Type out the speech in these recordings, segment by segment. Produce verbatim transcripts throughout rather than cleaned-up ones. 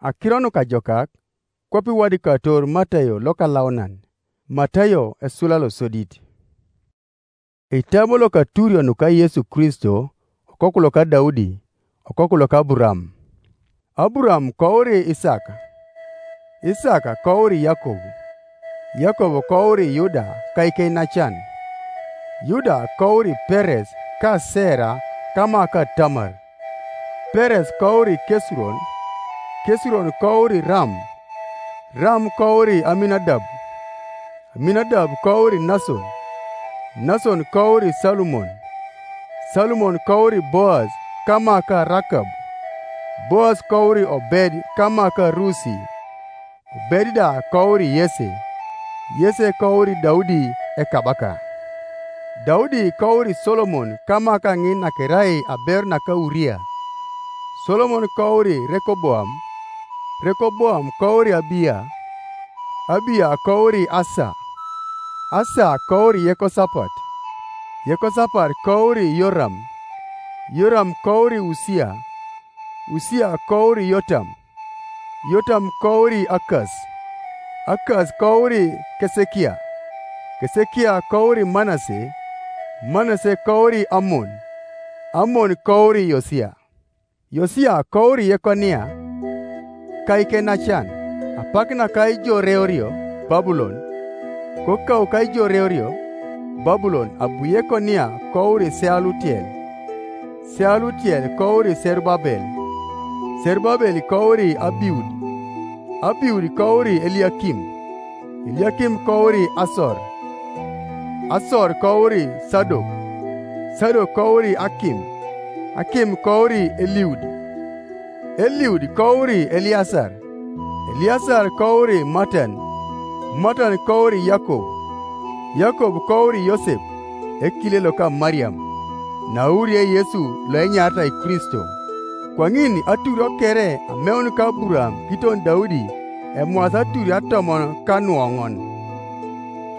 Akiro nukajokak, kwape wadi kator Matayo lokalaunan. Matayo esula losodit. Itabo lokaturio nuka Yesu Kristo, okoku loka Daudi, okoku loka Aburam. Aburam kouri Isaka, Isaka kouri Yakobo, Yakobo kouri Yuda ka ikeinacan, Yuda kouri Peres ka Sera kama ka Tamar. Peres kouri Kesuron, Kesuron kouri Ram, Ram kouri Aminadab, Aminadab kouri Nason, Nason kouri Salumon, Salumon kouri Boaz kama ka Rakab, Boaz kouri Obed kama ka Rusi, Obed da kouri Yese, Yese kouri Daudi ekabaka. Daudi kouri Solomon kama ka ŋin nakerai aberu naka Uria. Solomon kouri Rekoboam, Rekoboam kouri Abiya, Abiya kouri Asa, Asa kouri Yekosapat, Yekosapat kouri Yoram, Yoram kouri Usia, Usia kouri Yotam, Yotam kouri Akas, Akas kouri Kesekia, Kesekia kouri Manase, Manase kouri Amon, Amon kouri Yosia, Yosia kouri Yekonia ka ikenacan, apak naka ijo reorio Babulon, ko kau ka ijo reorio Babulon abu Yekonia kouri Sealutiel, Sealutiel kouri Serubabel, Serubabel kouri Abiud, Abiud kouri Eliakim, Eliakim kouri Asor, Asor kouri Sadok, Sadok kouri Akim, Akim kouri Eliud, Eliud kouri Eliasar, Eliasar kouri Matan, Matan kouri Yakob, Yakob kouri Yosep, ekile loka Mariam, naurie Yesu loenyaritai Kristo. Kwaŋin aturio kere ameun ka Aburam kiton Daudi emwas aturio atomon kanuoŋon.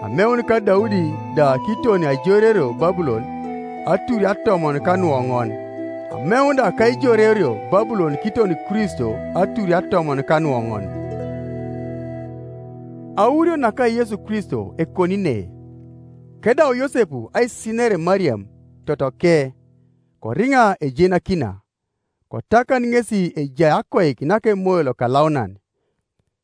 Ameun ka Daudi da kiton aijorerio Babulon aturio atomon kanuoŋon. Ameun da ka ijorerio Babulon kiton Kristo aturio atomon kanuoŋon. Aurio naka Yesu Kristo ekoni ne. Kedau Yosepu aisinere Mariam totoke, koriŋa ejenakina, kotakan ŋesi ejai akoik naka Emoyo Lokalaunan.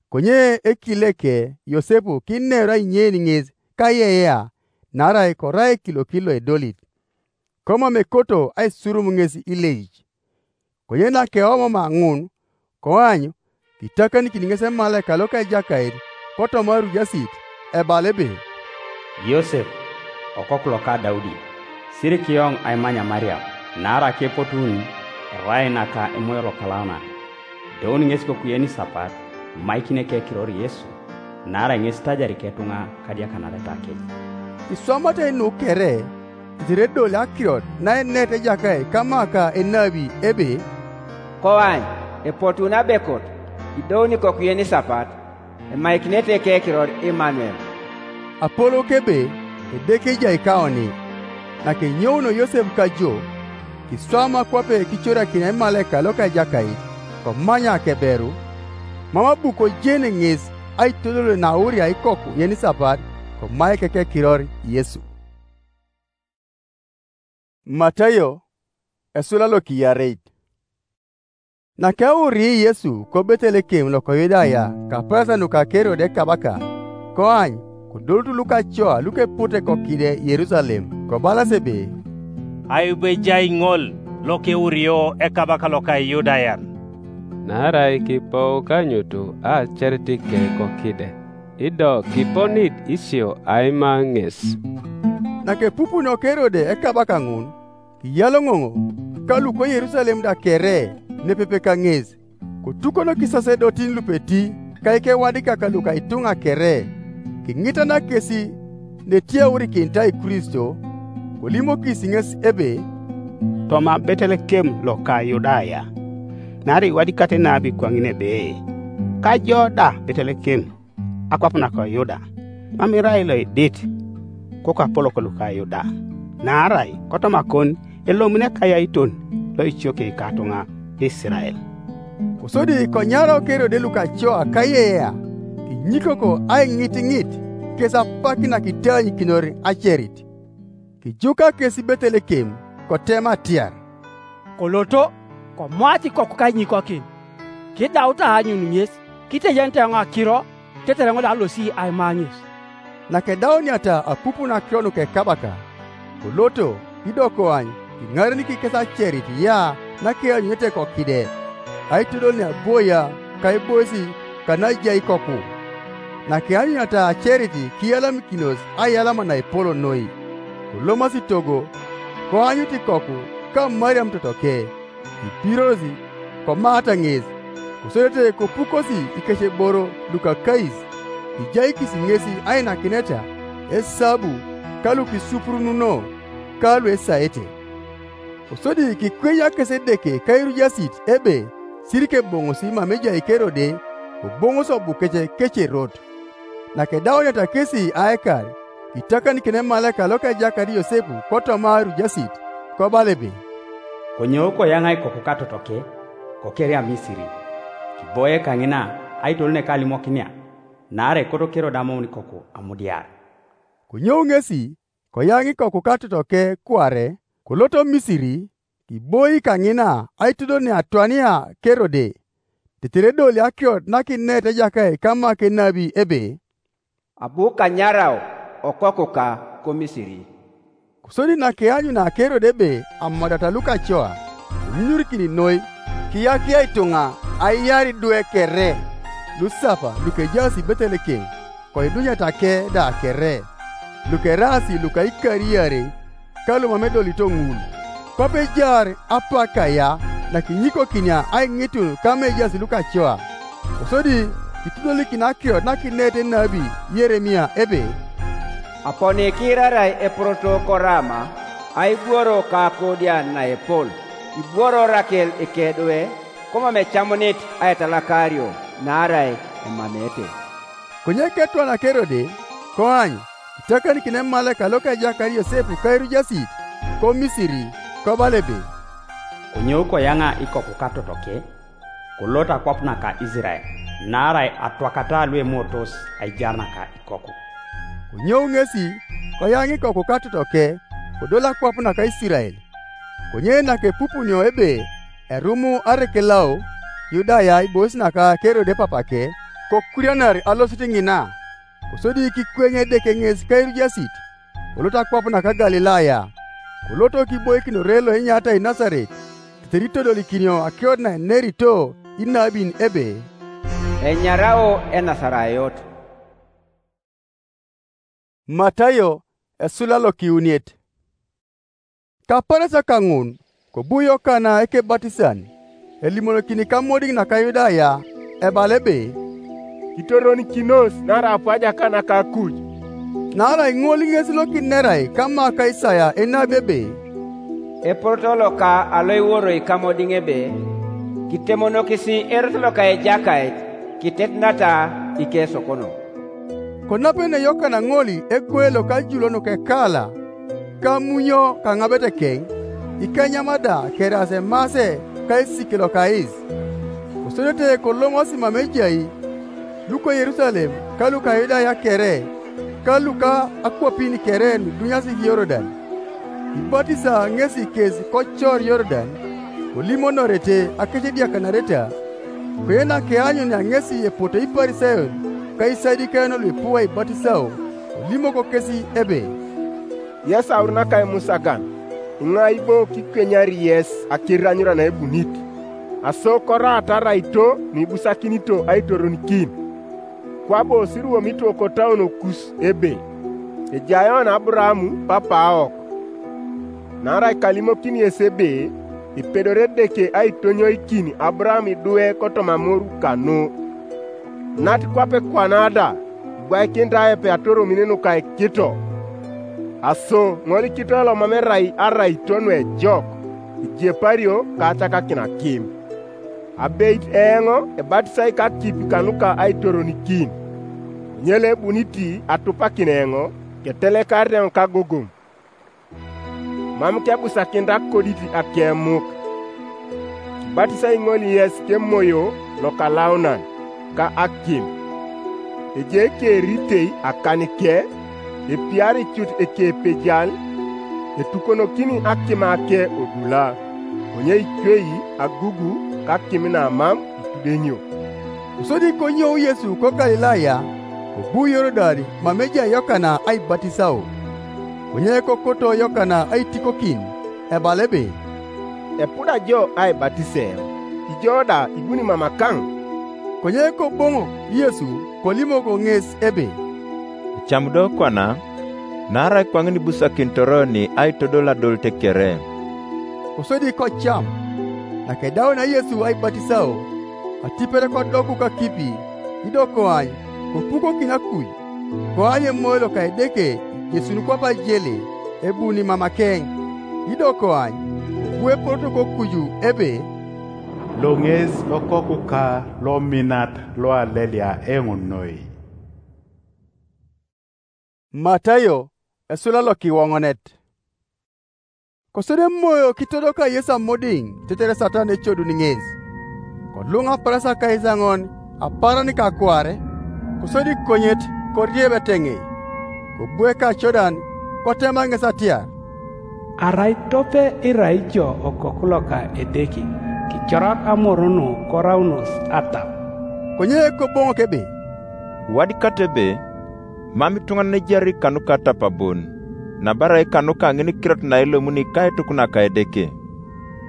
Konye ekileke Yosepu kineru ainyein ŋes kayeyea, naarai korai ekilokit loedolit. Komam ekoto aisurum ŋes ileic. Konye nakeomama ŋun, koany kitakanikin ŋes emalaika loka Ejakait kotoma arujasit, ebala ebe, "Yosep, okoku loka Daudi, sirik eoŋ aimanya Mariam, naarai akepotun erai naka Emoyo Lokalaunan. Doun ŋes kokuyen isapat, imaikini ekekiror Yesu, naarai ŋes itajari iketuŋa kadiakanareta kec." Iswamata nu kere, tetere edol akirot naenet Ejakait kama ka enabi ebe, "Koany, epotun abekot, idouni kokuyen isapat, emaikinete ekekiror Imanuel." Apolou kebe Edeke ejai kaoni. Nakenyouno Yosep kajo, kiswama kwape kicorakin emalaika loka Ejakait, komanya akeberu, mam abu kojene ŋes aitodol nauria ikoku yenisapat, komaik ekekiror Yesu. Matayo esula lokiyareit. Nakeurii Yesu ko Betelekem loko Yudaya kapesa nuka Kerode ekabaka, koany, kodolot lukacoa lukepute kokide Yerusalem, kobalas ebe, "Aibu ejai ŋol lokeurio ekabaka loka Iyudayan." Naarai kipou kanyutu acertike kokide, ido kiponit isio aima ŋes. Nakepupunio Kerode ekabaka ŋun, kiyaloŋoŋ ka luko Yerusalem da kere nepepe kaŋes, kotukono kisasedotin lupeti ka ikewadikak luka ituŋa kere, kiŋitana kesi netiaurikinitai Kristo, kolimokis ŋes ebe, "Toma Betelekem loka Yudaya, naarai iwadikate nabi kwaŋin ebe, 'Kajo da Betelekem, akwap nako Yuda, mam irai loedit kokapolok luka Yuda, naarai kotoma kon elomuni ekayaiton loicioke ikatuŋa Isirael.'" Kosodi konyarau Kerode lukacoa kayea, kinyikoko aiŋitiŋit kes apak nakitanyukinor acerit. Kijuka kes Betelekem, kotema atiar, "Koloto, komwac ikoku kainyikokin. Kidaut aanyun ŋes, kitejenete eoŋ akiro, tetere ŋol alosi aima ŋes." Nakedauniata apup nakiro nuka ekabaka, koloto, ido koany, kiŋarenik kes acerit ya nakeanyunete kokide, aitodol neaboia ka eboisi kanajai ikoku. Nakeanyuniata acerit kiyalamikinos aiyalama naepol noi, kolomasi togo, koanyut ikoku ka Mariam totoke, kipirorosi, komaata ŋes, kosodete kopukosi ikeceboro lukakais, kijaikis ŋesi ainakineta, esabu, ka lukisupurununo, ka luesaete. Kosodi kikwenya kes Edeke kairujasit ebe sirikeboŋosi mam ejai Kerode, koboŋos obukece kece erot. Nakedauniata kesi aekar, kitakanikin emalaika lokejakar Yosepu kotoma airujasit, kobala ebe, "Konyoou koyaŋa ikoku katotoke, kokeria Misiri, kiboie kaŋina aitolun ekalimokinia, naarai ekoto Kerode amoun ikoku amudiar." Konyou ŋesi, koyaŋ ikoku katotoke kuare, koloto Misiri, kiboi kaŋina aitodol neatwania Kerode, tetere edoli akirot nakinet Ejakait kama kenabi ebe, "Abu kanyarau okokuka ko Misiri." Kosodi nakeanyuna Kerode ebe amadata lukacoa, konyunyurikin noi, kiyakia ituŋa aiar idwe kere, lusapa lukejaas Betelekem, koidunyeta ke da kere, lukeraasi luka ikariarei, ka lumam edolito ŋul. Kwape ejaar apak aya nakinyikokinia aiŋitun kama ejaas lukacoa. Kosodi kitodolikin akirot nakinet enabi Yeremia ebe, "Aponi kiirarai eporoto ko Rama, aibworo ka akodian naepol, ibworo Rakel ekedwe, komam ecamunit aitalakario, naarai emamete." Konye ketwana Kerode, koany, kitakanikin emalaika lokejakar Yosepu kairujasit, ko Misiri, kobala ebe, "Konyou koyaŋa ikoku katotoke, kolot akwap naka Isirael, naarai atwakata luemotos aijar naka ikoku." Konyou ŋesi, koyaŋ ikoku katotoke, kodol akwap naka Isirael. Konye nakepupunio ebe erumu arekelau Yudaya ibois naka Kerode papake, kokurianar alosit ŋina, kosodi kikweny Edeke ŋes kairujasit, kolot akwap naka Galilaya, koloto kiboikinore loenyatai Nasaret, tetere itodolikinio akirot naenerito inabin ebe, "Enyarao Enasarayot." Matayo esula lokiuniet. Kaparas kaŋun, kobu Yokana Ekebatisan, elimonokini kamodiŋ naka Yudaya, ebala ebe, "Kitoronikinos naarai apu ajakana ka akuj." Naarai ŋol ŋes lokinerai kama ka Isaya enabi ebe, "Eporoto loka aloiworoi kamodiŋ ebe, kitemonokisi erot loka Ejakait, kitetinata ikesokon." Konapene Yokana ŋol egoe loka Julo nukekala, kamunyo kaŋabetekeŋ, ikenyama da keraas emase ka esik lokais. Kosodete kolomosi mam ejai, luko Yerusalem ka luka Yudaya kere, ka luka akwapin kere nudunyasi Yorudan. Ibatisa ŋesi kes kocor Yorudan, kolimonorete akecediakanareta, koyena keanyunia ŋesi epoto Iparisayon ka Isadukayon luipu aibatisao, kolimok kesi ebe, "Yesaur naka Emusagan, iŋai bo kikwenyari yes akiranyura naebunit? Aso koraata araito nuibusakinito aitoronikin? Kwabo siruomito kotauno kus ebe, 'Ejayon Aburaam papaok.' Naarai kalimokini yes ebe, epedori Edeke aitonyoikin Aburaam idwe kotoma amoru kanu. Nat kwape kwana da, ibwaikinit aepe atoromin nuka ikito. Aso ŋol ikito lomam erai araito nuejok, ejiepario ka acakakin akim. Abeit eoŋ ebatisai kakip kanuka aitoronikin. Konye loebunit atupakin eoŋ, ketelekarit eoŋ kagogom. Mam kebusakinit akodit akemuk. Batisai ŋol yes ke Moyo Lokalaunan ka akim. Ejai keritei akanike, epiari cut ekepejal, etukonokini akima ke odula, konye icwei agugu kakim namam itudenio. Kosodi konyou Yesu ko Galilaya, kobu Yorudan mam ejai Yokana aibatisao. Konye kokoto Yokana aitikokin, ebala ebe, "Epuda jo aibatiseo, ijo da ibuni mama kaŋ?" Konye koboŋok Yesu kolimok ŋes ebe, "Ecam do kwana, naarai kwaŋin ibusakinitor oni aitodol adolit kere." Kosodi kocam. Nakedauna Yesu aibatisao, atipet kodoku kakipi, ido koany kopukokin akuj, koany Emoyo loka Edeke ijesun kwap ajele ebuni mamakeŋ, ido koany kobu eporoto kokuju ebe, "Lo ŋes lokokuka lominat loalelia eoŋ noi." Matayo esula lokiwoŋonet. Kosodi Emoyo kitodoka Yesu amudiŋ tetere Satan ecodun ŋes. Koluŋ Aparasakais aŋon apaaran kakware, kosodi konyet korieb eteŋe, kobu ekacodan, kotema ŋes atiar, "Arai tope irai jo okoku loka Edeke, kicorak amoru nu koraunos atap." Konye koboŋok ebe, "Iwadikata ebe, mam ituŋanan ejari kanuka atap bon, nabo arai kanuka ŋin kirot nailomuni ka etuk naka Edeke."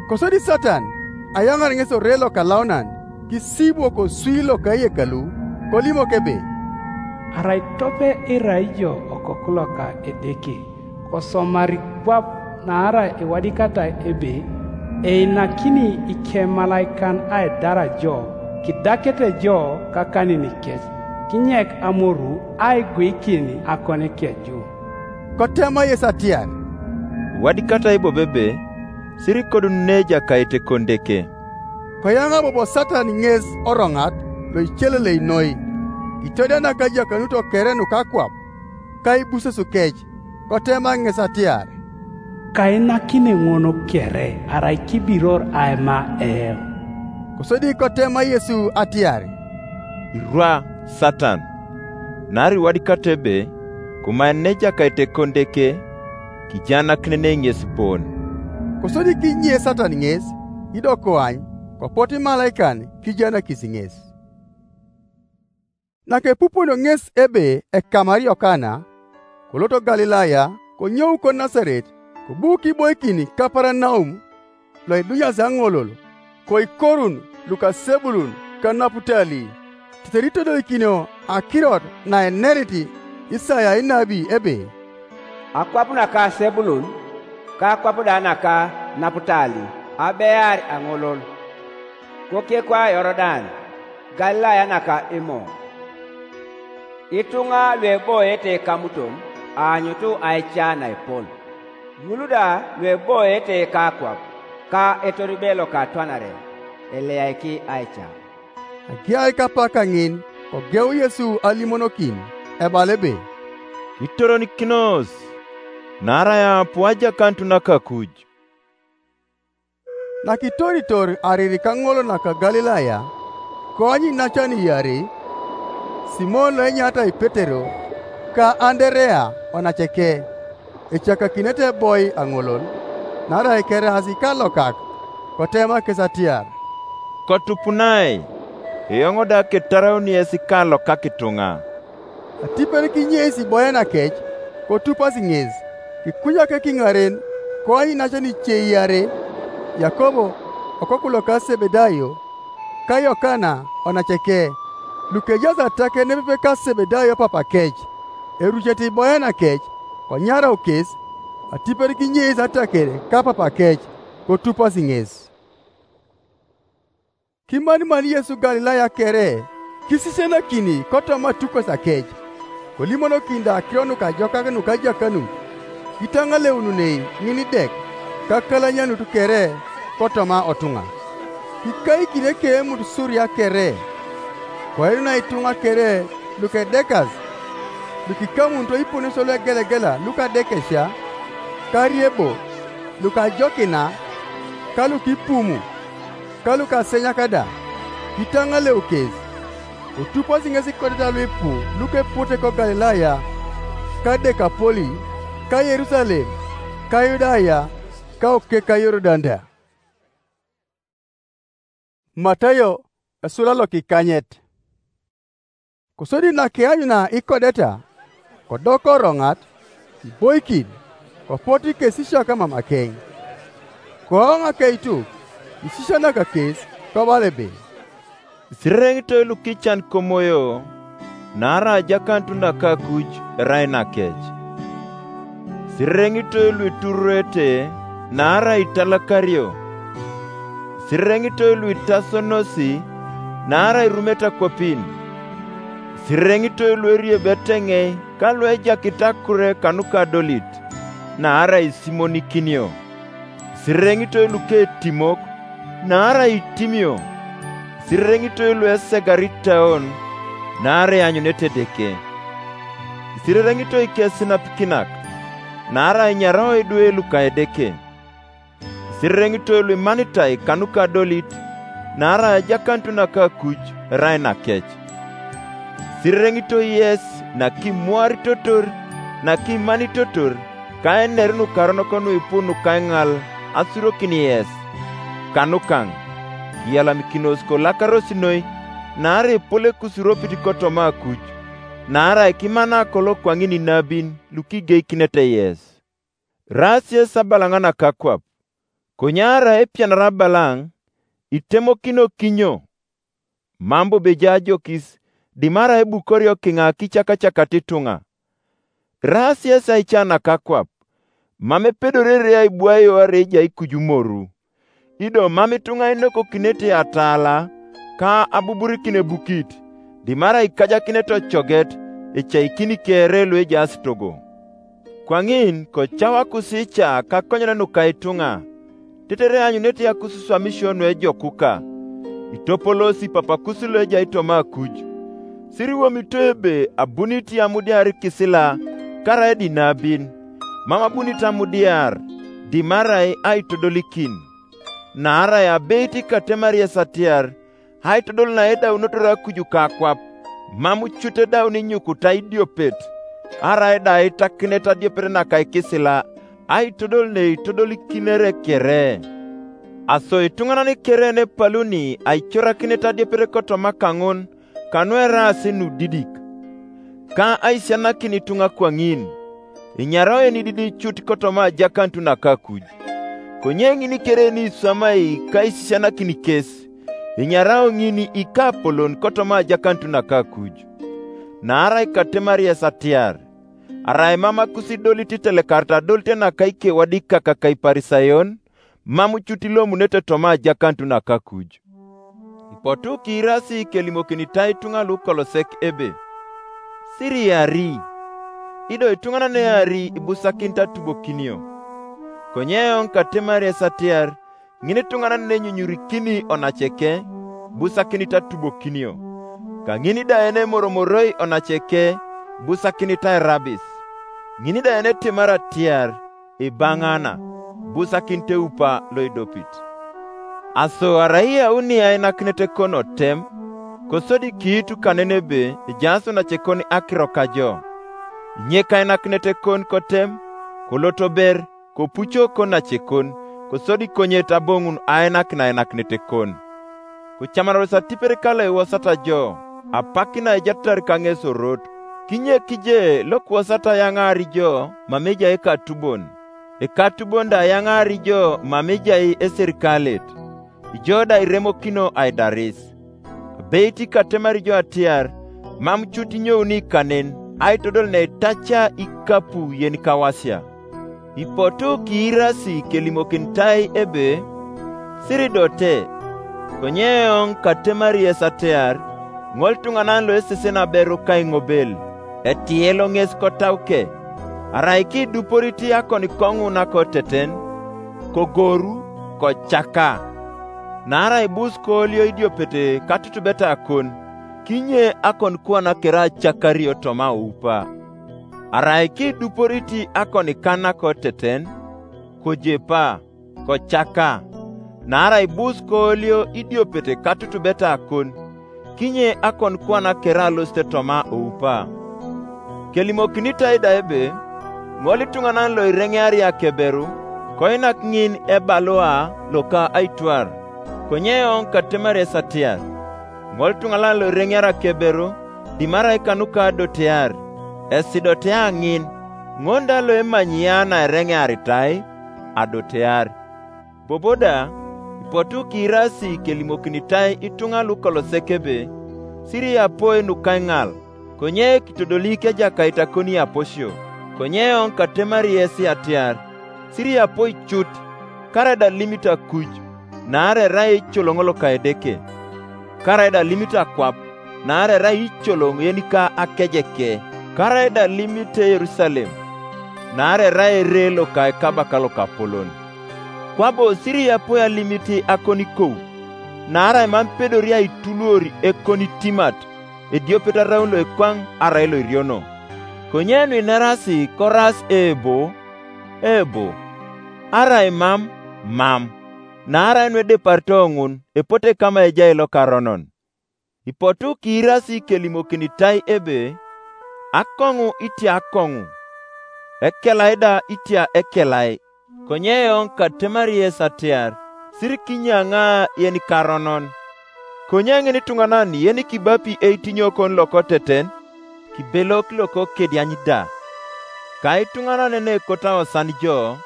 Kosodi Satan ayaŋar ŋes ore lokalaunan, kisibwok osui loka eyekalu, kolimok ebe, "Arai tope irai jo okoku loka Edeke, kosomari kwap, naarai iwadikatai ebe, 'Einakini ikemalaikan aidara jo, kidakete jo kakanin kec, kinyek amoru aiguikin akon keju.'" Kotema Yesu atiar, "Iwadikatai bobo ebe, 'Siri kodun ne Ejakait ekon Edeke.'" Koyaŋa bobo Satan ŋes oroŋat lo icelelei noi, kitodianak ajakanut kere nukakwap, ka ibuses kec, kotema ŋes atiar, "Kainakini ŋun kere arai kibiror aima eoŋ." Kosodi kotema Yesu atiar, "Irwa, Satan! Naarai iwadikato ebe, 'Kumaen ne Ejakait ekon Edeke, kijaanakin ne ŋes bon.'" Kosodi kinye Satan ŋes, ido koany, kopot imalaikan kijaanakis ŋes. Nakepupunio ŋes ebe ekamari Yokana, kolot Galilaya, konyou ko Nasaret, kobu kiboikin Kapanaum, lo idunyasi aŋolol, koikorun luka Sebulun ka Naputali, tetere itodoikinio akirot naenerit Isaya enabi ebe, "Akwap naka Sebulun, ka akwap da naka Naputali, abear aŋolol, kokekwa Yorudan, Galilaya naka imoŋ. Ituŋa lueboete kamuton aanyutu aica naepol, ŋul da lueboete kakwap, ka etorube lokatwanare, eleaiki aica." Agiai kapak kaŋin, kogeu Yesu alimonokin, ebala ebe, "Kitoronikinos, naarai apu ajakanut nakakuj." Nakitoritor arir kaŋol naka Galilaya, koany inacan iarei, Simon lo enyaritai Petero, ka Anderea onaceke, ecakakinete eboi aŋolol, naarai keraas ikalokak, kotema kes atiar, "Kotupunai, eoŋ da ketarauni yes ikalokak ituŋa." Atipet kinyeis iboe nakec, kotupas ŋes, kikunyak ekiŋaren, koany inacan ice iarei, Yakobo, okoku loka Sebedayo, ka Yokana onaceke, lukejaas atak nepepe ka Sebedayo papakec, erucete iboe nakec, konyarau kes, atipet kinyeis ataker ka papakec, kotupas ŋes. Kimanimani Yesu Galilaya kere, kisisianakini kotoma atukos akec, kolimonokin da akiro nukajokak nuka ajakanut, kitaŋaleununei ŋinidek ka akalanyanut kere kotoma otuŋa. Kikaikin ekeemut Suria kere, koenuna ituŋa kere lukedekas, lukikamunito iponesio luegelegela lukadekesia, ka Ariebo, lukajokina, ka lukipumu. ka lukasenyak da, kitaŋaleu kes, kotuposi ŋes ikodeta luipu lukepute ko Galilaya, ka Dekapoli, ka Yerusalem, ka Yudaya, ka oke ka Yorudan da. Matayo esula lokikanyet. Kosodi nakianyuna ikodeta, kodoko roŋat, iboikin, kopot ikesisiak amamakeŋ. Koŋ akeituk, isisianaka kes, kobala ebe, "Isirereŋitoi lukican komoyo, naarai ajakanut nakakuj erai nakec. Isirereŋitoi luitururete, naarai italakario. Isirereŋitoi luitasonosi, naarai irumete akwapin. Isirereŋitoi lueriebet eŋei ka luejakit akure kanuka adolit, naarai isimonikinio. Isirereŋitoi luketimok, naarai itimio. Isirereŋitoi luesegarit taon, naarai ianyunete Edeke. Isirereŋitoi ikesinapikinak, naarai inyarao idwe luka Edeke. Isirereŋitoi luimanitai kanuka adolit, naarai ajakanut nakakuj erai nakec. Isirereŋitoi yes nakimuaritotor, nakimanitotor, ka einer nukaronok nuipu nukaiŋal asurokin yes. Kanukaŋ, kiyalamikinos kolakaros noi, naarai epol ekusuropit kotoma akuj, naarai kimana kolo kwaŋin inabin lukigeikinete yes." Eraas yes abalaŋ nakakwap, konye arai epianar abalaŋ, itemokino kinyo? Mam bobo ejai ajokis, dimarai ebukorio kiŋa kicakacakat ituŋa. Eraas yes aica nakakwap, mam epedorere aibwaio arai ejai kuju moru. Ido mam ituŋa inokokinete ataala ka abuburikin ebukit, dimarai ikajakinete ocoget, ecaikini kere luejaas togo. Kwaŋin kocawakus ica kakonyen nuka ituŋa, tetere eanyunete akususwamisio nuejokuka. Itopolosi papakus loejai toma akuj. Siriwomito ebe abunit amudiar ikisila, karaida inabin, mam abunit amudiar, dimarai aitodolikin. Naarai abeit ikatemari yes atiar, aitodol naedaunotor akuju ka akwap, mam cut edaun inyukuta idiopet, arai da aitakinet adiopet naka ikisila, aitodol neitodolikinere kere. Aso ituŋanan kere nepaluni aicorakinet adiopet kotoma kaŋun, kanu eraas nudidik, ka aisisianakin ituŋa kwaŋin, inyarao enididik cut kotoma ajakanut nakakuj. Konye ŋini kere ni iswamai ka isisianakin kes, inyarao ŋini ikapolon kotoma ajakanut nakakuj. Naarai katemari yes atiar, arai mam akusidolit itelekarita adolit naka ikewadikak ka Iparisayon, mam cut ilomunete toma ajakanut nakakuj. Ipotu kiirasi kelimokinitai ituŋa lukolosek ebe, "Siriari, ido ituŋanan eari ibusakinit atubokinio." Konye eoŋ katemari yes atiar, ŋin ituŋanan nenyunyurikini onaceke, ibusakinit atubokinio. Kaŋin da yenemoromoroi onaceke, ibusakinit airabis. Ŋin da yenetemar atiar, ibaŋana, ibusakinit eupa loidopit. Aso arai iyauni ainakinet kon otem, kosodi kiitu kanen ebe ejaas onacekon akiro kajo. Inye kainakinet kon kotem, kolotober, kopuco konacekon, kosodi konyet aboŋun ainakin ainakinet kon. Kocamanaros atipet kalo iwosata jo, apak naejatar kaŋesorot, kinye kije lokiwosata ayaŋaar jo mam ejai ekatubon, ekatubon da ayaŋaar jo mam ejai eserikalet, ijo da iremokino aidaris. Abeit katemar jo atiar, mam cut inyouni kanen aitodol neitaca ikapu yen kawasia. Ipotu kiirasi kelimokinitai ebe, "Siridote," konye eoŋ katemari yes atiar, ŋol tuŋanan loesesen aberu kaiŋobel, etiyelo ŋes kotauke, arai kiduporit akon koŋu nakoteten, kogoru, kocaka. Naarai bus koolio idiopet katutubeta akon, kinye akon kwana kere acakario toma aupa. Arai kiduporit akon kan nakoteten, kojepa, kocaka. naarai bus koolio idiopete katutubeta akon, kinye akon kwana kere alosite toma oupa. Kelimokinitai da ebe, ŋol ituŋanan lo ireŋeari akeberu, koinak ŋin ebalua loka aitwar, konye eoŋ katemari esatiar. Ŋol ituŋanan lo ireŋeari akeberu, dimarai kanuka adotear, esidotea ŋin, ŋon da lo emanyi ya naereŋearitai, adotear. Bobo da, ipotu kiirasi kelimokinitai ituŋa lukolosek ebe, siri apoi nukaiŋal, konye kitodolik Ejakait akoni aposio, konye eoŋ katemari yesi atiar, siri apoi cut, karaida limit akuj, naarai erai ecoloŋ loka Edeke. Karaida limit akwap, naarai erai icoloŋ yenika akejeke. Karaida limit Yerusalem, naarai erai ere loka ekabaka lokapolon. Kwabo siri apoi alimit akonikou, naarai mam pedori aituluor ekonitimat, ediopet araun loikwaŋ arai loiriono. Konye nuinerasi koras ebo, ebo, arai mam, mam, naarai nuedeparito ŋun epote kama ejai lokaronon. Ipotu kiirasi kelimokinitai ebe, akoŋu itia akoŋu, ekelai da itia ekelai, konye eoŋ katemari yes atiar, sirikinyaŋa yenikaronon. Konye ŋin ituŋanan yenikibapi eitinyokon lokoteten, kibelok lokokediany da. Ka ituŋanan nekotaosan jo,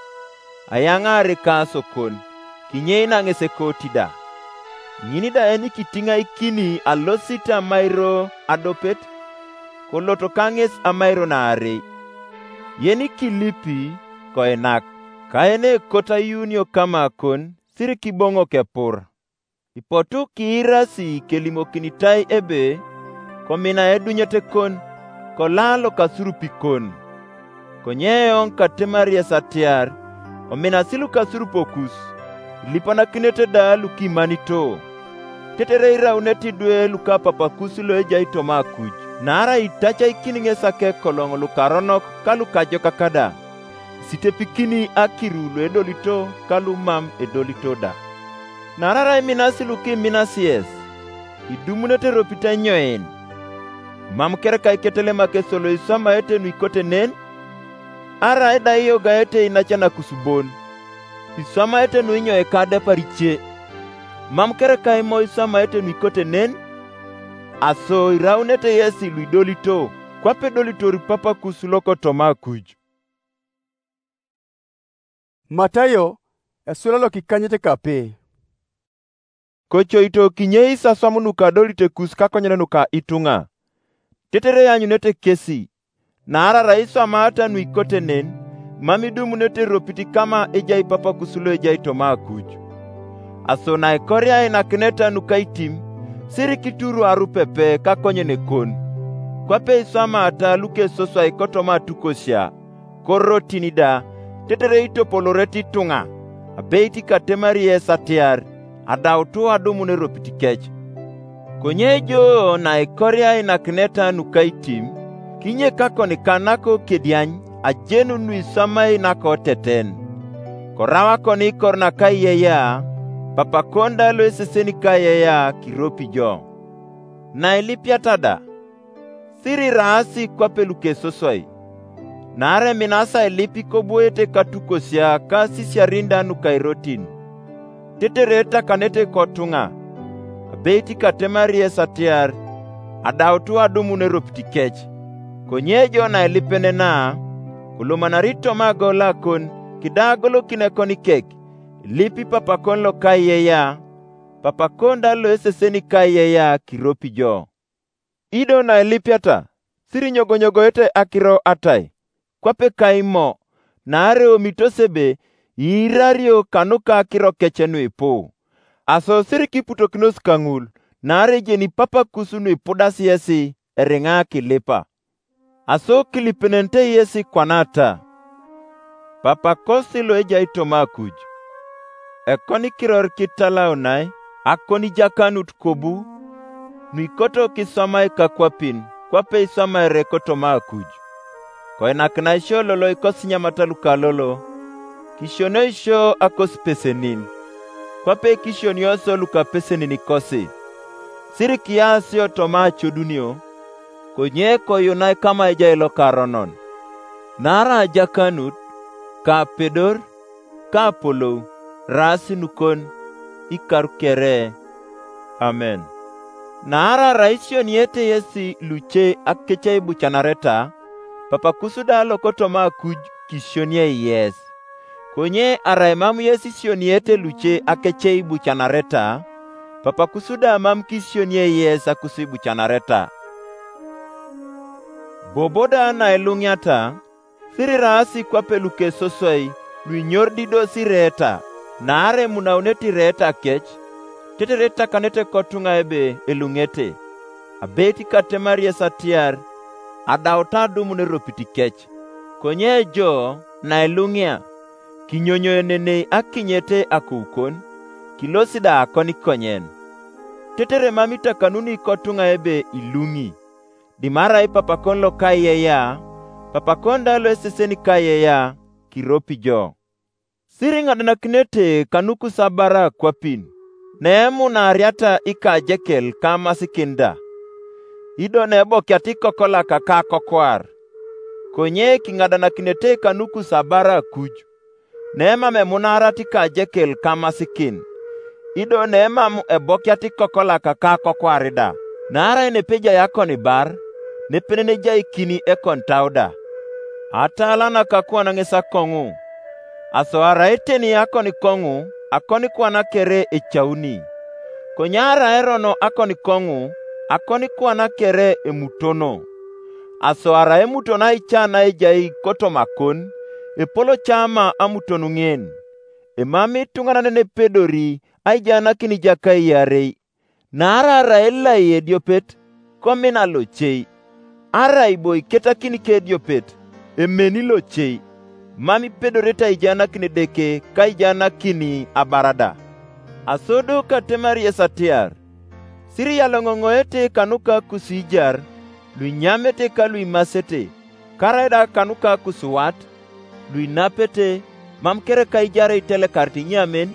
ayaŋaar ekasokon, kinyei naŋes ekoti da. Ŋin da enikitiŋaikini alosit amairo adopet, koloto kaŋes amairo naarei. Yenikilipi, koinak, ka yenekot ayuunio kamakon, sirikiboŋok epur. Ipotu kiirasi kelimokinitai ebe, komina edunyet kon, kolaa lokasurupikon. Konye eoŋ katemari yes atiar, ominasi lukasurupokus, ilipanakinete da lukimanito. Tetere iraunete idwe lukapapakus loejai toma akuj, naarai itacaikin ŋes akekoloŋ lukaronok ka lukajokak da, isitepikini akiru luedolito ka lumam edolito da. Naarai arai iminasi lukiminasi yes, idumunete eropit enyoin. Mam kerekai ketelemak esolo iswamaete nuikote nen, arai da iyogaete inacan akusubon, iswamaete nuinyoika adepar ice. Mam kerekai mo iswamaete nuikote nen, aso iraunete yesi luidolito, kwape edolitor papakus lokotoma akuj. Matayo, esula lokikanyet kape. Kocoito kinyei isaswam nuka adolitekus kakonyen nuka ituŋa, tetere ianyunete kesi, naarai arai iswamaata nuikote nen, mam idumunete eropit kama ejai papakus loejai toma akuj. Aso naikoria ainakineta nuka itim, sirikituru arupepe kakonyen kon, kwape iswamaata lukesoswai kotoma atukosia, korotin da, tetere itopolorete ituŋa, abeit katemari yes atiar, adautu adumun eropit kec. Konye jo naikoria ainakineta nuka itim, kinyekakon kanako kediany ajenun nuiswamai nakoteten. Korau akoni kor nakaiyeye, papakon da loeseseni kaiyeye kiropi jo. Nailipiata da, siriraasi kwape lukesoswai, naarai eminasi ailip ikoboete katukosia ka sisiarin da nukairotin, tetere etakanete kotuŋa, abeit katemari yes atiar, adautu adumun eropit kec. Konye jo nailipenena, kolomanari toma agolakon, kida agolokin ekonikek, ilipi papakon lokaiyeye, papakon da loeseseni kaiyeye kiropi jo. Ido nailipiata, sirinyogonyogete akiro atai, kwape kaimo, naarai omitos ebe iirario kanuka akiro kec nuipu. Aso sirikiputokinos kaŋul, naarai ejeni papakus nuipudas yesi eriŋa kilipa. Aso kilipenenete yesi kwana ta, papakosi loejai toma akuj, ekonikiror kitalaunai, akonijakanut kobu, nuikoto kiswamai kakwapin, kwape iswamaere kotoma akuj. Koinakina isio lolo ikosinyamata lukalolo, kisionio isio akosipesenin. kwape kisionioso lukapesenin kosi. Sirikiasio toma acodunio, konye koyunai kama ejai lokaronon. Naarai ajakanut, ka apedor, ka apolou, eraas nukon, ikaru kere. Amen. Naarai arai isioniete yesi luce akece ibucanareta, Papakus da lokotoma Akuj kisionie yes. Konye arai mam yes isioniete luce akece ibucanareta, Papakus da mam kisionie yes akus ibucanareta. Bobo da nailuŋiata, siriraasi kwape lukesosoi luinyor dido sireeta, naarai emunaunete ireeta kec, tetere itakanete kotuŋa ebe eluŋete. Abeit katemar yes atiar, adauta adumun eropit kec. Konye jo nailuŋia, kinyonyoenenei akinyete akoukon, kilosi da akonikonyen. Tetere mam itakanuni kotuŋa ebe iluŋi. Dimarai papakon loka iyeya, papakon da loeseseni ka iyeya, kiropi jo. Siriŋadanakinete kanukus abara kwapin, neemunaariata ikajekel kamasikin da. Ido neebokiata ikokolak ka akokwar. Konye kiŋadanakinete kanukus abara Akuj, nemam emunaarat ikajekel kamasikin, ido nemam ebokiat ikokolak ka akokwar da. Naarai nepejai akonibar, nepenenejaikini ekonitau da. Ataalan akakuan ŋes akoŋu, aso arai teni akonikoŋu, akonikwana kere ecauni. Konye arai erono akonikoŋu, akonikwana kere emutono. Aso arai emuton aica naejai kotomakon, epoloca ama amuton ŋen. Emam ituŋanan nepedori aijaanakin ijakai iarei. Naarai arai elai ediopet, komina locei. Arai bo iketakin kediopet, emeni locei. Mam ipedorete aijaanakin Edeke ka aijaanakin abarada. Aso do katemar yes atiar, siriyaloŋoŋoete kanuka kusiijar, luinyamete ka luimasete, karaida kanuka kusuwat, luinapete, mam kere ka ijarei itelekarit inyamen,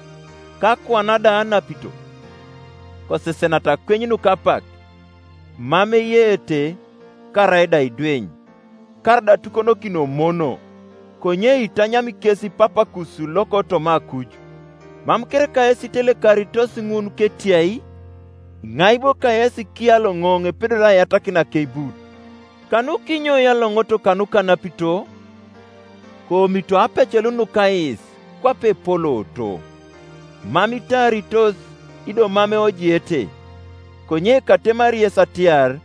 ka kwana da anapito. Kosesenata kweny nukapak, mam eyeete, karaida idweny, karaida atukonokino mono, konye itanyam kes Papakus lokotoma Akuj. Mam kere ka yes itelekaritos ŋun ketiai, iŋai bo ka yes kiyaloŋoŋ epedori aiyatakin akeibut? Kanukinyo iyaloŋoto kanuka napito? Koomito apecel nukais kwape epolooto. Mam itaaritos, ido mam eojiete. Konye katemari yes atiar,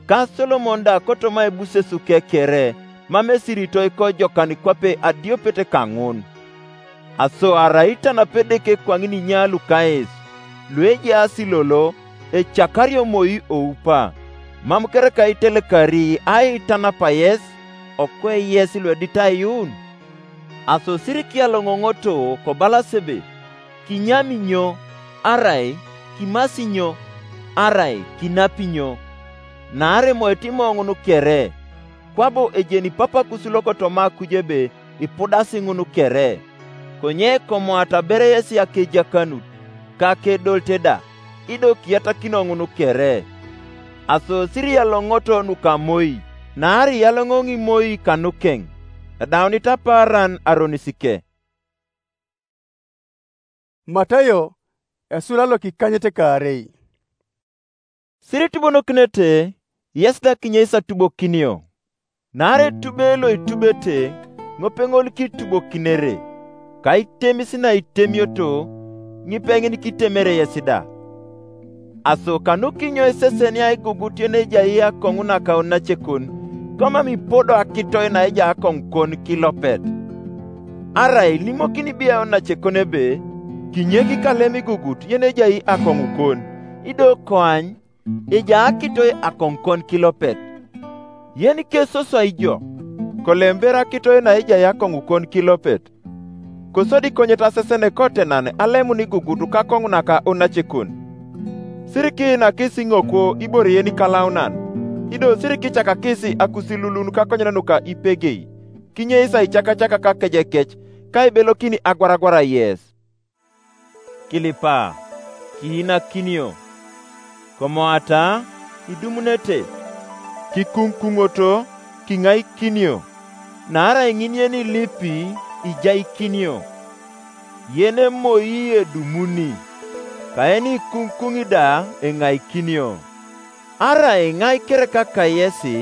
ka Solomon da kotoma ebusesu kekere mam esiritoi kojokan kwape adiopet kaŋun. Aso arai itanap Edeke kwaŋin inya lukais, luejaas lolo, ecakario moi oupa, mam kereka itelekari aitanapa yes, okwe yes luedit aiyuun? Aso sirikia loŋoŋoto kobalas ebe, kinyami nyo, arai kimasi nyo, arai kinapi nyo? Naarai emoet imoŋun kere, kwabo ejeni Papakus lokotoma Akuj ebe ipudasi ŋun kere. Konye komoata abereyesi akejakanut, ka akedolte da, ido kiyatakino ŋun kere. Aso siriyaloŋoto nuka moi, naarai iyaloŋoŋ imoi kanukeŋ, edaunit apaaran aronisike. Matayo, esula lokikanyet kaarei. Siritubonokinete, yes da kinyei satubokinio. Naarai etube loitubete, ŋopeŋol kitubokinere, ka itemis na itemioto, ŋipeŋin kitemere yes da. Aso kanukinyo isesenia igugut yenejai akoŋu nakaun nacekon, komam ipodo akitoi naejai akoŋukon kilopet? Arai ilimokini biaun nacekon ebe, kinyek kalem igugut yenejai akoŋukon, ido koany, ejai akitoi akoŋukon kilopet. Yen kesosoi jo, kolember akitoi naejai akoŋukon kilopet. Kosodi konyet asesene kotenan alemun igugut kakoŋu naka unacekon. Sirikinakis iŋokwo ibore yenikalaunan, ido sirikicakakis akusilulun kakonyen nuka ipegei, kinyeis aicakacaka kakejekec, ka ibelokini agwaragwara yes. kilipa, kiinakinio. Komoata, idumunete, kikuŋkuŋoto, kiŋaikinio. Naarai ŋin yenilipi, ijaikinio. Yen emoi edumuni, kaeni ikuŋkuŋ da eŋaikinio. Arai ŋai kereka kayesi,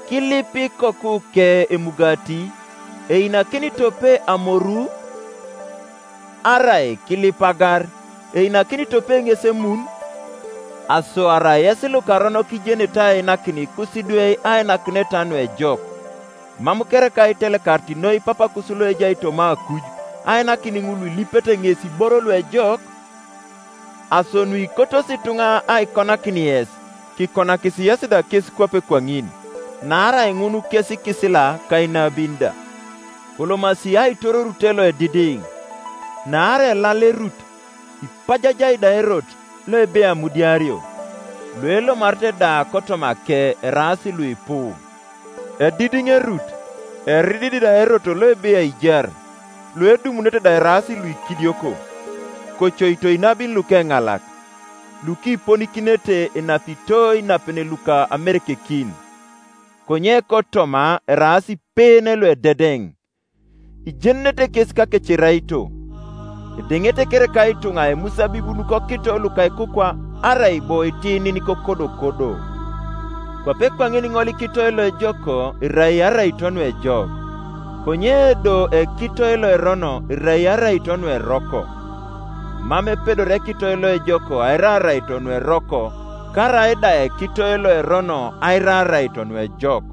kilip ikoku ke emugati, einakini tope amoru? Arai kilip agar, einakini tope ŋes emun? Aso arai yesi lukaronok ijenete ainakin ikusidwei ainakinet nuejok. Mam kereka itelekarit noi papakus loejai toma akuj, ainakin ŋul ilipete ŋes iboro luejok? Aso nuikotos ituŋa aikonakin yes, kikonakis yes da kes kwape kwaŋin, naarai ŋun kes ikisila kainabin da. Kolomasi aitororute loedidiŋ, naarai elalerut, ipajajai da erot loebe amudiario. Luelomarete da kotoma ke eraas luipu. Edidiŋerut, erididi da erot loebe aijar, luedumunete da eraas luikidioko. Kocoito inabin lukeŋalak, lukiponikinete inapitoi napene luka amerekekin. Konye kotoma eraas ipene luededeŋ. Ijenenete kes kakeceraito. Edeŋete kereka ituŋa emusabibu nukokito lukaikukwa arai bo itinin kokodokodo. Kwape kwaŋin ŋolikitoi loejoko irai araito nuejok, konye do ekitoi loerono irai araito nueroko. Mam epedor ekitoi loejoko aira araito nueroko, karai da ekitoi loerono aira araito nuejok.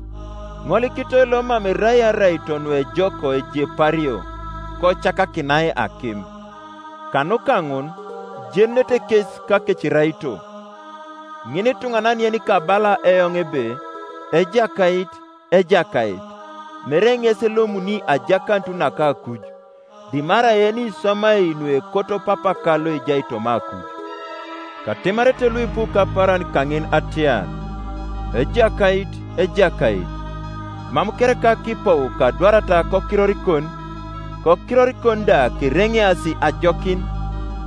Ŋolikitoi lomam erai araito nuejoko ejepario, kocakakinai akim. Kanuka ŋun, ijenete kes kakeciraito. Ŋin ituŋanan yenikabala eoŋ ebe, Ejakait, Ejakait, mere ŋes elomuni ajakanut naka akuj, dimarai yeniswamai nuekoto papaka loejai toma akuj. Katimarete luipu kaparan kaŋin atiar, Ejakait, Ejakait, mam kereka kipou kadwarata kokirorikon, kokirorikon da kereŋeasi ajokin,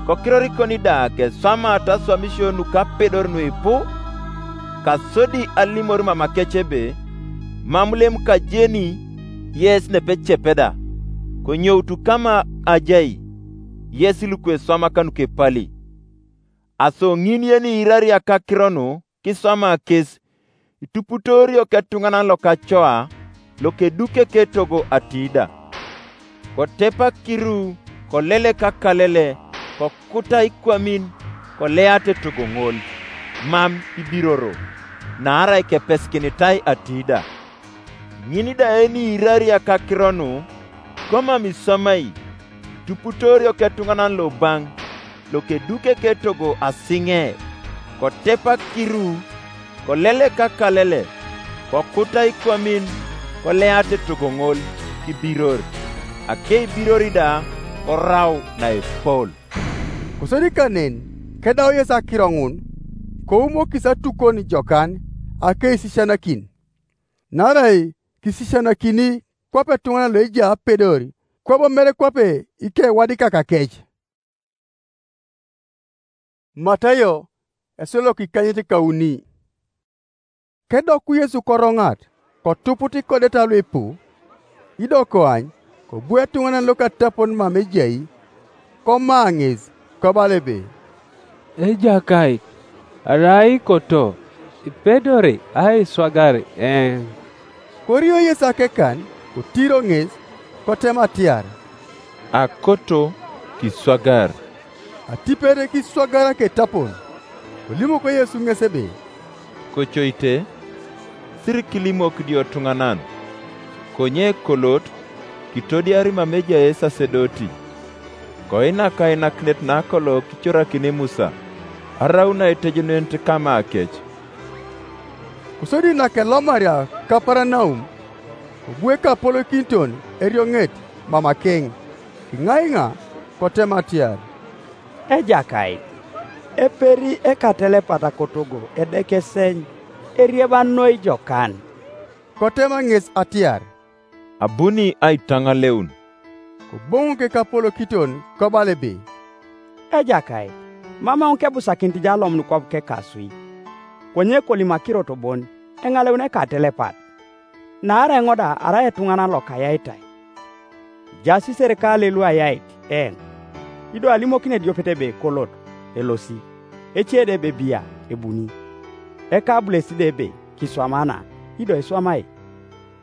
kokirorikon da keswamata aswamisio nukapedor nuipu? Kasodi alimor mamakec ebe, mam lem kajeni yes nepecepeda, konyoutu kama ajai yes lukweswamaka nukepali. Aso ŋin yeniiraria kakiro nu kiswama kes, ituputorio ketuŋanan lokacoa, lokedukeke togo atida. Kotepak kiru, kolelek akalele, kokuta ikwamin, koleate togo ŋol, mam ibiroro, naarai kepesikinitai atida. Ŋin da eniiraria kakiro nu, komam iswamai, ituputorio ketuŋanan lobaŋ, lokedukeke togo asiŋe, kotepak kiru, kolelek akalele, kokuta ikwamin, koleate togo ŋol, kibiror, akeibirori da, korau naepol. Kosodi kanen, kedau Yesu akiro ŋun, koumokis atukon jokan akeisisianakin. Naarai kisisianakini kwape etuŋanan loejai apedor, kwabo mere kwape ikewadikak kec. Matayo, esolok ikanyit kauni. Kedoku Yesu koroŋat, kotuput ikodeta luipu, ido koany, kobu etuŋanan lokatapon mam ejai, koma ŋes, kobala ebe, Ejakait, arai ikoto, ipedori aiswagar eoŋ. Korio Yesu akekan, kotiro ŋes, kotem atiar, Akoto, kiswagar. Atipet kiswagar aketapon. Kolimok Yesu ŋes ebe, Kocoite, siri kilimok idiotuŋanan. Konye kolot, kitodiari mam ejai esasedoti. Koinak ainakinet nakolo kicorakini Musa, arau naitejenenit kama akec. Kosodi nakelomaria Kapanaum, kobu ekapolokiniton erioŋet mamakeŋ, kiŋaiŋa, kotem atiar, Ejakait, eperi ekatelepat kotogo edekeseny, erieba noi jokan. Kotema ŋes atiar, Abuni aitaŋaleun. Koboŋok ekapolokiton kobala ebe, Ejakait, mam eoŋ kebusakinit jo alomun kwap kekaswi, konye kolim akirot bon eŋaleun ekatelepat. Naarai eoŋ da arai etuŋanan lokayaitai. Ejaas isirikale lu ayait eoŋ, ido alimokin ediopet ebe kolot, elosi, ece da ebe bia, ebuni, eka abules da ebe kiswamana, ido iswamai.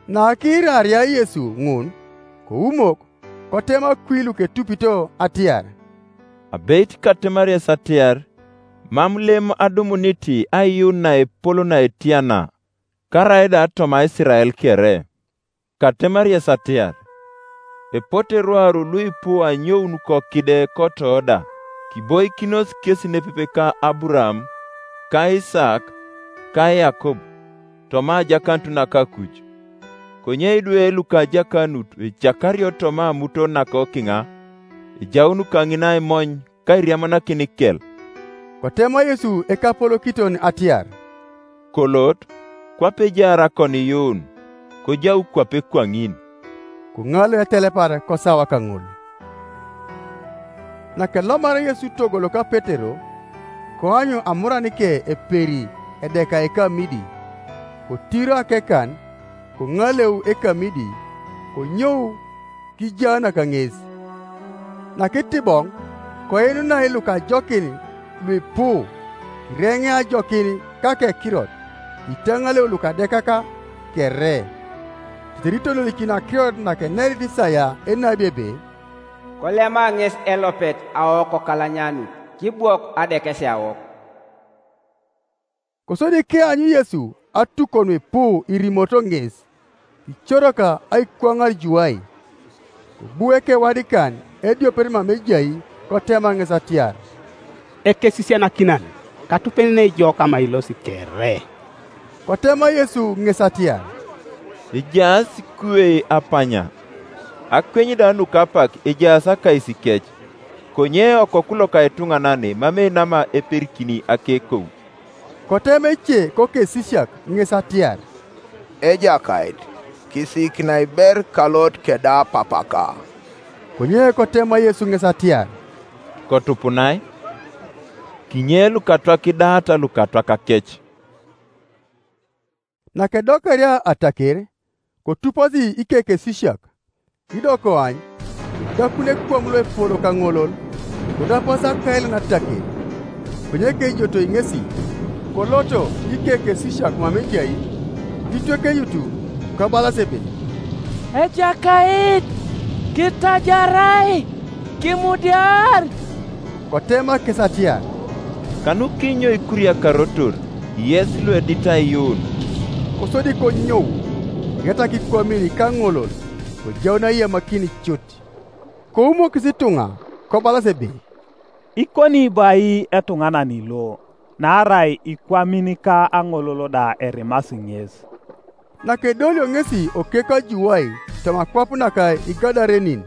Nakiiraria Yesu ŋun, koumok, kotema kwi luketupito atiar, "Abeit katemar yes atiar, mam lem adumunit aiyuun naepol naetiana, karaida toma Isirael kere. Katemar yes atiar, epote rwaru luipu anyoun kokide kotoda, kiboikinos kes nepepe ka Aburam, ka Isak, ka Yakob, toma ajakanut nakakuc. Konye idwe lukajakanut ecakario toma amuto nakokiŋa, ejaun kaŋin aimony kairiamanakin kel." Kotema Yesu ekapolokiton atiar, "Kolot, kwape ejaar akoniyuun, kojau kwape kwaŋin." Koŋal etelepar kosawa kaŋol. Nakelomar Yesu togo loka Petero, koanyu amuranike eperi edekai kamidi, kotiro akekan, koŋaleu ekamidi, konyou kijaanaka ŋes. Nakitiboŋ, koinunai lukajokin luipu, kireŋe ajokin kakekirot, itaŋaleu lukadekaka kere. Tetere itolikin akirot nakenerit Isaya enabi ebe, "Kolema ŋes elopet aokokalanyanut, kibwok adekesiawok." Kosodi kianyu Yesu atukon ipu irimoto ŋes, kicoroka aikwaŋar juwai. Kobu ekewadikan ediopet mam ejai kotema ŋes atiar, "Ekesisianakinan, katupenenei jo kama ilosi kere." Kotema Yesu ŋes atiar, "Ejaas kuwei apanya, akweny da nukapak ejaas akais kec, konye Okoku loka Etuŋanan mam einama eperikini akekou." Kotema ece kokesisiak ŋes atiar, "Ejakait, kisiikinai ber kalot keda papaka." Konye kotema Yesu ŋes atiar, "Kotupunai, kinye lukatwak idaata lukatwak kec." Nakedokeria ataker, kotuposi ikekesisiak, ido koany, idakun ekwam loepol kaŋolol, kodapas akailan ataker, konye keijotoi ŋesi, koloto ikekesisiak mam ejai, titwekeyutu, kobalas ebe, "Ejakait, kitajarai, kimudiar!" Kotema kes atiar, "Kanu kinyo ikuriakarotor, yes luedit aiyuun?" Kosodi konyou, eriatak ikwamin kaŋolol, kojaun aiyamakin cut. Koumokis ituŋa, kobalas ebe, "Ikoni bo ai etuŋanan lo, naarai ikwamin ka aŋolol da erimasi ŋes." Nakedolio ŋesi okek ajuwai toma akwap naka Igadarenin,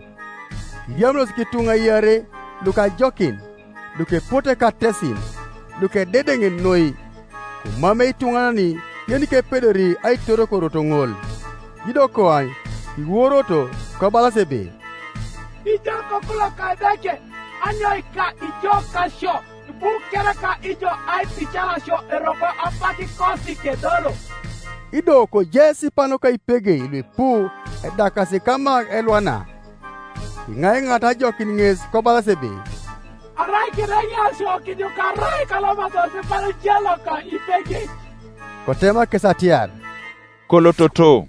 iriamunos kituŋa iarei lukajokin, lukepote katesin, lukededeŋ noi, komamei ituŋanan yenikepedori aitorokoroto ŋol. Ido koany kiworoto, kobalas ebe, "Ijo kokulo ka Edeke, anyoika ijo kasio, ibu kereka ijo aipicalasio eroko apak kosi kedoro." Ido kojai sipanuka ipegei luipu edakasi kama elwana. Kiŋaiŋat ajokin ŋes kobalas ebe, "Arai kireŋiasio kijukarai kalomatos sipanuka ipegei." Kotema kes atiar, "Kolototo."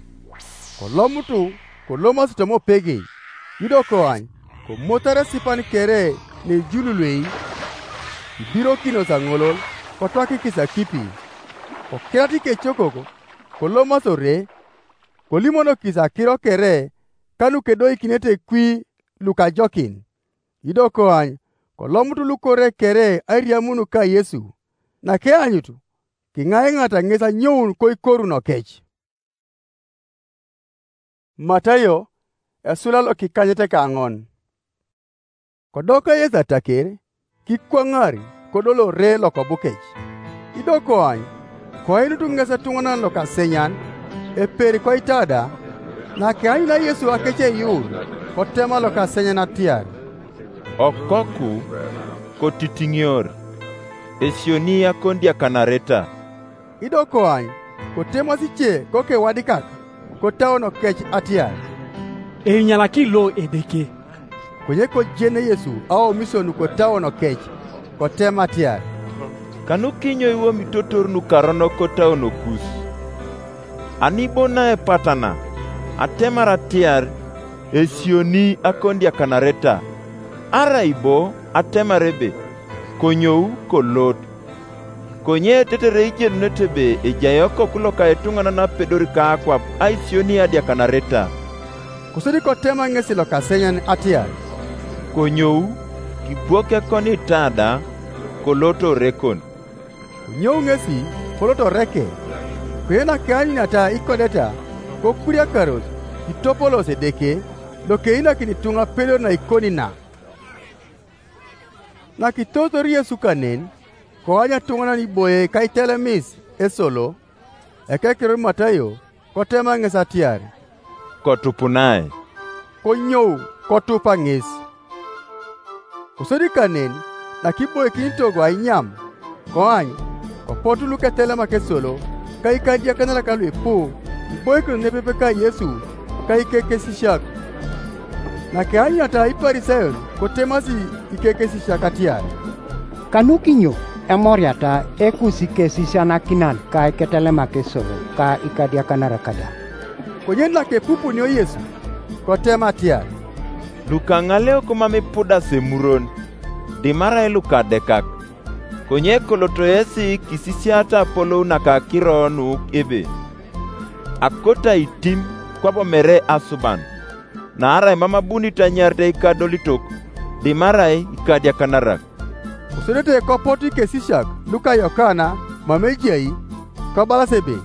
Kolomutu, kolomasi toma opegei, ido koany, komotar esipan kere neijululwei, ibirokinos aŋolol, kotwakikis akipi. Kokirat ikecokok, kolomasi ore, kolimonokis akiro kere kanukedoikinete kwi lukajokin. Ido koany, kolomut lukore kere airiamun ka Yesu. Nakeanyutu, kiŋaiŋata ŋes anyoun koikoruno kec. Matayo, esula lokikanyet kaŋon. Kodoka Yesu ataker, kikwaŋar kodolore lokobukec. Ido koany, koinutu ŋes etuŋanan lokasenyan, eper koitada, nakeanyuna Yesu akeceyuun, kotema lokasenyan atiar, "Okoku, kotitiŋior, esioni akon diakanareta. Ido koany, kotemasi ce koke wadikak, kotauno kec atiar, "Einyalaki lo Edeke." Konye kojene Yesu aomisio nu kotauno kec, kotem atiar, "Kanu kinyo iwomitotor nukaronok kotauno kus? Ani bo naepatana, atemar atiar, esioni akon diakanareta, arai bo atemar ebe, konyou kolot. Konye tetere ijenunete ebe ejai Okoku loka etuŋanan apedori ka akwap aisioni adiakanareta." Kosodi kotema ŋesi lokasenyan atiar, "Konyou, kibwok ekon ita da, kolot orekon." Konyou ŋesi kolot oreke. Konye nakeanyuniata ikodeta, kokuriakaros, kitopolos Edeke, lokeinakin ituŋa pedor naikoni na. Nakitotor Yesu kanen, koany etuŋanan iboie kaitelemis esolo, ekekiror Matayo, kotema ŋes atiar, "Kotupunae." Konyou kotupa ŋes. Kosodi kanen, nakiboikinitogo ainyam, koany, kopotu luketelemak esolo, ka ikadiakanak luipu, iboikinos nepepe ka Yesu, ka ikekesisiak. Nakeanyuniata Iparisayon, kotemasi ikekesisiak atiar, "Kanu kinyo emoriata ekus ikesisianakinan ka iketelemak esolo ka ikadiakanar kada?" Konye nakepupunio Yesu, kotem atiar, "Lukaŋaleok mam ipudas emuron, dimarai lukadekak. Konye koloto yesi kisisiata apolou nakakiro nu ebe, 'Akota itim, kwabo mere asuban.' Naarai mam abunit anyarit eikadolitok, dimarai ikadiakanarak." Kosodete kopot ikesisiak luka Yokana mam ejai, kobalas ebe,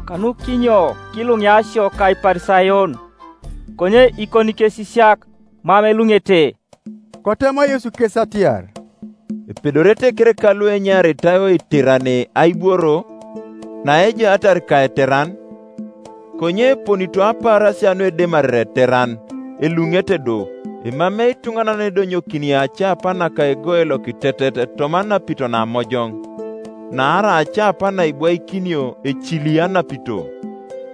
"Kanu kinyo kiluŋiasio ka Iparisayon, konye ikon ikesisiak mam eluŋete?" Kotema Yesu kes atiar, "Epedorete kereka lu enyaritai oitiran aibworo, naejaatar ka eteran? Konye eponito apaarasia nuedemarere eteran, eluŋete do, emamei ituŋanan edonyokini acaapa naka egoe lokitetet toma anapito namojoŋ. Naarai acaapa naibwaikinio ecili anapito,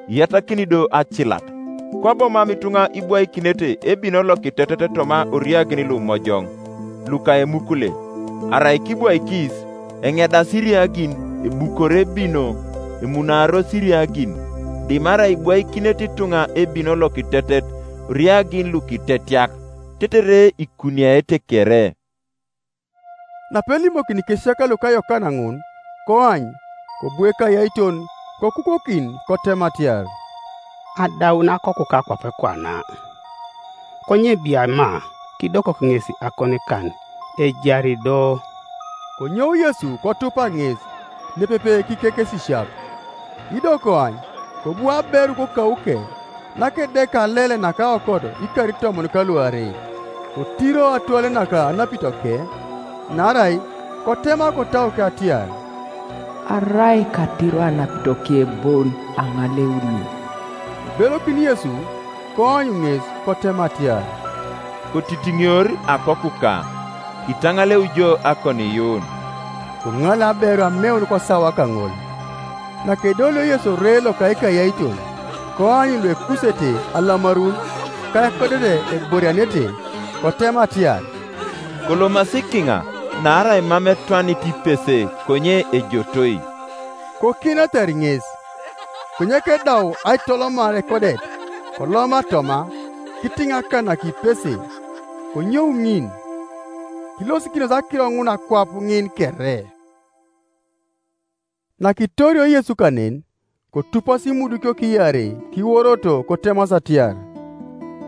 iyatakini do acilat. Kwabo mam ituŋa ibwaikinete ebino lokitetet toma oriagin lumojoŋ, luka emukule, arai kibwaikis, eŋedas iriagin, ebukore ebino, emunaaros iriagin, dimarai ibwaikinete ituŋa ebino lokitetet, oriagin lukitetiak, tetere ikuniaete kere." Napelimokini kesiak luka Yokana ŋun, koany, kobue kayaiton, kokukokin, kotem atiar, "Adaun akoku ka akwap kwana. Konye biama, kidokok ŋes akonikan, ejari do." Konyou Yesu kotupa ŋes, nepepe kikekesisiak. Ido koany, kobu aberu kokauke, nakedeka lele naka okot ikar itomon kaluarei, kotiro atwale naka anapitoke, naarai kotema kotauke atiar, "Arai katiro anapitoke bon aŋaleuni." Ibelokini Yesu, koany ŋes, kotema atiar, "Kotitiŋior akokuka, kitaŋaleu jo akoniyuun." Koŋal aberu ameun kosawa kaŋol. Nakedolio Yesu ore loka ikayaiton, koany luekusete alamarun, ka ekodete eborianete, kotem atiar, "Kolomasi kiŋa, naarai mam etwanit ipese konye ejotoi." Kokinetar ŋes. Konye kedau aitolomar ekodet, koloma toma, kitiŋakanak ipese, konyou ŋin. Kilosikinos akiro ŋun akwap ŋin kere. Nakitorio Yesu kanen, kotupas imudukio kiarei kiworoto kotemas atiar,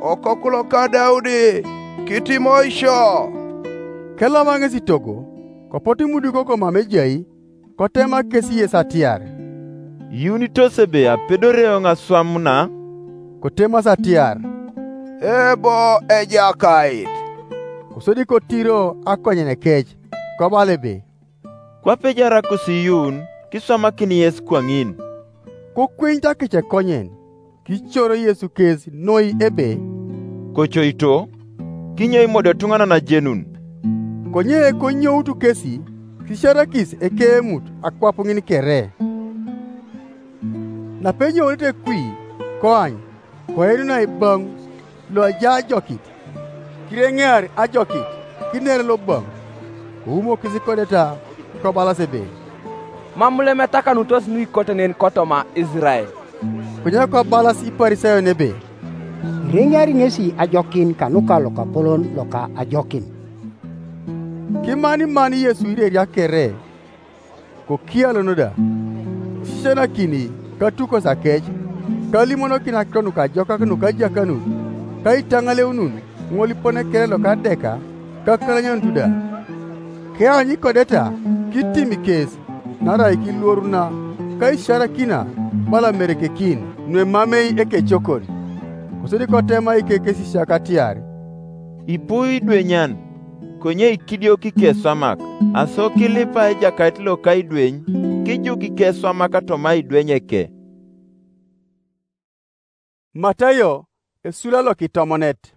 "Okoku loka Daudi, kitimoisio!" Keloma ŋes itogo, kopot imudukio komam ejai, kotema kes yes atiar, "Iyuunitos ebe apedore eoŋ aswam na?" Kotemas atiar, "Ebo Ejakait." Kosodi kotiro akonyen kec, kobala ebe, "Kwape ejarakus iyuun, kiswamakin yes kwaŋin." Kokweny takec ekonyen, kicoro Yesu kes noi ebe, "Kocoito, kinyo imodio etuŋanan ajenun?" Konye konyoutu kesi, kisiarakis ekeemut akwap ŋin kere. Napenyounet ekwi, koany, koenu naiboŋ lo ajai ajokit, kireŋear ajokit, kiner loboŋ, koumokis kodeta, kobalas ebe, "Mam lem etakanutos nuikote nen kotoma Isirael." Konye kobalas Iparisayon ebe, "Ireŋeari ŋesi ajokin kanuka lokapolon loka ajokin." Kimaniman Yesu ireria kere, kokialon da, kisisianakini katukos akec, kalimonokin akiro nukajokak nuka ajakanut, ka itaŋaleunun ŋol ipone kere loka adeka, ka kalanyonut da. Keany ikodeta, kitim kes, naarai kiluoruna, ka isiarakina bala merekekin nuemamei ekecokon. Kosodi kotema ikekesisiak atiar, "Ipu idwenyan, konye ikidiok ikeswamak, aso kilipa ejakait loka idweny, kijuk ikeswamak toma idweny eke." Matayo esula lokitomonet.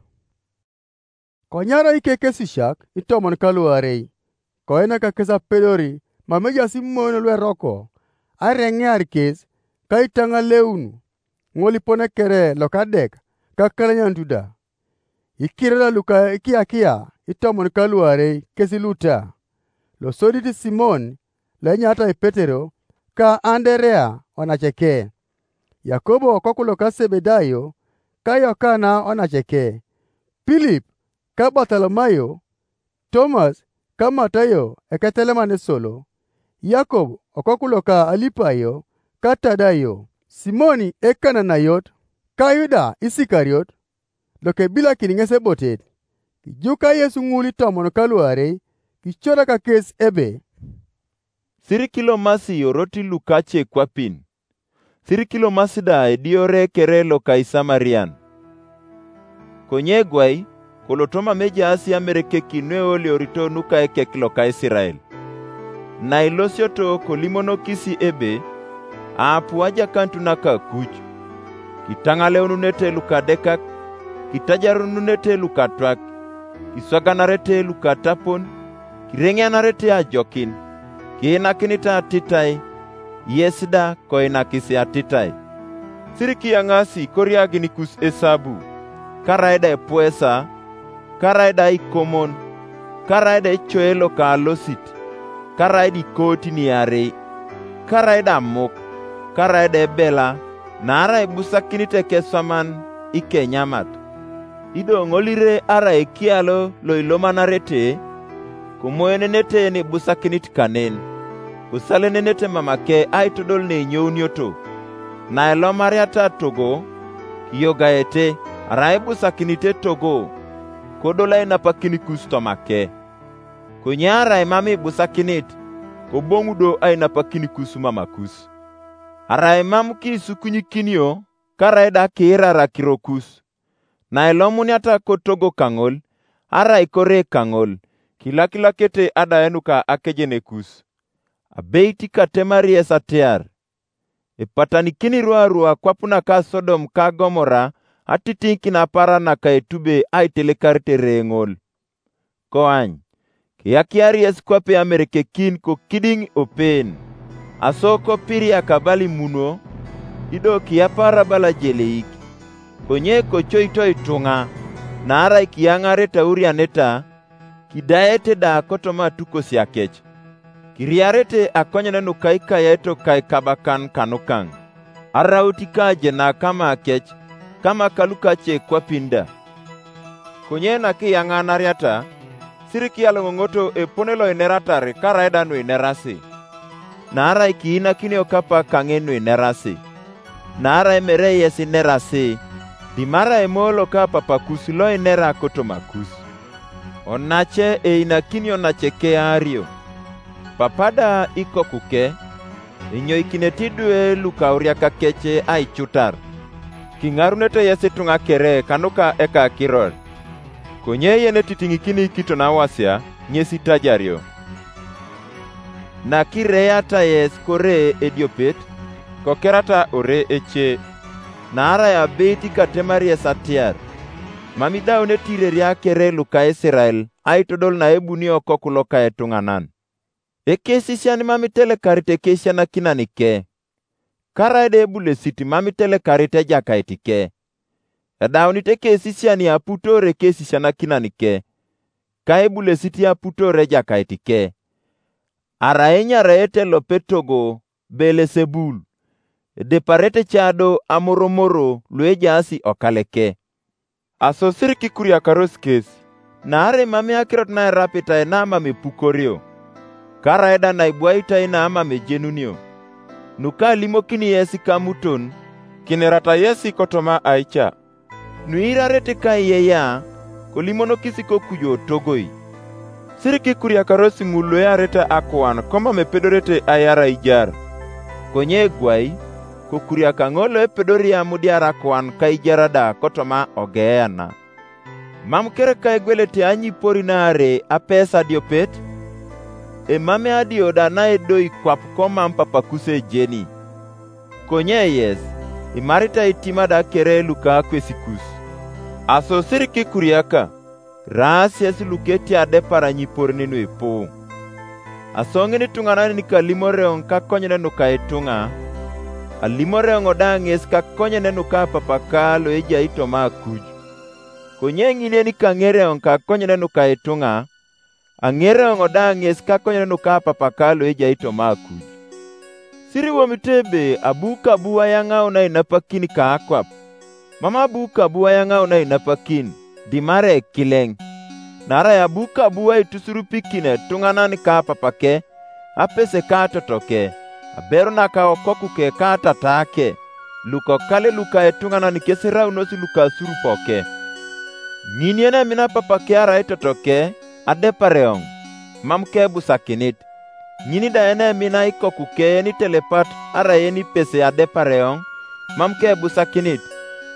Konyarai ikekesisiak itomon kaluarei, koinak kes apedori mam ejaas imoen lueroko, areŋear kes, ka itaŋaleun ŋol ipone kere lokadek ka kalanyonut da. Ikiror luka ikiakia itomon kaluarei kes luta, losodit Simon, lo enyaritai Petero, ka Anderea onaceke, Yakobo okoku loka Sebedayo, ka Yokana onaceke, Pilip, ka Bartolomayo, Tomas, ka Matayo eketeleman esolo, Yakob okoku loka Alipayo, ka Tadayo, Simoni Ekananayot, ka Yuda Isikariot, lokebilakin ŋes ebotet. Kijuka Yesu ŋul itomon kaluarei, kicorak kes ebe, "Sirikilomasi orot lukace kwapin, sirikilomasi da ediore kere loka Isamarian." Konye egwai, koloto mam ejaas amerekekin nueoliorito nuka ekek loka Isirael. Nailosioto kolimonokis ebe, "Aapu ajakanut naka kuc, kitaŋaleununete lukadekak, kitajarununete lukatwak, kiswaganarete lukatapon, kireŋeanarete ajokin, kiinakinit atitai, yes da koinakis atitai." Sirikiyaŋasi koriaginikus esabu, karai da epuesa, karai da ikomon, karai da ecoe loka alosit, karai da ikootiniarei, karai da amuk, karai da ebela, naarai ibusakinit ekeswaman ikenyamat. Ido ŋol ire arai ekialo loilomanarete, komoenenete nibusakinit kanen, kosalenenete mamake aitodol neinyounioto. Naelomariata togo, kiyogaete, arai ibusakinite togo, kodol ainapakin kus tomake. Konye arai mam ibusakinit, koboŋu do ainapakin kus mamakus. Arai mam kiisukunyikinio, karai da kiirar akirokus. Nailomuniata kotogo kaŋol, arai kore kaŋol, kilakilakete adaenu ka akejenekus. Abeit katemari yes atiar, epatanikini ruarua kwap naka Sodom ka Gomora atitiŋikin apara naka etube aitelekarit ereŋol. Koany, kiyakiar yes kwape amerekekin kokidiŋ open, aso kopiriak abala imuno, ido kiyapar abala ajeleik. Konye kocoito ituŋa, naarai kiyaŋarete aurianeta, kidaete da kotoma atukos akec. Kiriarete akonyen nuka ikayaito ka ikabakan kanukaŋ, araut ikajenak kama akec, kama kalukace kwapin da. Konye nakiyaŋanariata, sirikiyaloŋoŋoto epone loineratar karai da nuinerasi, naarai kiinakinio kapa kaŋin nuinerasi, naarai mere yes inerasi, dimarai Emoyo loka Papakus loinera kotomakus. Onace einakinio nace keario. Papa da ikokuke, enyoikinete idwe lukauriakakec aicutar, kiŋarunete yes ituŋa kere kanuka ekakiror. Konye yen etitiŋikini kiton awasia, ŋes itajario. Nakireata yes kore ediopet, kokerata ore ece, naarai abeit katemar yes atiar, mam idaunete ireria kere luka Isirael aitodol naebunio Okoku loka etuŋanan. Ekesisian mam itelekarit ekesianakinan ke, karaida ebulesit mam itelekarit Ejakait ke. Edaunit ekesisian aputoor ekesisianakinan ke, ka ebulesit aputoor Ejakait ke. Arai enyaraete lopetogo Belesebul, edeparete ca do amoromoro luejaas okaleke. Asosir kikuriakaros kes, naarai mam akirot naerapitai namam epukorio, karaida naibwaitai namam ejenunio. Nuka alimokini yes kamuton, kinirata yes kotoma aica. Nuirarete kaiyeyea, kolimonokis kokujo togoi. Sir kikuriakaros ŋul luearete akuan komam epedorete aiar aijar. Konye egwai, kokuriaka ŋol loepedori amudiar akuan kaijar da kotoma ogeana. Mam kereka egwelete anyipori naare apesa adiopet? Emamei adio da naedoi kwap komam papakus ejeni. Konye yes, imarita itima da kere luka kwesikus. Asosir kikuriaka, raas yes luketi adepar anyiporin nuipu. Aso ŋin ituŋananin kalimoreoŋ kakonyen nuka ituŋa, alimoreoŋ da ŋes kakonyen nuka Apapaka loejai toma akuj. Konye ŋin yen kaŋereoŋ kakonyen nuka ituŋa, aŋereoŋ da ŋes kakonyen nuka Apapaka loejai toma akuj. Siriwomit ebe abu kabu ayaŋaun ainapakin ka akwap, mam abu kabu ayaŋaun ainapakin, dimare ekileŋ. Naarai abu kabu aitusurupikin etuŋanan ka apapake, apese ka atotoke, aberu naka okokuke ka atatake, lukokale luka etuŋanan kes eraunos luka asurupoke. Ŋin yen emina apapake arai totoke, adepareoŋ, mam kebusakinit. Ŋin da yen emina ikokuke yen itelepat arai yen ipese adepareoŋ, mam kebusakinit.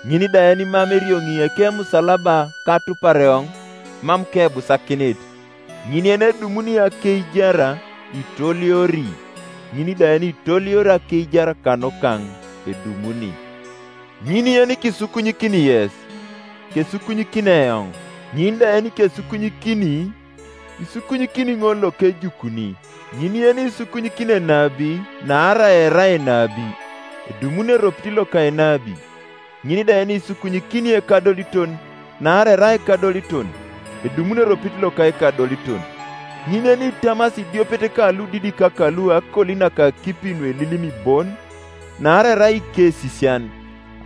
Ŋin da yen mam erioŋi ekemusalaba katupareoŋ, mam kebusakinit. Ŋin yen edumuni akeijar, itoliori. Ŋin da yen itolior akeijar kanukaŋ, edumuni. Ŋin yen kisukunyikini yes, kesukunyikini eoŋ. Ŋin da yen kesukunyikini, isukunyikini ŋol lokejukuni. Ŋin yen isukunyikini enabi, naarai erai enabi, edumuni eropit loka enabi. Ŋin da yen isukunyikini ekadoliton, naarai erai ekadoliton, edumuni eropit loka ekadoliton. Ŋin yen itamasi idiopet ka ludidik ka lu akolinak akipi nuelilimi bon, naarai erai ikesisian,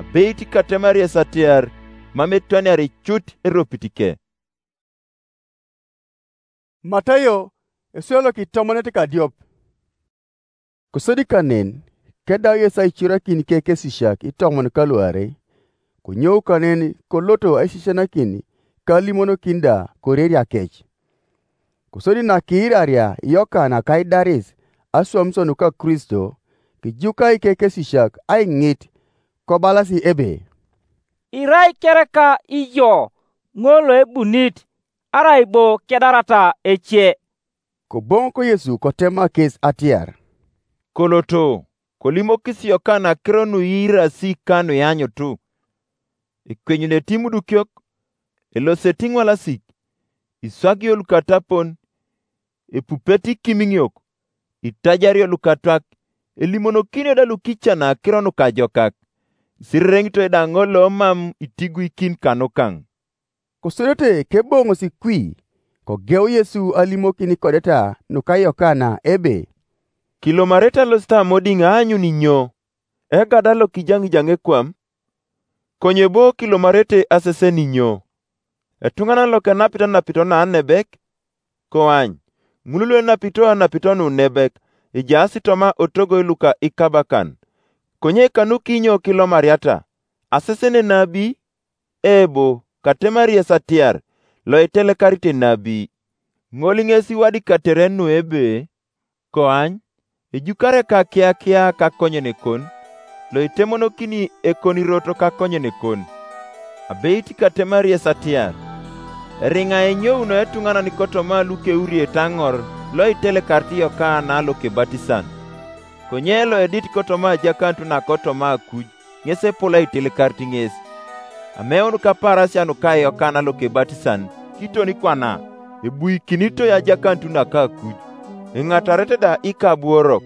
abeit katemari esatiar, mam etwaniar icut eropit ke. Matayo, esua lokitomonet kadiop. Kosodi kanen, kedau Yesu aicorakin kekesisiak itomon kaluarei, konyou kanen koloto aisisianakin kalimonokin da koreria kec. Kosodi nakiiraria Yokana kaidaris aswamisio nuka Kristo, kijuka ikekesisiak aiŋit, kobalasi ebe, "Irai kereka ijo ŋol loebunit, arai bo kedarata ece?" Koboŋok Yesu kotema kes atiar, "Koloto, kolimokis Yokana akiro nuiirasi ka nuianyutu. Ekwenyunete imudukiok, elosete iŋwalasik, iswagio lukatapon, epupete ikimiŋiok, itajario lukatwak, elimonokinio da lukican akiro nukajokak, isirereŋitoi da ŋol lomam itiguikin kanukaŋ." Kosodete keboŋosi kwi, kogeu Yesu alimokin ikodeta nuka Yokana ebe, "Kilomarete alosit amodiŋ aanyun inyo? Egada lokijaŋijaŋ ekwam? Konye bo kilomarete asesen inyo? Etuŋanan lokenapit anapito naanebek? Koany, ŋul luenapito anapito nunebek, ejaas toma otogoi luka ikabakan. Konye kanukinyo kilomariata? Asesen enabi? Ebo, katemari yes atiar, loitelekarit enabi. Ŋol ŋes iwadikatere nu ebe, koany, ejukare kakiakia kakonyenekon, loitemonokini ekonirot kakonyenekon. Abeit katemari yes atiar, eriŋa enyouno etuŋanan kotoma lukeuriet aŋor loitelekarit Yokana lokebatisan. Konye loedit kotoma ajakanut nakotoma akuj, ŋes epol aitelekarit ŋes. ameun kapaarasia nuka Yokana Lokebatisan kiton kwana, ebuikinitoi ajakanut naka akuj, iŋatarete da ikabuorok.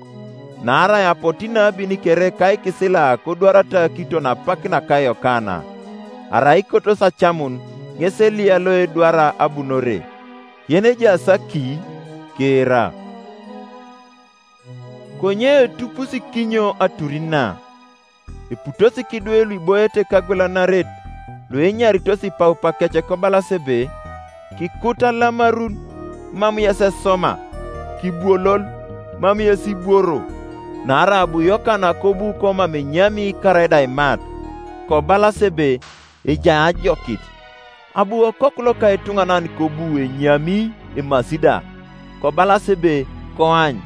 Naarai apotu inabin kere ka ikisila kodwarata kiton apak naka Yokana, arai kotos acamun ŋes Eliya lo edwara abunore. Yen ejaas aki, kiira. Konye etupusikinyo aturin na, eputosi kidwe luiboete kagwelanaret luenyaritos ipaupa kec kobalas ebe, kikut alamarun, mam yes esoma, kibuolol, mam yes ibworo. Naarai abu Yokana kobu komam enyami karaida imat, kobalas ebe, ejai ajokit. Abu okoku loka etuŋanan kobu enyami emasi da, kobalas ebe, koany,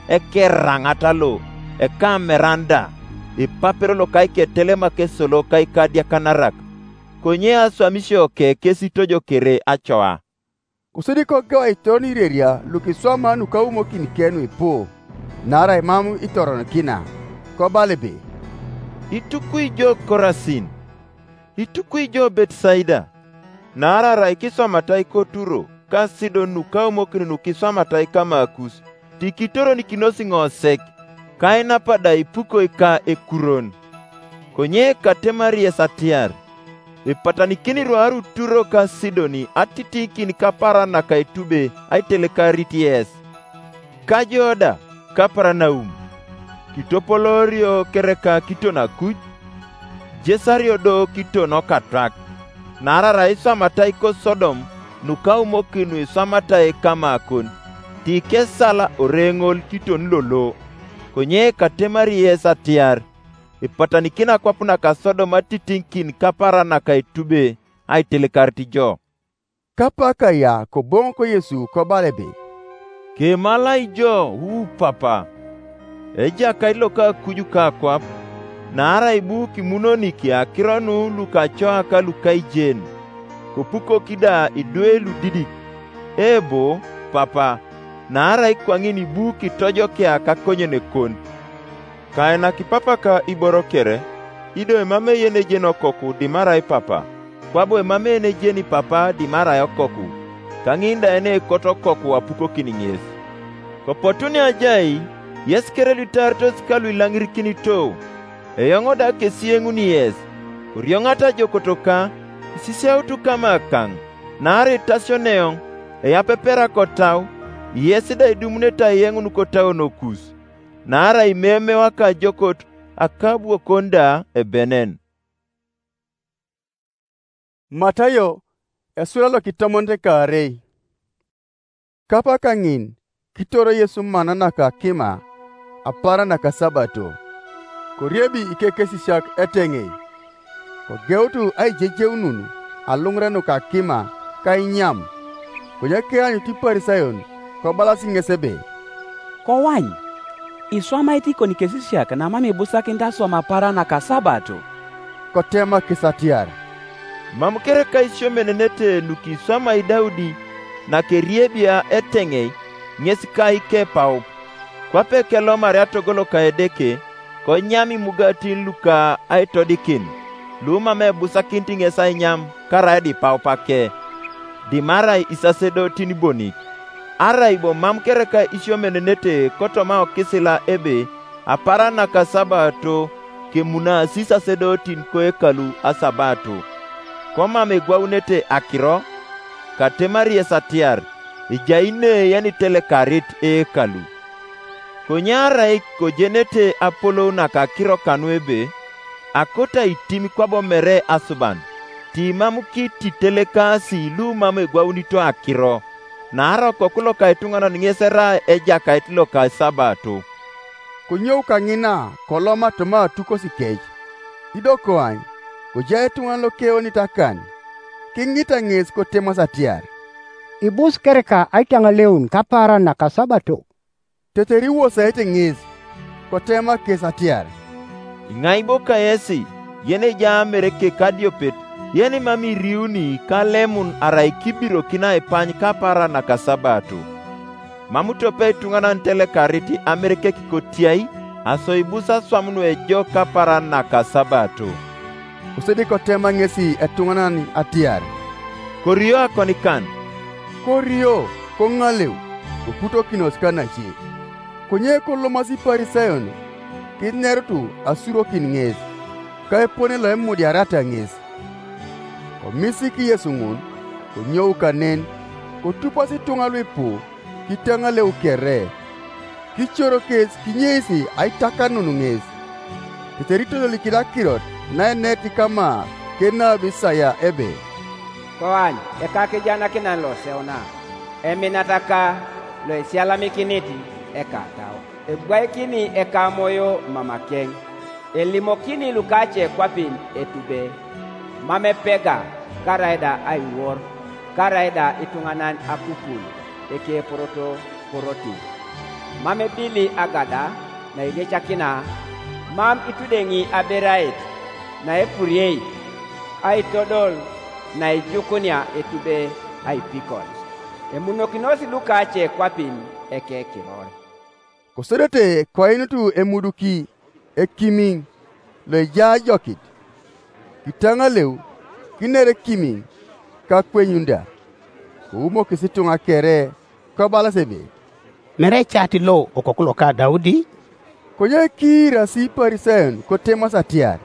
ekeraŋat lo, ekameran da, epapero loka iketelemak esolo ka ikadiakanarak. Konye aswamisio ke kesi tojokere acoa. Kosodi kogeu aitoron ireria lukiswama nukaumokin kenu ipu, naarai mam itoronokina, kobala ebe, itukui jo Korasin, itukui jo Betsaida, naarai arai kiswamatai ko Turo ka Sidon nukaumokin nukiswamatai kamakus, tikitoronikinosi ŋosek, kainapa da ipukoi ka ekuron. Konye katemari yes atiar, epatanikini iruarut Turo ka Sidoni atitikin kaparan naka etube aitelekarit yes. Kajo da, Kaparanaum, kitopolorio kereka kiton akuj, jesario do kiton okatwak, naarai arai iswamatai ko Sodom nukaumokin nuiswamatai kamakon, tikesal oreŋol kiton lolo. Konye katemari yes atiar, ipatanikin akwap naka Sodom atitiŋikin kaparan naka etube aitelekarit jo. Kapak aya koboŋok Yesu kobala ebe, kemalai jo, u Papa, Ejakait loka akuju ka akwap, naarai bu kimunonik akiro nu lukacoa ka lukaijen, kopukok da idwe ludidik, ebu, Papa, naarai kwaŋin bu kitojokea kakonyenekon. Kainaki papa ka iboro kere, ido emam eyen ejen okoku dimarai papa, kwabo emam eyen ejeni papa dimarai okoku, kaŋin da ene ekot okoku apukokin ŋes. Kopotunia ajai, yes kere luitaaritos ka luilaŋirikinito, eoŋ da kesieŋuni yes, korioŋata ajokotoka, isisiautu kamakaŋ, naarai itasioneoŋ, eyapepera kotau, yes da idumunete ayeŋun kotauonokus. Naarai imemeu akajokot akabuokon da ebenen. Matayo esura lokitomonit kaarei. Kapaka ŋin kitoro Yesu mana naka kima apara naka Sabato, koriebi ikekesisiak eteŋei, kogeutu aijejeunun aluŋurenuka kima ka inyam. Konye kianyut Iparisayon kobalas ŋes ebe, kowany, iswamait ikon kesisiak namam ibusakinit aswam apara naka Sabato. Kotema kes atiar, mam kereka isiomenenete nukiswamai Daudi nakeriebia eteŋei ŋes ka ikepaup, kwape kelomari atogoloka Edeke, konyam imugatin luka aitodikin, lumam ebusakinit ŋes ainyam karaida ipaup ake, dimarai isasedotin bonik. Arai bo mam kereka isiomenenete kotoma okisila ebe apara naka Sabato kemunaasi isasedotin koekalu asabato, komam egwaunete akiro, katemari yes atiar, ejai ne yenitelekarit eekalu. Konye arai kojenete apolou nakakiro kanu ebe, akoto aitim kwabo mere asuban, timam kititelekaasi lumam egwaunito akiro, naarai Okoku loka etuŋanan ŋes erai Ejakait loka Sabato. Konyou kaŋina koloma toma atukosi kec. Ido koany, kojai etuŋanan lokeonit akan, kiŋita ŋes kotemas atiar, ibus kereka aitaŋaleun kapaaran naka Sabato. Tetere iwosaete ŋes, kotema kes atiar, iŋai bo kayesi, yen ejai amereke kadiopet, yen mam iriuni kalemun arai kibirokin aipany kapaaran naka Sabato. Mam tope etuŋanan telekarit amerekek kotiai, aso ibus aswam nuejok kapaaran naka Sabato. Kosodi kotema ŋesi etuŋanan atiar, "Korio akonikan." Korio, koŋaleu, koputokinos kanace. Konye kolomasi Iparisayon kinerutu asurokin ŋes, ka epone lo emudiarata ŋes. Komisik Yesu ŋun, konyou kanen, kotupas ituŋa luipu, kitaŋaleu kere, kicoro kes kinyeisi aitakanun ŋes. Tetere itodolikin akirot naenet kama kenabi Isaya ebe, "Koany ekakijanakinan loseuna, eminataka loisialamikinit ekatau, ebwaikini ekamoyo mamakeŋ, elimokini lukace kwapin etube, mam epega, karaida aiwor, karaida ituŋanan akupul ekeporoto korotin, mam ebili agada nairiecakina, mam itudeŋi aberait naepuriei, aitodol naijukunia etube aipikot. Emunokinos lukace kwapin ekekiror." Kosodete koinutu emuduki ekimiŋ loejai ajokit, kitaŋaleu, kiner ekimiŋ kakwenyun da. Koumokis ituŋa kere, kobalas ebe, "Mere ecaati lo okoku loka Daudi?" Konye kiirasi Iparisayon kotemas atiar,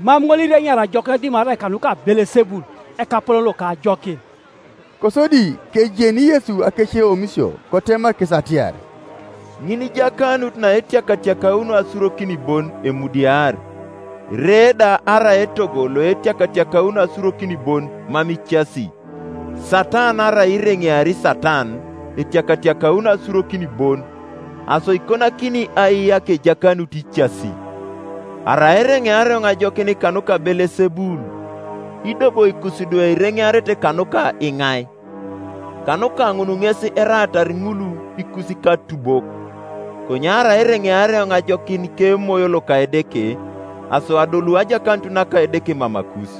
"Mam ŋol ireŋiar ajokinet dimarai kanuka Belesebul, ekapolon loka ajokin." Kosodi kejeni Yesu akeceomisio kotema kes atiar, "Ŋin ijakanut naetiakatiakauno asurokin bon emudiar. Ere da arai etogo loetiakatiakauno asurokin bon mam icasi. Satan arai ireŋeari Satan etiakatiakauno asurokin bon, aso ikonakini aiyak ejakanut icasi. Arai ereŋeareoŋ ajokin kanuka Belesebul, ido bo ikus idwe ireŋearete kanuka iŋai? Kanuka ŋun ŋes eraatar ŋul ikus ikatubok. Konye arai ereŋeareoŋ ajokin kemoyo loka Edeke, aso adolu ajakanut naka Edeke mamakus.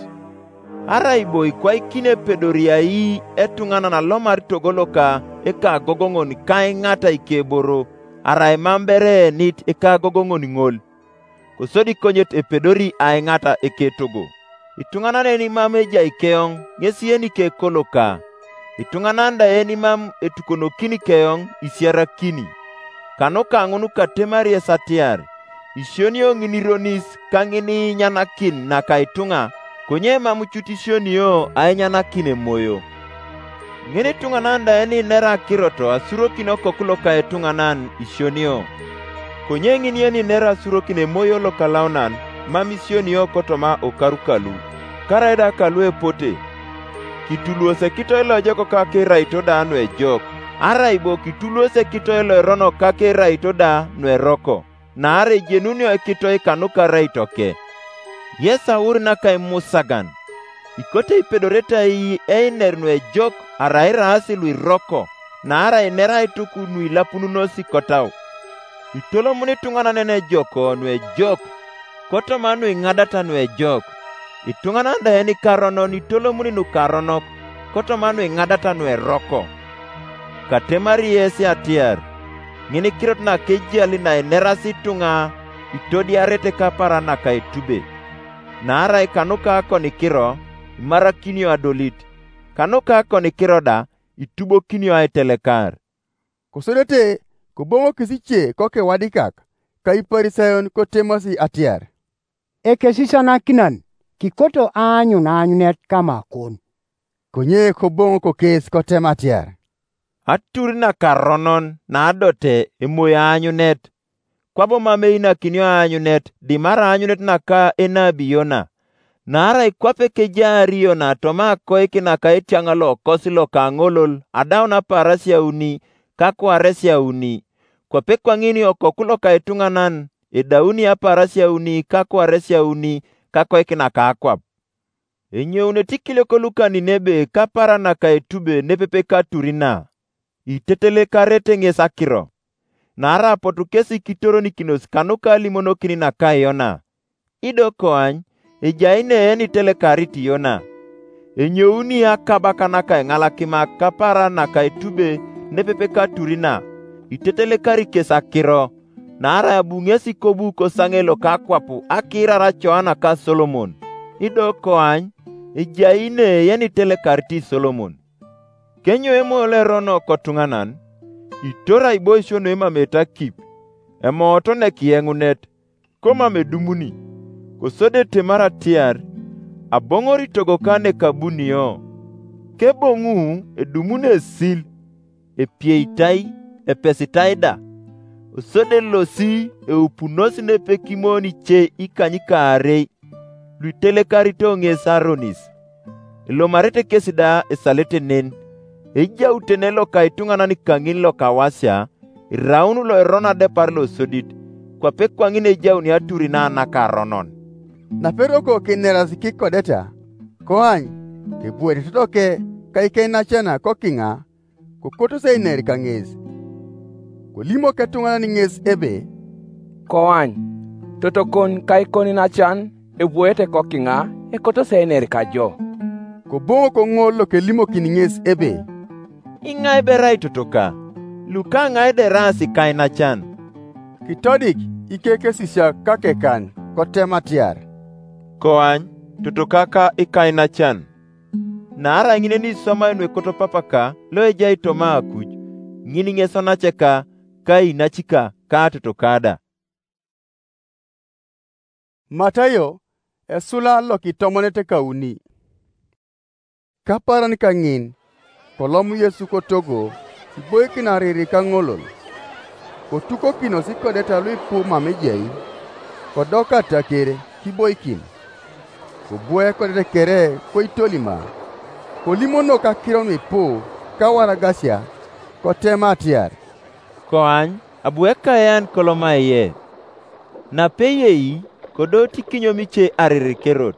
Arai bo ikwaikin epedori ai etuŋanan alomar togo loka ekagogoŋon kaiŋata ikeboro, arai mam bere eenit ekagogoŋon ŋol, kosodi konyet epedori aiŋata eketogo. Ituŋanan eni mam ejai keoŋ ŋes yenike koloka, ituŋanan da eni mam etukonokini keoŋ isiarakini. Kanuka ŋun katemari yes atiar, isionio ŋin ironis ka ŋin inyanakin naka ituŋa, konye mam cut isionio ainyanakin emoyo. Ŋin ituŋanan da eninera akirot asurokin okoku loka etuŋanan isionio, konye ŋin yeniner asurokin emoyo lokalaunan mam isionio kotoma okaru kalu, karaida kalu epote. Kituluos ekitoe loejok kakeraito da nuejok, arai bo kituluos ekitoe loeronok kakeraito da nueroko, naarai ejenunio ekitoe kanuka araitoke. Yesaur naka imusagan. Ikote ipedorete ai einer nuejok arai iraas luiroko, naarai nerai ituku nuilapununos kotau. Itolomuni ituŋanan ejok nuejok, kotoma nuiŋadata nuejok. Ituŋanan da enikaronon itolomuni nukaronok, kotoma nuiŋadata nueroko. Katemari yes atiar, ŋin kirot nakejali nainerasi ituŋa itodiarete kapara naka etube. Naarai kanuka akonikiro imarakinio adolit, kanuka akonikiro da itubokinio aitelekar. Kosodete koboŋokis ice kokewadikak ka Iparisayon kotemasi atiar, "Ekesisianakinan, kikoto aanyun aanyunet kama kon." Konye koboŋok kes kotem atiar, "Atur nakaronon naadote emoi aanyunet, kwabo mam einakinio aanyunet dimarai aanyunet naka enabi Yona. Naarai kwape kejaar Yona toma akoik naka etiaŋ lokosi loka ŋolol adaun apaarasia auni kakwaresia auni, kwape kwaŋin okoku loka ituŋanan edauni apaarasia auni kakwaresia auni kakoik naka akwap." Enyounete ikiliok luka Ninebe kapara naka etube nepepe katurina, itetelekaret ŋes akiro. Naarai apotu kesi kitoronikinos kanuka alimonokin naka Yona. Ido koany, ejai neen itelekarit Yona. Enyouni akabaka naka eŋalakimak kapara naka etube nepepe katurina, itetelekari kes akiro. Naarai abu ŋesi kobu kosaŋe loka akwap akiirara Joana ka Solomon. Ido koany ejai ne yenitelekarit Solomon. Kenyo Emoyo lo Erono kotuŋanan, itor aiboisio nuemamete akip, emooto nekiyeŋunet, komam edumuni, kosodi etemar atiar, aboŋor itogoka nekabunio. Keboŋu edumuni esil, epieitai, epesitai da, kosodi elosi eupunos nepekimon ice ikanykaarei, luitelekarito ŋes aronis. Elomarete kes da esalete nen, ejau tene loka ituŋanan kaŋin lokawasia, iraun loeron adepar losodit, kwape kwaŋin ejauni aturi na nakaronon. Naperoko kineras kikodeta, koany, kebuete totoke kaikeinacan kokiŋa, kokotos einer kaŋes. Kolimok etuŋanan ŋes ebe, "Koany, totokon kaikoinacan ebuete kokiŋa ekotos einer kajo." Koboŋok ŋol lokelimokin ŋes ebe, "Iŋai berai totoka? Luka ŋai deraas kainacan?" Kitodik ikekesisiak kakekan kotem atiar, "Koany, totoka ka ikainacan. Naarai ŋin eniswamai nuekoto papaka lo ejai toma akuj, ŋin ŋes onaceka, ka inacika, ka totoka da." Matayo, esula lokitomonet kauni. Kaparan kaŋin, kolom Yesu kotogo, kiboikin ariri kaŋolol. Kotukokinos ikodeta luipu mam ejai, kodoka ataker kiboikin. Kobua ekodete kere koitolima, kolimonok akiro nuipu kawaragasia, kotema atiar, "Koany, abu ekayan kolomaiye." Napeyei, kodootikinyo mice aririkerot,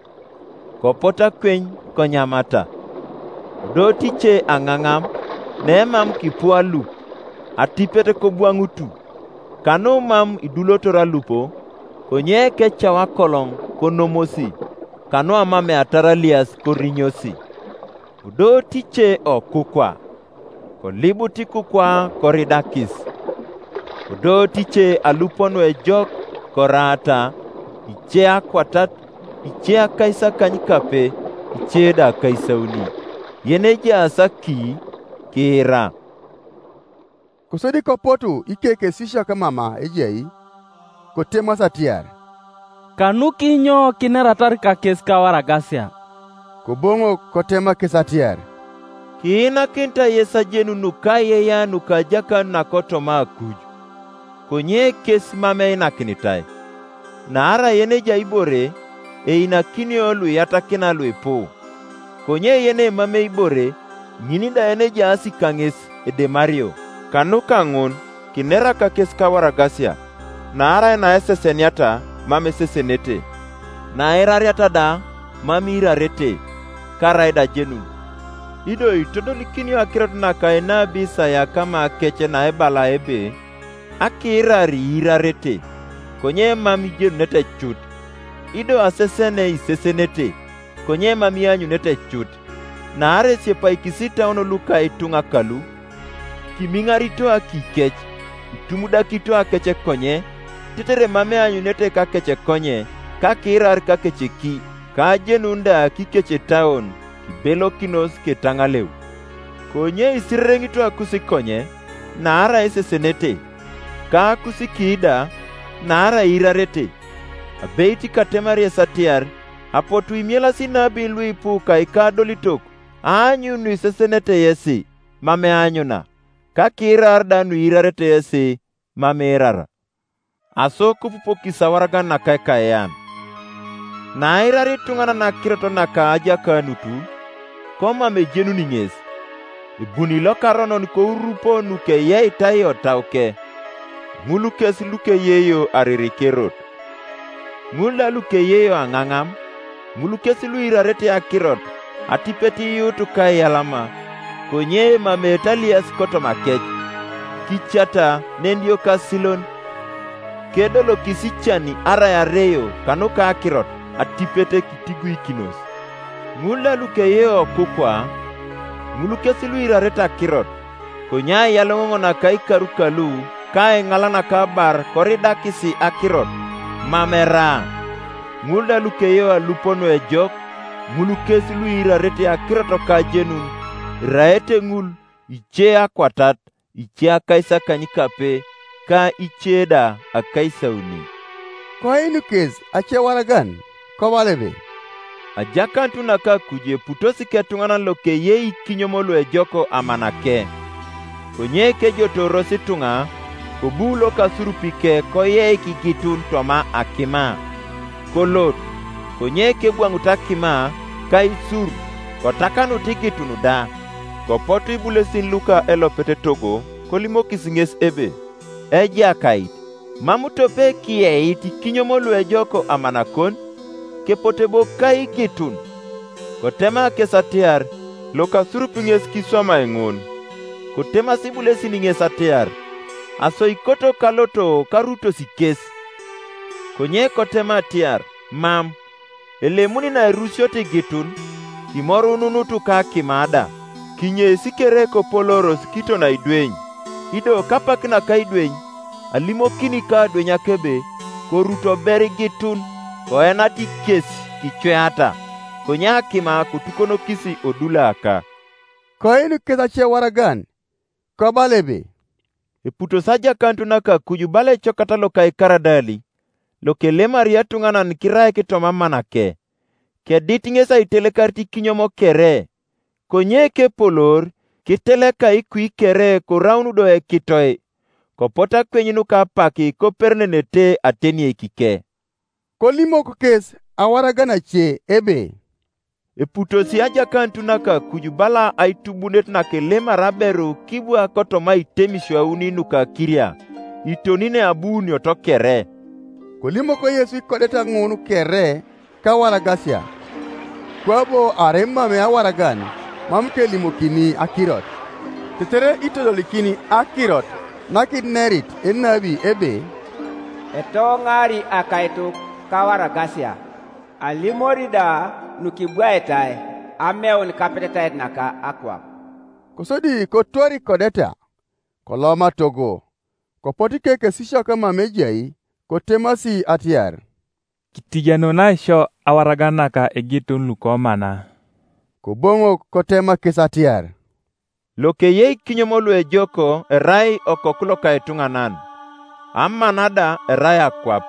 kopot akweny konyamata. Kodootice aŋaŋam, nemam kipu alup, atipet kobwaŋutu, kanu mam idulotor alupo, konye kecau akoloŋ konomosi, kanu amameatar alias korinyosi. Kodootice okukwa, kolibut ikukwa koridakis. Kodootice alupo nuejok koraata, ice akwatat, ice akaisakany kape, ice da akaisauni. Yen ejaas aki, kiira. Kosodi kopotu ikekesisiak mama ejai, kotemas atiar, "Kanu kinyo kineratar kakes kawaragasia?" Koboŋok kotema kes atiar, "Kiinakinit yes ajenun nuka ayeya nuka ajakan nakotoma akuj, konye kes mam einakinitai. Naarai yen ejai ibore einakinio luiyatakina luipu, konye yen emamei ibore, ŋin da yen ejaas kaŋes edemario. Kanuka ŋun, kinera kakes kawaragasia, naarai naeseseniata mam esesenete, nairariata da mam iirarete, karai da ajenun. Ido itodolikinio akirot naka enabi Isaya kama akece naebala ebe, 'Akiirar iirarete, konye mam ijenunete cut, ido asesene isesenete, konye mam ianyunete cut.' Naarai esiepaikis itauon luka ituŋa kalu, kimiŋarito akikec, itumudakito akece konye, tetere mam eanyunete kakece konye, ka kiirar kakece ki, ka ajenun da kikecetaon kibelokinos ketaŋaleu. Konye isirereŋito akus konye, naarai isesenete, ka akus ki da, naarai iirarete. Abeit katemar yes atiar, apotu imielasi nabi luipu ka ikadolitok, aanyun nuisesenete yesi, mam eanyuna, ka kiirar da nuiirarete yesi, mam iirara. Aso kopupokis awaragan naka ekaean. Nairari ituŋanan akirot naka ajakaanutu, komam ejenuni ŋes. Ebuni lokaronon kourupo nukeyeitai otauke, ŋul kes lukeyeyo aririkerot. Ŋul da lukeyeyo aŋaŋam, ŋul kes luirarete akirot, atipet iyuutu kaiyalama, konye emamete alias kotoma kec, kicata nendiok asilon. Kedolokis icani arai areyo kanuka akirot, atipet kitiguikinos. Ŋul da lukeyeyo okukwa, ŋul kes luirarete akirot, konye aiyaloŋoŋ naka ikaru kalu ka aiŋala naka abar koridakisi akirot, mam eraa. Ŋul da lukeyo alupo nuejok, Ŋul kes luirarete akirot kajenun, iraete ŋul ice akwatat, ice akaisakanykape, ka ice da akaisauni. Koinu kes ace waragan, kobala ebe, ajakanut naka akuj eputosi ketuŋanan lokeyei ikinyom luejok amanake. Konye kejotooros ituŋa, kobu lokasurupi ke koyeik igitun toma akima. Kolot, konye kebwaŋut akima, ka isur, kotakanut igitun da. Kopotu ibulesin luka elopet etogo, kolimokis ŋes ebe, Ejakait, mam tope kiyeit ikinyom luejok amanakon? Kepote bo ka igitun. Kotema kes atiar, Lokasurup ŋes kiswamai ŋun. Kotemasi ibulesin ŋes atiar, Aso ikoto kaloto karutos kes. Konye kotema atiar, Mam, elemuni nairusiot igitun, kimorununutu ka akima da, kinyesi kere kopoloros kiton aidweny. Ido kapak naka idweny, alimokini ka adwenyak ebe, koruto ber igitun, koenat kes kicweata, konye akima kotukonokis odulaka. Koinu kes ace waragan, kobala ebe, eputos ajakanut naka akuj bala ecokata loka ikaradali, lokelemari etuŋanan kiraik toma amanake. Kedit ŋes aitelekarit ikinyom kere, konye kepolor kiteleka ikui kere koraun do ekitoe, kopot akwenyun kapak koperenenete ateniekike. Kolimok kes awaragan ace ebe, eputosi ajakanut naka akuj bala aitubunet nakelemar aberu kibwa kotoma itemisio auni nuka kiria, itonine abuunioto kere. Kolimok Yesu ikodeta ŋun kere kawaragasia, kwabo arai mam awaragan mam kelimokini akirot, tetere itodolikini akirot nakinerit enabi ebe, etoŋari akaituk kawaragasia, alimori da nukibwaetai ameun kapetetait naka akwap. Kosodi kotor ikodeta, koloma togo, kopot ikekesisiak mam ejai, kotemasi atiar, kitijenunai sio awaragan naka igitun lukomana. Koboŋok kotema kes atiar, lokeyei kinyom luejoko erai okoku loka etuŋanan, amana da erai akwap,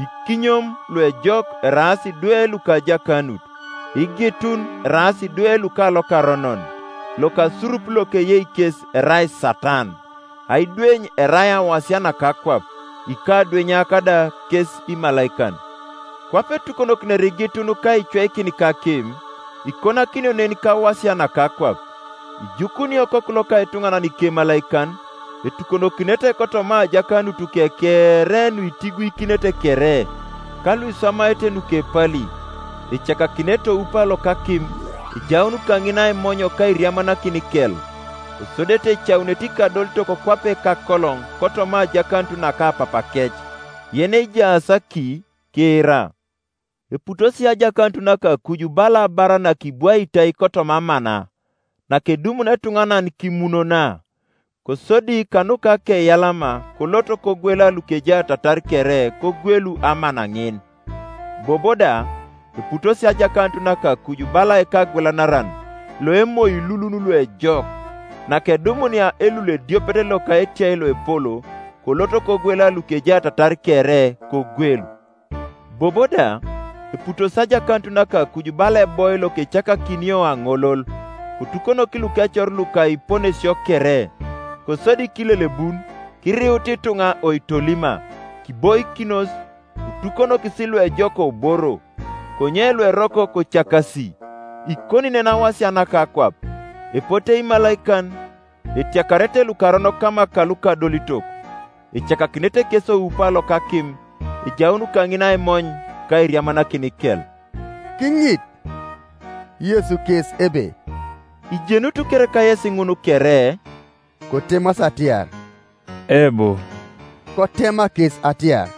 ikinyom luejok eraas idwe luka ajakanut, igitun eraas idwe luka lokaronon, lokasurup lokeyei kes erai Satan, aidweny erai awasia naka akwap, ikadwenyak da kes imalaikan. Kwape etukonokinere igitun ka icweikin kakim, ikonakinio nen kawasia naka akwap. Ijukuni okoku loka etuŋanan ikemalaikan, etukonokinete kotoma ajakanut kekere nuitiguikinete kere, ka luiswamaete nukepali, ecakakinete oupa lokakim, ejaun kaŋin aimonyo ka iriamanakin kel, kosodete ecaunete ikadolitok kwape kakoloŋ kotoma ajakanut naka apapakec, yen ejaas aki, kiira. Eputosi ajakanut naka akuj bala abara nakibwaitai kotoma amana, nakedumun etuŋanan kimunona, kosodi kanuka keyalama kolot kogwela lukejaatatar kere kogwelu amana ŋin. Bobo da, eputosi ajakanut naka akuj bala ekagwelanaran, loemoi lulun luejok, nakedumunia elul ediopet loka etiai loepolo, kolot kogwela lukejaatatar kere kogwelu. Bobo da, eputos ajakanut naka akuj bala eboy lokecakakinio aŋolol, kotukonok lukecor luka iponesio kere, kosodi kilelebun, kiriut ituŋa oitolima, kiboikinos, kotukonokis luejok oboro, konye lueroko kocakasi, ikoni nen awasia naka akwap, epote imalaikan, etiakarete lukaronok kama kalukadolitok, ecakakinete kes oupa lokakim, ejaun kaŋin aimony ka iriamanakin kel. Kiŋit Yesu kes ebe, ijenut kereka yesi ŋun kere? Kotemas atiar, ebu. Kotema kes atiar,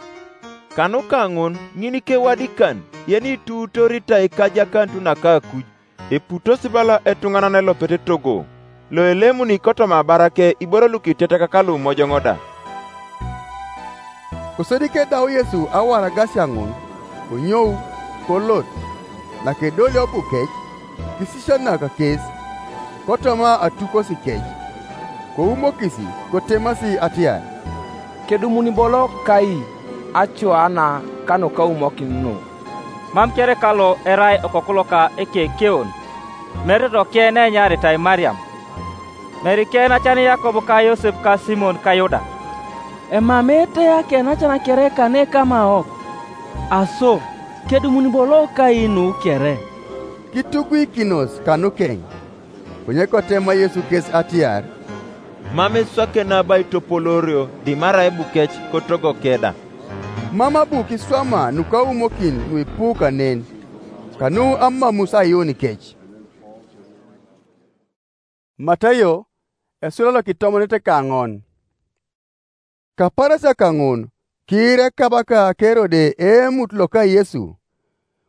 kanuka ŋun ŋin kewadikan yeni ituutoritai kajakanut naka akuj, eputos bala etuŋanan elopet etogo, loelemuni kotoma abarake iboro lukitetek kalumojoŋo da. Kosodi kedau Yesu awaragasia ŋun, konyou, kolot. nakedolio bukec, kisisianaka kes, kotoma atukosi kec, koumokisi, kotemasi atiar, "Kedumuni bolo kai acua na kanukaumokin nu? Mam kere kalo erai okoku loka ekekeon, mere toke na enyaritai Mariam? Mere ke enacan Yakobo ka Yosep ka Simon ka Yuda? Emamete akenacan kere kane kamaok? Aso, kedumuni bolo kai nu kere?" Kituguikinos kanukeny. Konye kotema Yesu kes atiar, "Mam iswake nabo aitopolorio dimarai bukec kotogoke da." Mam abu kiswama nukaumokin nuipu kanen, kanu amamus ayuun kec. Matayo, esula lo kitomonete kaŋon. Kaparasia kaŋun, kiire kabaka Kerode eemut loka Yesu,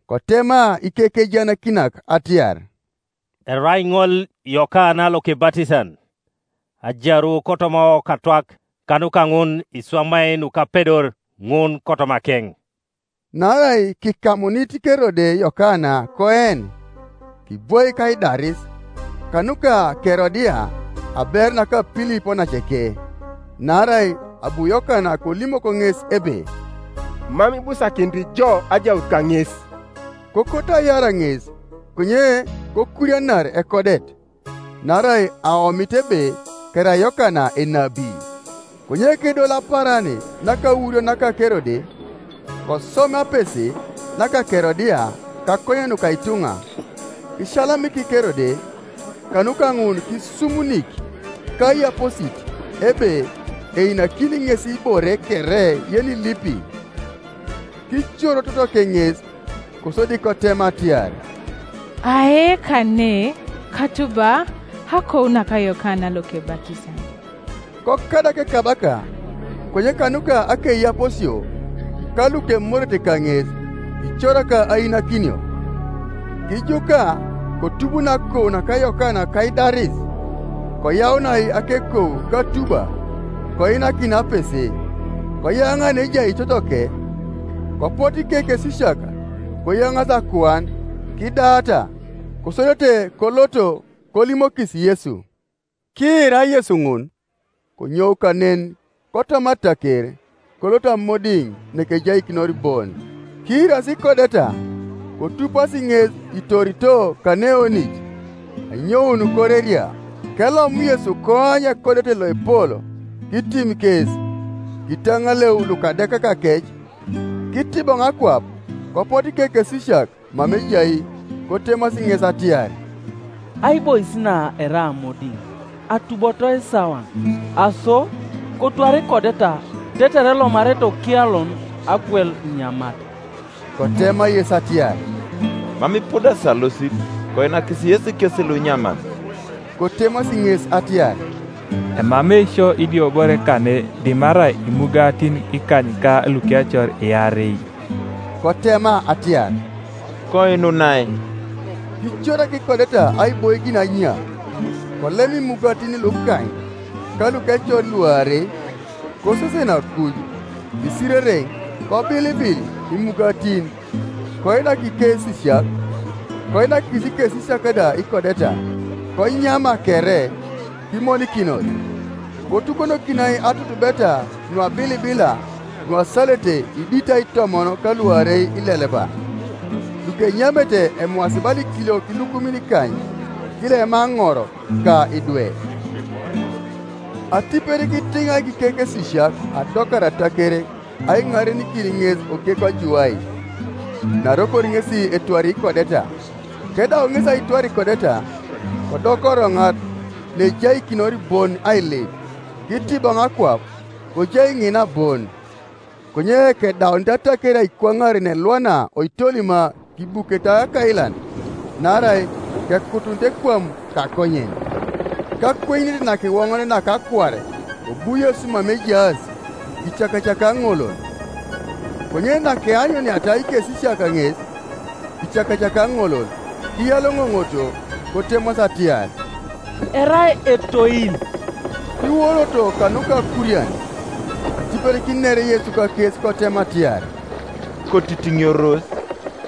kotema ikekejanakinak atiar, "Erai ŋol Yokana lokebatisan, ajaru kotoma okatwak, kanuka ŋun iswamai nukapedor ŋun kotomakeŋ." Naarai kikamunit Kerode Yokana koen, kibwoi kaidaris, kanuka Kerodia aber naka Pilipo naceke. Naarai abu Yokana kolimok ŋes ebe, "Mam ibusakinit jo ajaut kaŋes." Kokot ayara ŋes, konye kokurianar ekodet, naarai aomit ebe kerai Yokana enabi. Konye kedol aparan nakaurio naka Kerode, kosomapesi naka Kerodia kakonyen nuka ituŋa, kisalamik Kerode, kanuka ŋun kisumunik kaiyaposit ebe einakini ŋes ibore kere yenilipi. Kicoro totoke ŋes, kosodi kotema atiar, "Ae kane katuba akou naka Yokana lokebatisan." Kokadak ekabaka, konye kanuka akeiyaposio ka lukemorete kaŋes, kicoraka ainakinio. Kijuka, kotubun akou naka Yokana kaidaris, koyaunai akekou katuba, koinakin apese, koyaŋan ejai totoke, kopot ikekesisiak, koyaŋas akuan, kidaata, kosodete koloto kolimokis Yesu. Kiira Yesu ŋun, konyou kanen kotoma ataker, kolot amodiŋ nekejaikinor bon. Kiirasi kodeta, kotupasi ŋes itorito kaneonit, anyoun koreria. Kelom Yesu koany ekodet loepol, kitim kes, kitaŋaleu lukadekakakec, kitiboŋ akwap, kopot ikekesisiak, mam ejai, kotemasi ŋes atiar, "Aibois na erai amodiŋ, atuboto isawan, aso, kotwar ikodeta, tetere elomarete okialon akwel inyamat." Kotema Yesu atiar, "Mam ipudasi alosit, koinakis Yesu kes lunyamat." Kotemasi ŋes atiar, "Emam eisio idiobore kane dimarai imugatin ikany ka lukiacor iarei." Kotema atiar, "Koinunai." Kicorak ikodeta aiboikin anya, kolem imugatin lukany ka lukecor luarei, kosesen akuj, isirereŋ, kobilibil imugatin, koinak ikesisiak, koinakis ikesisiak da ikodeta, konyama kere, kimonikinos. Kotukonokinai atutubeta nuabilibila nuasalete idit aitomon kaluarei ileleba. Lukenyamete emuasibal ikiliok ilukumin ikany, kilema aŋor ka idwe. Atipet kitiŋa ikekesisiak adokar atakere, aiŋarenikin ŋes oke kojuai, narokor ŋesi etwari ikodeta. Kedau ŋes aitwar ikodeta, kodok oroŋat nejaikinor bon ailip, kitiboŋ akwap, kojai ŋina bon. Konye kedaunit ataker aikwaŋar nelwana oitolima kibukete akailan, naarai kekutunit ekwam kakonyen. Kakwenyinit nakiwoŋon nakakwar, kobu Yesu mam ejaas, kicakacaka ŋolol. Konye nakeanyuniata ikesisiak ŋes, kicakacaka ŋolol, kiyaloŋoŋoto, kotemas atiar, "Erai etoil." Kiwoloto kanuka akurian, atipet kinere Yesu kakes kotema atiar, "Kotitiŋioros,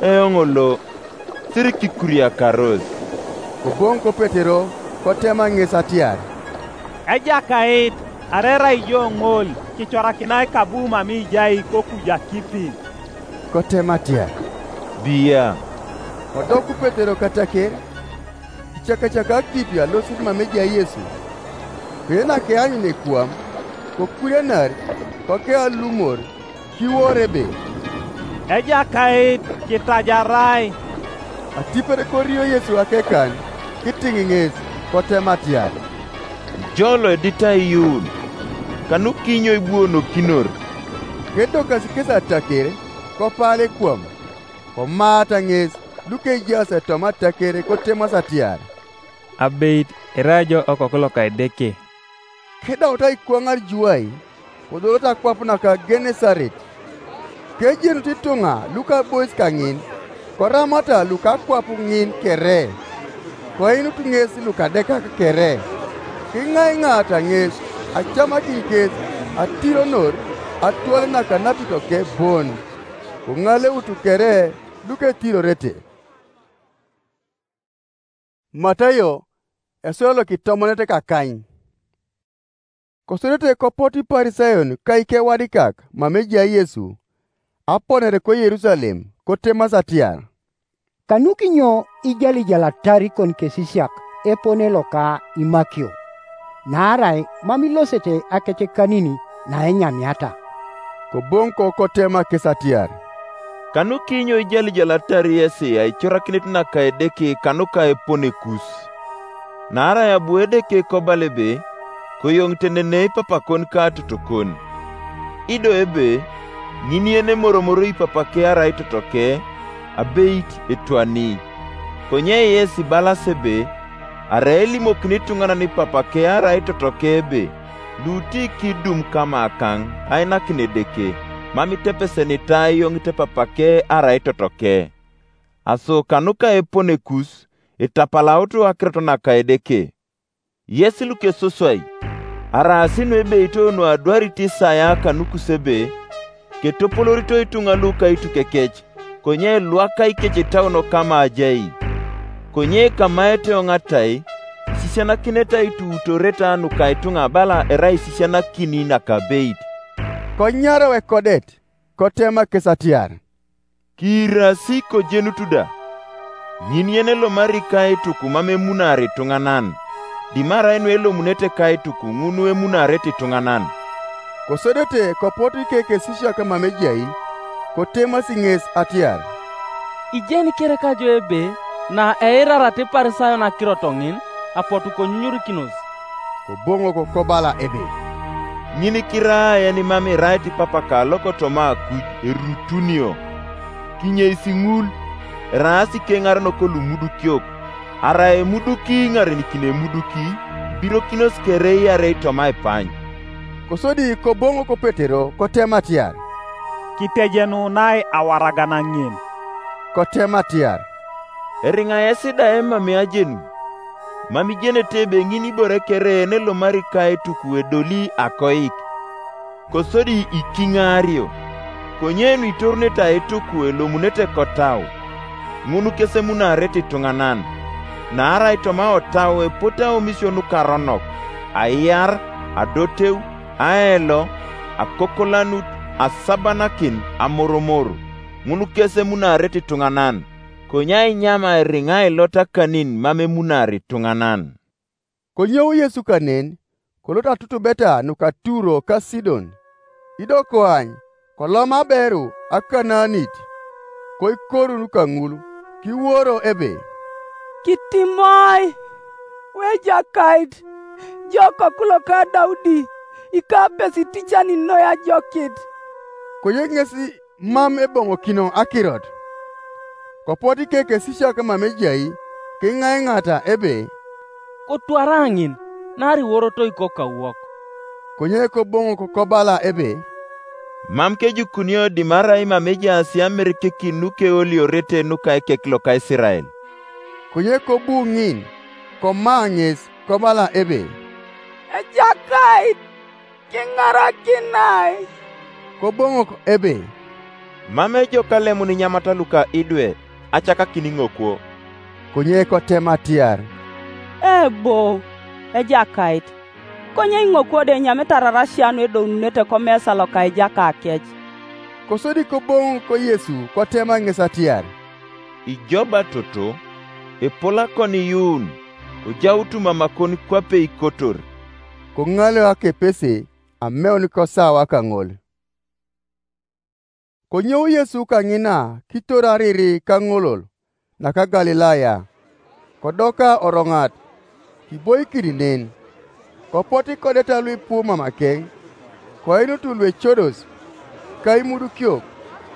eoŋ lo." siri kikuriakaros. Koboŋ ko Petero, kotema ŋes atiar, Ejakait, arerai ijo ŋol kicorakinai kabu mami ijai kokuj akipi. Kotema atiar, Bia. Kodoku Petero kataker, kicakacaka akipi alosit mami ejai Yesu. Kwenye nakeanyun ekuam, kokurianar, kokealumor, kiwor ebe, Ejakait, kitajarai. Atipet korio Yesu akekan, kitiŋ ŋes, kotema atiar, Ijo loedit aiyuun, kanukinyo ibuonokinor? Kedokasi kes ataker, kopal ekuam, komaata ŋes, lukejaas etoma ataker kotemas atiar, Abeit, irai jo okoku loka Edeke. Kedaut aikwaŋar juai, kodolot akwap naka Genesaret. Kejenut ituŋa lukabois kaŋin, koramata lukakwap ŋin kere, koinut ŋes lukadekak kere. Kiŋaiŋaata ŋes, acamakin kes, atironor, atwal naka napitoke bon, koŋaleutu kere luketirorete. Matayo, esura lokitomonet kakany. Kosodete kopot Iparisayon ka ikewadikak mama ejai Yesu, aponere ko Yerusalem, kotemas atiar, Kanukinyo ijalijalatar ikon kesisiak epone loka imakio, naarai mam ilosete akec kanin na enyamiata? Koboŋ ko kotema kes atiar, Kanukinyo ijalijalatar yesi aicorakinit naka Edeke kanuka epone kus? Naarai abu Edeke kobala ebe, Koyoŋ tenenei papakon ka atotokon. Ido ebe, ŋin yen emoromoro ipapake arai totoke, abeit etwani. Konye yes ibalas ebe, arai elimokini ituŋanan ipapake arai totoke ebe, luuti kidum kamakaŋ ainakin Edeke, mam itepesenitai eyoŋit epapake arai totoke. Aso kanuka epone kus, itapalautu akirot naka Edeke. Yes lukesoswai, araasi nuebeito nuadwarit Isaya kanukus ebe, ketopolorito ituŋa luka aitukekec, konye elwaka ikecetauno kama ajai. Konye kamaete oŋatai, isisianakinete aituutoreta nuka ituŋa bala erai isisianakini nakabeit. Konyarau ekodet, kotema kes atiar, Kiirasi kojenut da. Ŋin yen elomari ka etuku mam emunar ituŋanan, dimarai nuelomunete ka etuku ŋun emunarete ituŋanan. Kosodete kopot ikekesisiak mam ejai, kotemasi ŋes atiar, Ijeni kereka jo ebe, na eirarata Iparisayon akirot ŋin, apotu konyunyurikinos. Koboŋok kobala ebe, Ŋin kirai yen mam irait ipapaka lokotoma akuj erutunio. Kinyeis ŋul, eraas ikeŋarenok lumudukiok, arai emuduki iŋarenikini emuduki, ibirokinos kere iarei toma ipany. Kosodi koboŋok Petero kotema atiar, Kitejenunai awaragan ŋin. Kotema atiar, Eriŋa yes da emamei ajenu? Mam ijenete ebe ŋin ibore kere yen elomari ka etuku edoli akoik, kosodi ikiŋaario, konye nuitorunete aituku elomunete kotau, ŋun kes emunarete ituŋanan. Naarai toma otau epote aomisio nukaronok, aiar, adoteu, aelo, akokolanut, asabanakin, amoromor, ŋun kes emunarete ituŋanan, konye ainyam airiŋa ailot akanin mam emunar ituŋanan. Konyou Yesu kanen, kolot atutubeta nuka Turo ka Sidon. Ido koany, kolom aberu Akanaanit, koikoru nuka ŋul, kiworo ebe, Kitimoi, Wejakait, jo Okoku loka Daudi, ikapesi iticanin noi ajokit. Konye ŋes mam eboŋokino akirot. Kopot ikekesisiak mam ejai, kiŋaiŋata ebe, Kotwara ŋin, naarai iworoto ikoku kawok. Konye koboŋok kobala ebe, Mam kejukunio dimarai mam ejaas amirikikin nukeoliorete nuka ekek loka Isirael. Konye kobu ŋin, koma ŋes, kobala ebe, Ejakait, kiŋarakinai. Koboŋok ebe, Mam ejok alemun inyamata luka idwe, acakakin iŋokwo. Konye kotema atiar, "Ebo, Ejakait, konye iŋokwo da enyamit ararasia nu edoununete komesa loka Ejakakec." Kosodi koboŋ ko Yesu kotema ŋes atiar, "Ijo batoto, epol akon iyuun, kojaut mamakon kwape ikotor." Koŋaleo akepese ameun kosawa kaŋol. Konyou Yesu kaŋina kitor ariri kaŋolol naka Galilaya, kodoka oroŋat, kiboikin nen. Kopot ikodeta luipu mamakeŋ, koinutu luecodos, ka imudukiok,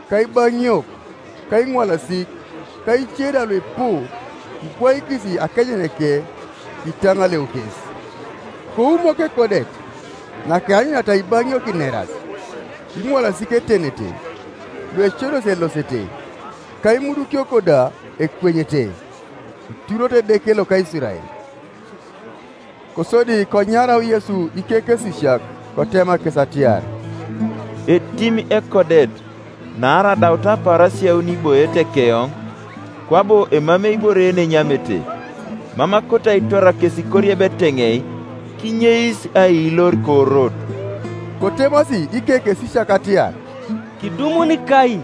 ka ibaŋiok, ka iŋwalasik, ka ice da luipu, kibwaikis akejeneke, kitaŋaleu kes. Koumok ekodet, nakeanyunata ibaŋiok ineras, iŋwalasik etenete, luecodos elosete, ka imudukiok da ekwenyete, iturot Edeke loka Isirael. Kosodi konyarau Yesu ikekesisiak, kotema kes atiar, "Etim ekodet, naarai adaut apaarasia auni iboete keoŋ, kwabo emamei ibore yen enyamete. Mam akoto aitwara kes ikoriebet eŋei, kinyeis ailor koorot." Kotemasi ikekesisiak atiar, "Kidumun kai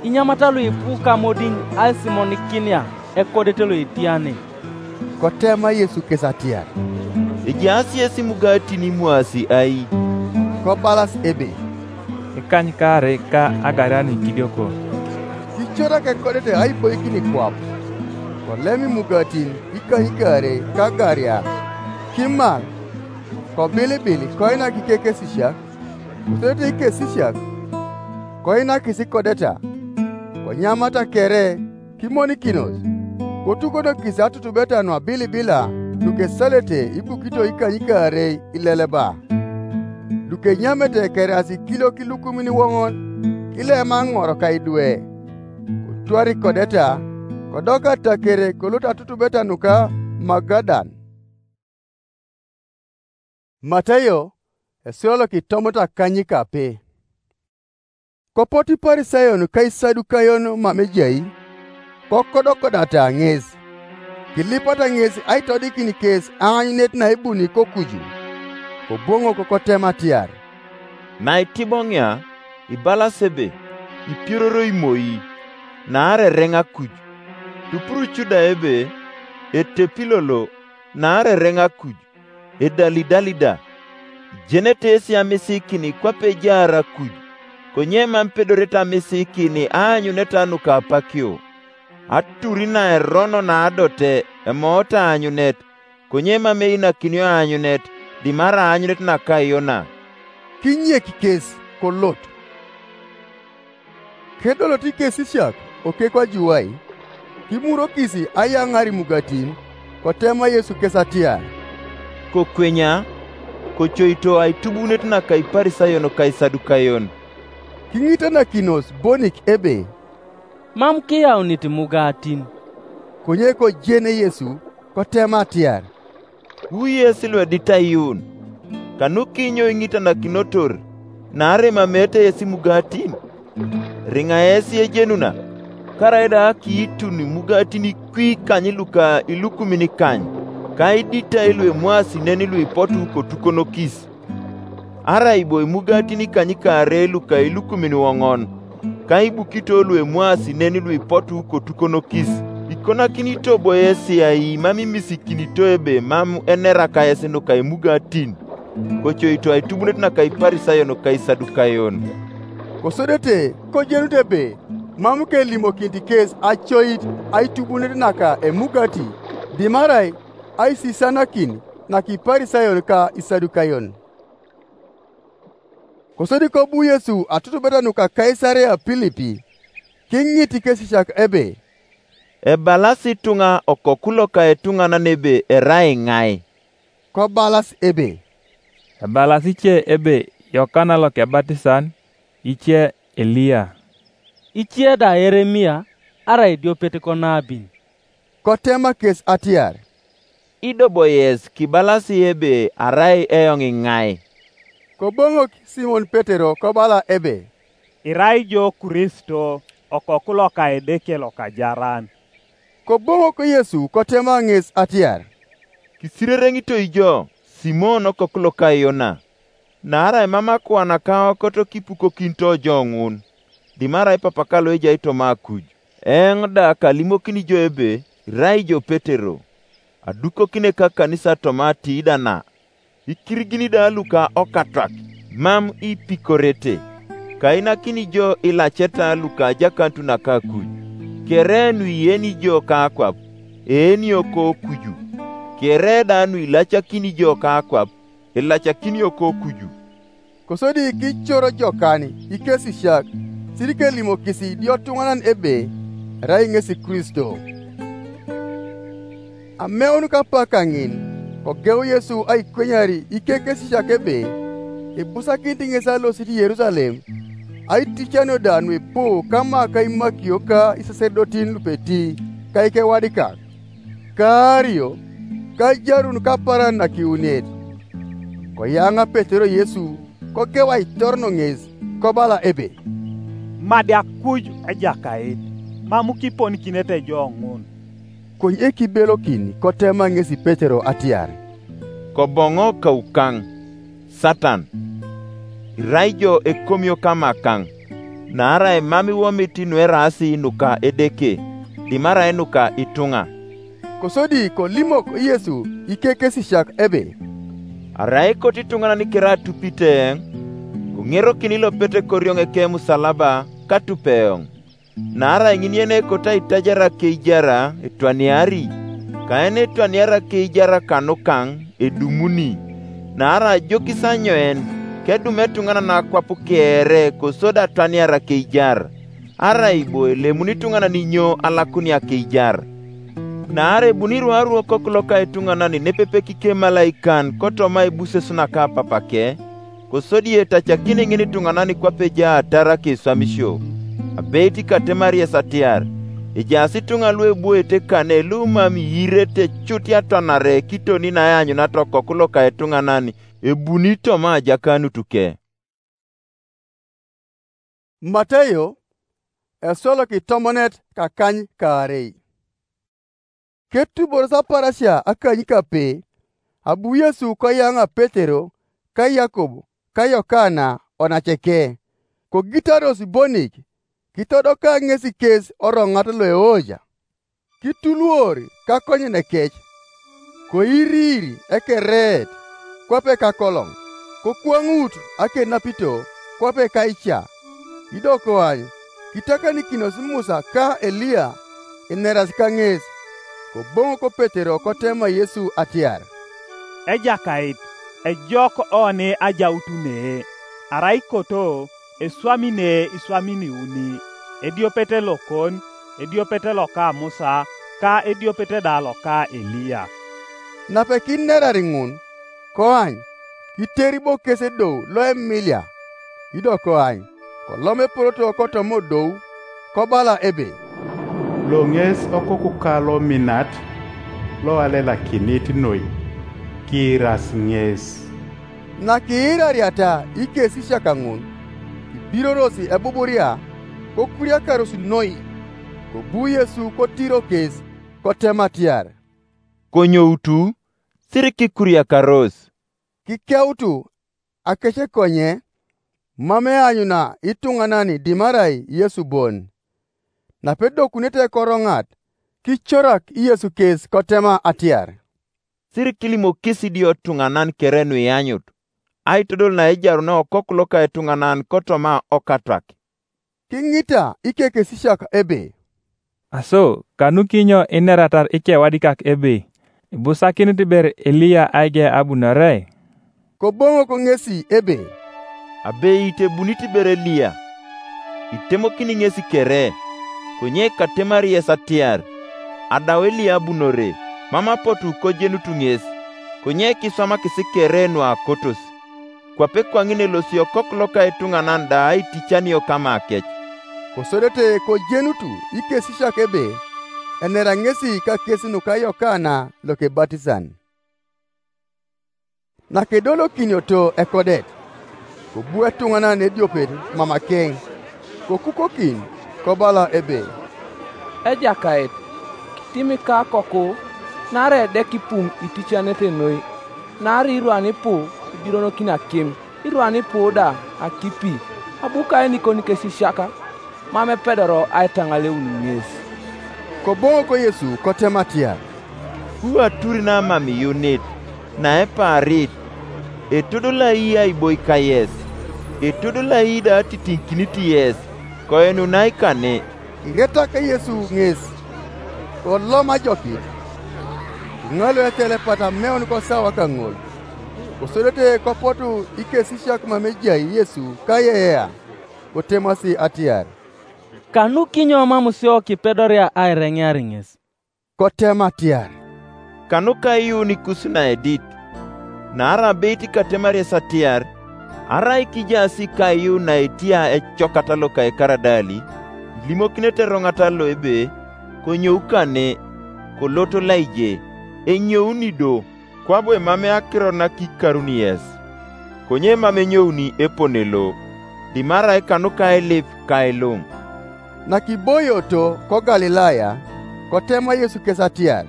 inyamata luipu kamodin aisimonikinia ekodet loetiane?" Kotema Yesu kes atiar, "Ejaas yesi imugatin imwaasi ai?" Kobalas ebe, "Ikanykaarei ka agaria nuikidioko." Kicorak ekodet aiboikin kwap, kolem imugatin ikanykaarei ka agaria, kimal, kobilibil koinak ikekesisiak, kosodete ikesisiak, koinakis ikodeta, konyamata kere kimonikinos, kotukonokis atutubeta nuabilibila lukesalete ibukito ikanykaarei ileleba, lukenyamete kerias ikiliok ilukumin iwoŋon, kilema ŋor ka idwe. Kotwar ikodeta, kodoka atakere kolot atutubeta nuka Magadan. Matayo, esulolok itomot akanyikape. Kopot Iparisayon ka Isadukayon mam ejai, kokodokodata ŋes, kilipata ŋes aitodikin kes aanyunet naibuni kokuju. Koboŋok kotem atiar, "Naitiboŋia, ibalas ebe, ipiororoi moi, naarai ereŋ akuj. Tupurucu da ebe, etepilolo, naarai ereŋ akuj, edalidali da. Ijenete yesi amisikin kwape ejaar akuj, konye mam ipedorete amisikin aanyuneta nuka apakio. Aturi naerono naadote emoot aanyunet, konye mam einakinio aanyunet, dimarai aanyunet naka Yona." Kinyek kes kolot. Kedolot ikesisiak okek ajuwai, kimurokis ayaŋar imugatin, kotema Yesu kes atiar, "Kokwenya, kocoito aitubunet naka Iparisayon ka Isadukayon." Kiŋitanakinos bonik ebe, "Mam kiyaunit imugatin." Konye kojene Yesu, kotema atiar, "Wu yes luedit aiyuun, kanu kinyo iŋitanakinotor, naarai mameete yes imugatin? Riŋa yes ejenuna, karaida akiitun imugatin ikwi ikany luka ilukumin ikany, ka iditai luemwaasi nen luipotu kotukonokis. Arai bo imugatin ikanykaarei luka ilukumin iwoŋon, ka ibukito luemwaasi nen luipotu kotukonokis, ikonakinito bo yes ai mam imisikinito ebe mam eneraka yes nuka imugatin? Kocoito aitubunet naka Iparisayon ka Isadukayon." Kosodete kojenut ebe mam kelimokinit kes acoit aitubunet naka emugati, dimarai aisisanakin naka Iparisayon ka Isadukayon. Kosodi kobu Yesu atutubet nuka Kaisarea Pilipi, kiŋit ikesisiak ebe, "Ebalasi ituŋa Okoku loka etuŋanan ebe erai ŋai?" Kobalas ebe, "Ebalasi ice ebe Yokana Lokebatisan, ice Eliya, ice da Yeremia, arai idiopet konabin." Kotema kes atiar, "Ido bo yes kibalasi ebe arai eoŋ iŋai?" Koboŋok Simon Petero kobala ebe, "Irai jo Kristo, Okoku loka Edeke lokajaran." Koboŋok Yesu kotema ŋes atiar, "Kisirereŋito ijo, Simon okoku loka Yona. Naarai mam akuanaka okoto kipukokinito jo ŋun, dimarai Papaka loejai toma akuj. Eoŋ da kalimokin ijo ebe irai jo Petero, adukokine ka kanisa toma atiida na. Ikirigini da luka okatwak, mam ipikorete. Kainakini jo ilaceta luka ajakanut naka akuj. Kere nuiyeni jo ka akwap, eenio kokuju. Kere da nuilacakini jo ka akwap, ilacakinio kokuju." Kosodi kicor jokan ikesisiak, siri kelimokis idiotuŋanan ebe erai ŋesi Kristo. Ameun kapak kaŋin, kogeu Yesu aikwenyari ikekesisiak ebe ibusakinit ŋes alosit Yerusalem, aiticanio da nuipu kama kaimakio ka isaserdotin lupeti ka ikewadikak, kaario, kajarun kaparan nakiuniet. Koyaŋa Petero Yesu, kogeu aitorono ŋes, kobala ebe, "Madiak kuju Ejakait, mam kiponikinete jo ŋun." Konye kibelokin kotema ŋesi Petero atiar, "Koboŋo kaukaŋ, Satan! Irai jo ekomio kamakaŋ, naarai mam iwomit nueraasi nuka Edeke, dimarai nuka ituŋa." Kosodi kolimok Yesu ikekesisiak ebe, "Arai kot ituŋanan kere atupite eoŋ, koŋerokini lopete korioŋ ekemusalaba katupe eoŋ. Naarai ŋin yen ekoto aitajar akeijar etwaniari, kaen etwaniar akeijar kanukaŋ edumuni. Naarai ajokis anyoen kedum etuŋanan akwap kere kosodi atwaniar akeijar? Arai bo elemuni ituŋanan inyo alakuni akeijar? Naarai ebuni iruaru Okoku loka ituŋanan nepepe kikem emalaikan kotoma ebuses naka Papake, kosodi etacakini ŋin ituŋanan kwape ejaatar akeswamisio. Abeit katemari yes atiar, ejaas ituŋa lu ebuete kane lu mam iirete cut atwanare kitoni naeanyunata Okoku loka ituŋanan ebuni toma ajakanut ke." Mateo, eswalok itomonet kakany kaarei. Ketuboros aparasia akany kape, abu Yesu koyaŋa Petero, ka Yakob, ka Yokana, onaceke, kogitaros bonik, kitodoka ŋes kes oroŋat loeoja. Kituluor kakonyenekec, koiriir ekereet kwape kakoloŋ, kokwaŋut akenapito kwape kaica. Ido koany kitakanikinos Musa ka Eliya ineras kaŋes. Koboŋok Petero kotema Yesu atiar, "Ejakait, ejok oni ajaut nee, arai koto eswami ne iswamin iuni, ediopet lokon, ediopet loka Musa, ka ediopet da loka Eliya." Nape kinerar ŋun, koany, kiteri bo kes edou lo emilia, ido koany, kolom epolot kotoma odou, kobala ebe, "Lo ŋes okokuka lominat, loalelakinit noi, kiiras ŋes." Nakiirariata ikesisiak ŋun, kibirorosi ebuburia, kokuriakaros noi. Kobu Yesu kotiro kes, kotema atiar, "Konyoutu, siri kikuriakaros." Kikeutu akece konye, mam eanyuna ituŋanan dimarai Yesu bon. Napedokunete ekoroŋat, kicorak Yesu kes kotema atiar, "Siri kilimokis idio tuŋanan kere nuianyut, aitodol naejaruna Okoku loka etuŋanan kotoma okatwak." Kiŋita ikekesisiak ebe, "Aso, kanukinyo ineratar ikewadikak ebe ibusakinit ber Eliya aige abunore?" Koboŋok ŋesi ebe, "Abeit ebunit ber Eliya, itemokini ŋesi kere, konye katemari yes atiar, adau Eliya abunore, mam apotu kojenut ŋes, konye kiswamakis kere nuakotos. Kwape kwaŋin elosi Okoku loka etuŋanan da aiticanio kama kec." Kosodete kojenutu ikesisiak ebe enera ŋesi kakes nuka Yokana lokebatisan. Nakedolokinioto ekodet, kobu etuŋanan ediopet mamakeŋ, kokukokin, kobala ebe, "Ejakait, Tim ikakoku, naarai edeke ipuŋ iticanete noi, naarai irwan ipu ibironokin akim, irwan ipu da akipi, abu kaenikon kesisiak, mam epedoro aitaŋaleun ŋes. Koboŋok Yesu kotem atiar, “Ku atur namam iyunit, naepaarit, etodolai aiboika yes, etodolai da atitiŋikinit yes, koenunai kane.” Kiretak Yesu ŋes, kolom ajokit, kiŋalo etelepat ameun kosawa kaŋol. Kosodete kopotu ikesisiak mam ejai Yesu kayeyea, kotemasi atiar, “Kanu kinyo mam sio kipedoria aireŋear ŋes?” Kotem atiar, “Kanuka iyuun kus naedit.” Naarai abeit katemar yes atiar, arai kijaas ikaiu naetia ecokata loka ekaradali, ilimokinete eroŋata lo ebe, “Konyou kane, kolot laije, enyouni do, kwabu emamei akiro nakikaruni yes, konye mam enyouni epone lo, dimarai kanuka ailip kailuŋ.” Nakiboioto ko Galilaya, kotema Yesu kes atiar,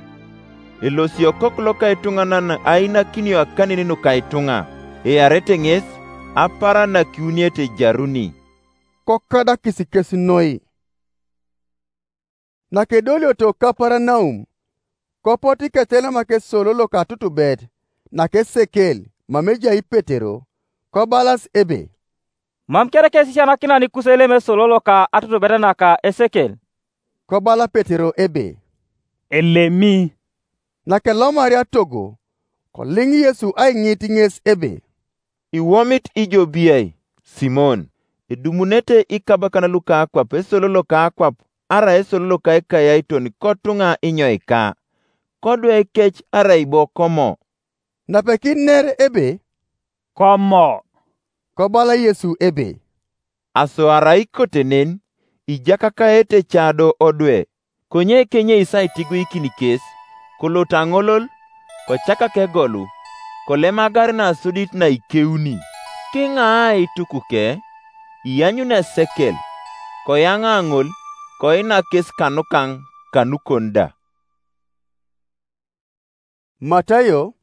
“Elosio Okoku loka etuŋanan ainakinio akanin nuka ituŋa, earete ŋes, apaaran nakiuniete ejaruni.” Kokadakis kes noi. Nakedolioto Kaperanaum, kopot iketelema kes solo loka atutubet nakesekel mam ejai Petero, kobalas ebe, “Mam kere kes isisianakinan kus elem esolo loka atutubet naka esekel.” Kobala Petero ebe, “Elemi.” Nakelomaria togo, koliŋ Yesu aiŋit ŋes ebe, “Iwomit ijo biai, Simon, edumunete ikabakan luka akwap esolo loka akwap arai esolo loka ekayaiton kotuŋa inyoika? Kodwekec arai bo komo?” Napekiner ebe, “Komo.” Kobala Yesu ebe, “Aso arai kote nen, ijakakaete ca do odwe.” Konye kenyei isai tiguikin kes, kolot aŋolol, kocakak egolu, kolem agar nasodit naikeuni, kiŋaa aitukuke, ianyun esekel, koyaŋa ŋol, koinak kes kanukaŋ kanukon da. Matayo,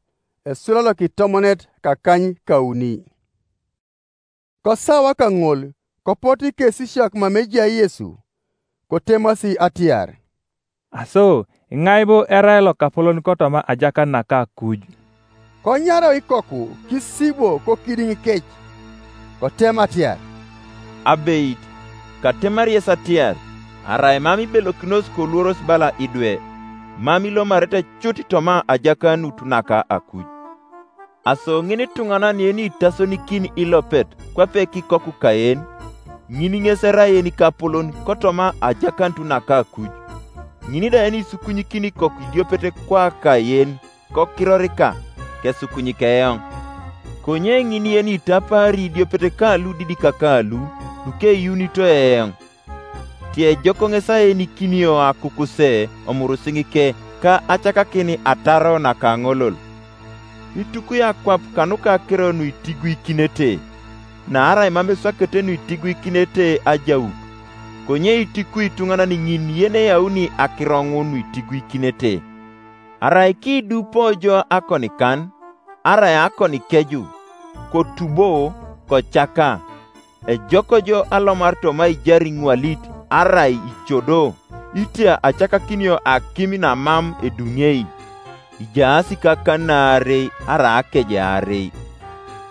esula lokitomonet kakany kauni. Kosawa kaŋol, kopot ikesisiak mam ejai Yesu, kotemasi atiar, “Aso, iŋai bo erai lokapolon kotoma ajakan naka akuj?” Konyarau ikoku kisibo kokidiŋ kec, kotem atiar, “Abeit, katemar yes atiar, arai mam ibelokinos koluoros bala idwe, mam ilomarete cut toma ajakanut naka akuj.” Aso ŋin ituŋanan yeni itasonikin ilopet kwape kikoku kaen, ŋin ŋes erai yenikapolon kotoma ajakanut naka akuj. Ŋin da yeni isukunyikin ikoku idiopet kwa kaen kokirorika, kesukunyik eoŋ. Konye ŋin yeni itapaari idiopet ka ludidikak lu lukeyuunito eoŋ. Tiejok ŋes aenikinio akukuse omurusiŋike ka acakakin ataro nakaŋolol. Itukui akwap kanuka akiro nuitiguikinete, naarai mam eswakete nuitiguikinete ajaut, konye itikui ituŋanan ŋin yeneyauni akiro ŋun nuitiguikinete. Arai kidupo jo akonikan, arai akonikeju, kotubo, kocaka, ejok jo alomar toma ijar iŋwalit arai icodo, itia acakakinio akim namam eduŋei, ijaas kakan naarei arai akejaarei.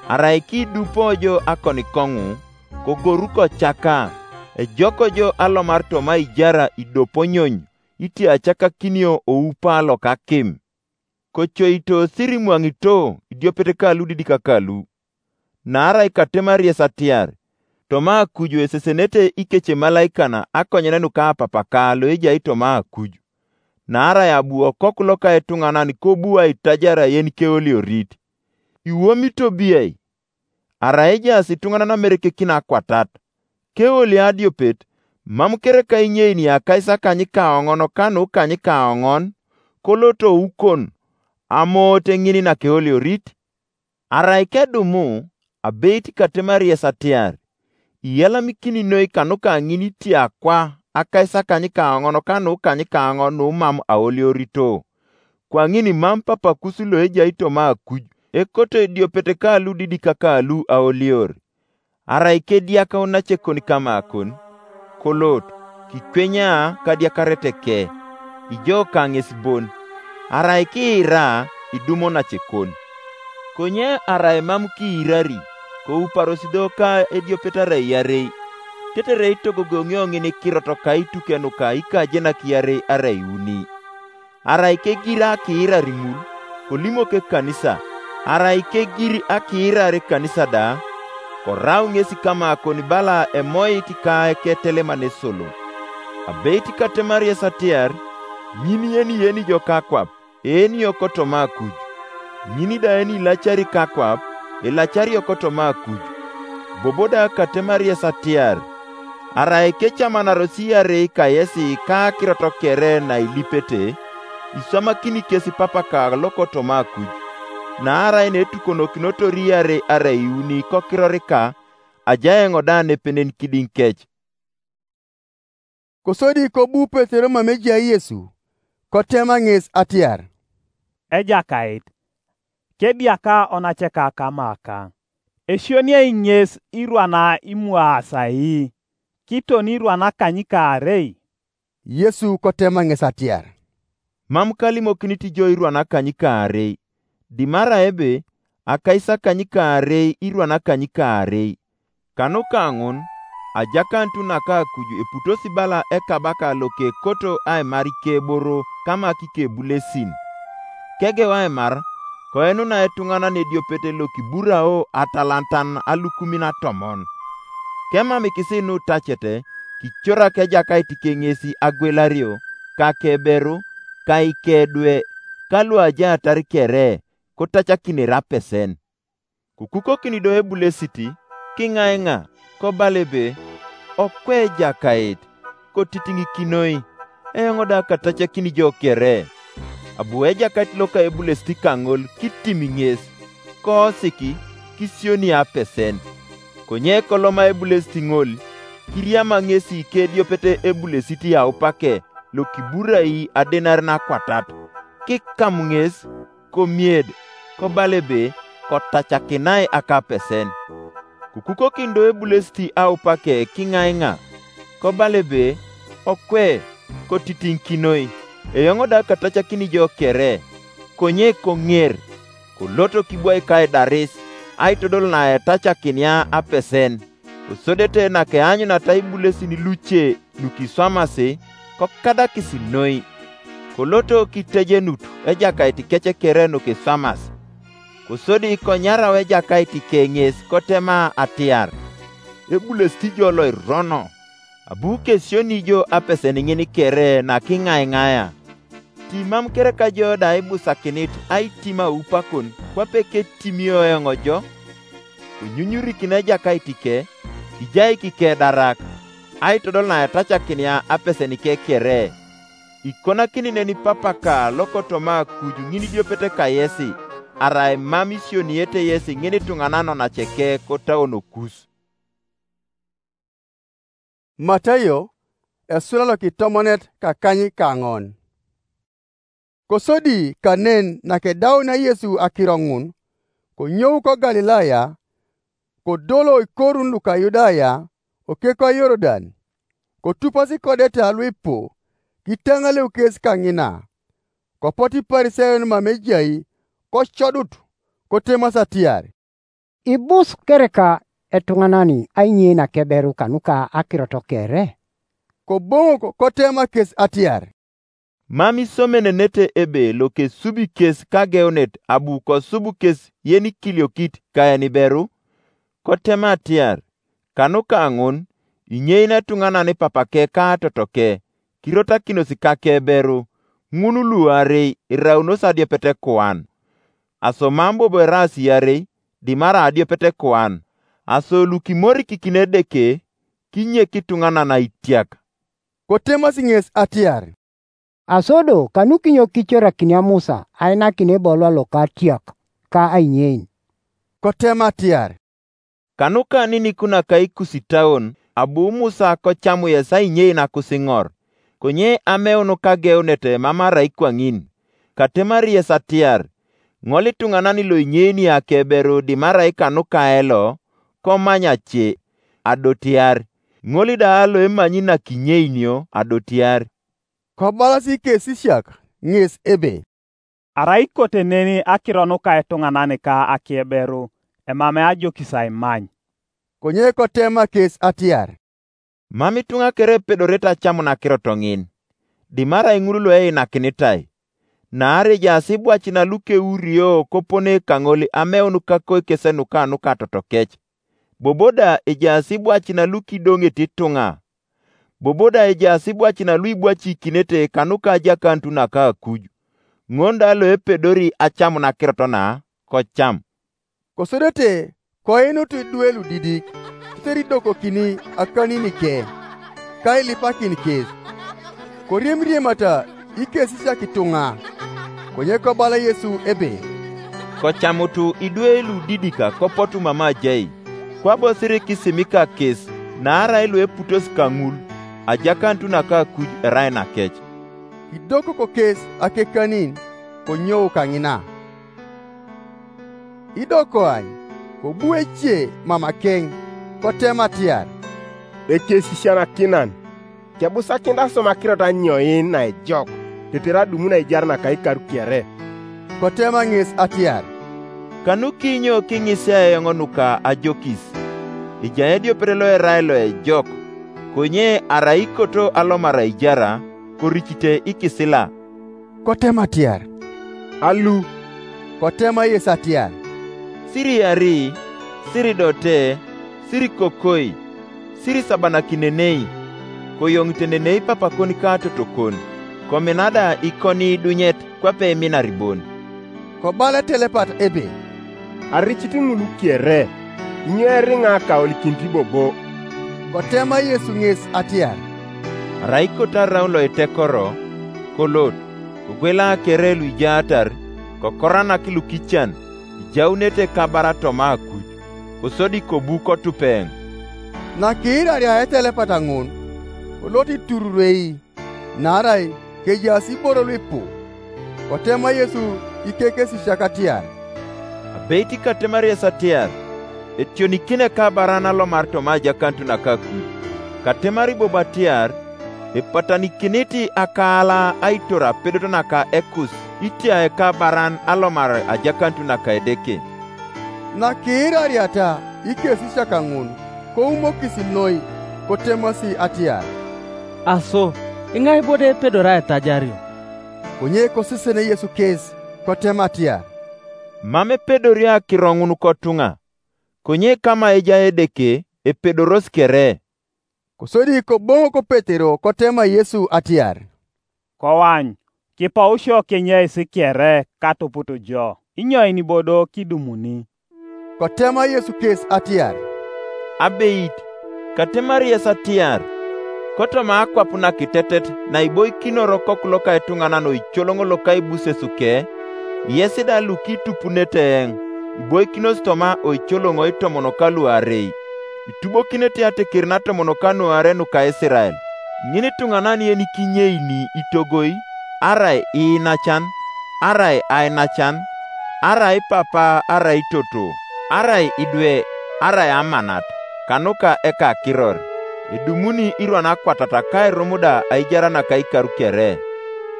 Arai kidupo jo akonikoŋu, kogoru kocaka, ejok jo alomar toma ijar idoponyony, itia acakakinio oupa lokakim. Kocoito sirimwaŋito idiopet ka ludidikak lu. Naarai katemar yes atiar, toma akuju esesenete ikecemalaikanan akonyen nuka Apapaka loejai toma akuj. Naarai abu Okoku loka etuŋanan kobu aitajar ayen keoliorit. Iwomito biai? Arai ejaas ituŋanan amerekekin akwatat. Keoli adiopet, mam kereka inyeini akaisakanykaoŋon kanu kanykaoŋon, koloto ukon, amoot ŋin nakeoliorit? Arai kedumu, abeit katemar yes atiar, iyalamikini noi kanuka ŋin itiakwa akaisakanykaoŋon kanukanyaoŋon numam aoliorito. Kwaŋin mam Papakus loejai toma akuj ekoto ediopet ka ludidik ka lu aolior. Arai kediakau nacekon kamakon, kolot, kikwenya kadiakarete ke, ijo kaŋes bon, arai kiira, idumo nacekon. Konye arai mam kiirari, kouparos do ka ediopet arai iarei, tetere itogogoŋio ŋin kirot kaituk nuka ikajenak iarei arai iuni. Arai kegir akiirar ŋul, kolimok ekanisa, arai kegir akiirar ekanisa da, korau ŋes kamakon bala emoit ka eketeleman esolo. Abeit katemarias atiar, ŋin yenieni jo kakwap, eenio kotoma akuj. Ŋin da eni ilacari kakwap, ilacario kotoma akuj. Bobo da katemarias atiar, arai kecamanaros iarei kayesi ka akirot kere nailipete, iswamakini kes papaka lokotoma akuj. Naarai netukonokinotor iarei arai iuni kokirorika, aja eoŋ da nepenen kidiŋ kec. Kosodi kobu Petero mam ejai Yesu, kotema ŋes atiar, Ejakait, kediaka onaceka kamaka, esioniai ŋes irwana imwaasai, kiton irwana kanykaarei? Yesu kotema ŋes atiar, Mam kalimokinit jo irwana kanykaarei, dimara ebe akaisakanykaarei irwana kanykaarei. Kanuka ŋun, ajakanut naka akuj eputosi bala ekabaka lokekoto aimar ikeboro kamak ikebulesin. Kegeu aimar, koenuna etuŋanan ediopet lokiburao atalantan alukumin atomon. Kemamikisi nutacete, kicorak ejakait keŋesi agwelario, ka keberu, ka ikedwe, ka luajaatar kere, kotacakinere apesen. Kukukokin do ebulesit, kiŋaiŋa, kobala ebe, Okwe Ejakait, kotitiŋikinoi, eoŋ da katacakin jo kere. Abu Ejakait loka ebulesit kaŋol kitim ŋes, koosik, kisioni apesen. Konye koloma ebulesit ŋol, kiriama ŋesi kediopet ebulesit aupake lokiburai adenar nakwatat, kikam ŋes, komied, kobala ebe, Kotacakinai akapesen. Kukukokin do ebulesit aupake kiŋaiŋa, kobala ebe, Okwe, kotitiŋikinoi, eoŋ da katacakin jo kere, konye koŋer, koloto kibwai kaidaris, aitodol naetacakinia apesen, kosodete nakeanyunata ibulesin luce lukiswamasi, kokadakis noi. Koloto kitejenut ejakait kec kere nukiswamas. Kosodi konyarau ejakait keŋes kotema atiar, Ebulesit jo loirono, abu kesioni jo apesen ŋin kere nakiŋaiŋaia. Timam kereka jo da ibusakinit aitim aupakon kwape ketimio eoŋ jo? Konyunyurikin ejakait ke, kijaik kedarak, aitodol naetacakinia apesen ke kere. Ikonakini neni papaka lokotoma akuj ŋin idiopete kayesi, arai mam isioniete yesi ŋin ituŋanan naceke kotauonokus. Matayo, esula lokitomonet kakany kaŋon. Kosodi kanen nakedaunea Yesu akiro ŋun, konyou ko Galilaya, kodolo ikorun luka Yudaya, okeko Yorudan, kotupasi kodeta luipu, kitaŋaleu kes kaŋina. Kopot Iparisayon mam ejai, kocodut, kotemas atiar, Ibus kereka etuŋanan ainyei nakeberu kanuka akirot kere? Koboŋok kotema kes atiar, Mam isomenenete ebe lokesubi kes kageunet abu kosub kes yenikiliokit kaeniberu? Kotema atiar, Kanuka ŋun, inyei netuŋanan papake ka atotoke, kirotakinos kakeberu, ŋun luarei iraunos adiopet kuan. Aso mam bobo eraas iarei, dimara adiopet kuan, aso lukimorikikini Edeke, kinyek ituŋanan aitiak. Kotemas ŋes atiar, Aso do kanukinyo kicorakinia Musa ainakin ebolwa loka atiak ka ainyein? Kotema atiar, Kanuka ninikuna kaikusitaon, abu Musa kocamu yes ainyei nakusiŋor, konye ameun kageunet mam arai kwaŋin. Katemari yes atiar, ŋol ituŋanan loinyeni akeberu dimarai kanuka elo, komanya ce, adotiar, ŋol da loemanyi nakinyeinio adotiar. Kobalasi kesisiak ŋes ebe, "Arai ikote neni akiro nuka etuŋanan ka akieberu, emamei ajokis aimany." Konye kotema kes atiar, "Mam ituŋa kere epedorete acamun akirot ŋin, dimarai ŋul lueinakinitae. Naarai ejaas ibwacin lukeurio kopone kaŋol ameun kakoikes nuka nuka totokec. Bobo da ejaas ibwacin lukidoŋet ituŋa. Bobo da ejaas ibwacin luibwacikinete kanuka ajakanut naka akuj. Ŋon da loepedori acamun akirot na, kocam." Kosodete koinut idwe ludidik, tetere idokokini akanin ke, ka ilipakin kes. Koriemriemata ikesisiak ituŋa. Konye kobala Yesu ebe, "Kocamutu idwe ludidik kopotu mam ajai, kwabo siri kisimika kes, naarai lueputos kaŋul, ajakanut naka akuj erai nakec." Idokoko kes akekanin, konyou kaŋina. Idokoany, kobu ece mamakeŋ, kotem atiar, "Ekesisianakinan, kebusakinit asoma akirot anyoin naejok, tetere adumun aijar naka ikaru kere?" Kotema ŋes atiar, "Kanukinyo kiŋisia eoŋ nuka ajokis? Ejai ediopet loerai loejok, konye arai ikoto alomar aijara, koricite ikisila." Kotema atiar, "Alu?" Kotema yes atiar, "Siriari, siridote, sirikokoi, sirisabanakinenei, koyoŋite nenei papakon ka totokon, komina da ikoni idunyet kwape iminar bon." Kobala etelepat ebe, "Aricit ŋul kere, inyo eriŋa kaolikinit bobo?" Kotema Yesu ŋes atiar, "Arai ikoto araun loitekoro, kolot, kogwela kere luijaatar, kokoranak lukican, ijaunete kabara toma akuj, kosodi kobu kotupeŋ." Nakiiraria etelepat ŋun, kolot itururei, naarai kejaas iboro luipu. Kotema Yesu ikekesisiak atiar, "Abeit katemar yes atiar, etionikini ekabaran alomar toma ajakanut naka akuj. Katemar bobo atiar, epatanikinit akaala aitor apedot naka ekus itia ekabaran alomar ajakanut naka Edeke." Nakiirariata ikesisiak ŋun, koumokis noi, kotemasi atiar, "Aso, iŋai bo da epedori aitajario?" Konye kosisene Yesu kes, kotema atiar, "Mam epedori akiro ŋun kotuŋa, konye kama ejai Edeke, epedoros kere." Kosodi koboŋok Petero kotema Yesu atiar, "Koany, kipou sio kinyais kere katuput jo, inyoin bodo kidumuni?" Kotema Yesu kes atiar, "Abeit, katemar yes atiar, kotoma akwap nakitetet naiboikinor Okoku loka etuŋanan oicoloŋ loka ibuses ke, yes da lukitupunete eoŋ, iboikinos toma oicoloŋ itomon kaluarei, itubokinete ateker natomon kanuarei nuka Isirael. Ŋinituŋanan yenikinyeini itogoi, arai iinacan, arai ainacan, arai papa, arai toto, arai idwe, arai amanat, kanuka ekakiror, edumuni irwan akwatat kairum da aijar naka ikaru kere.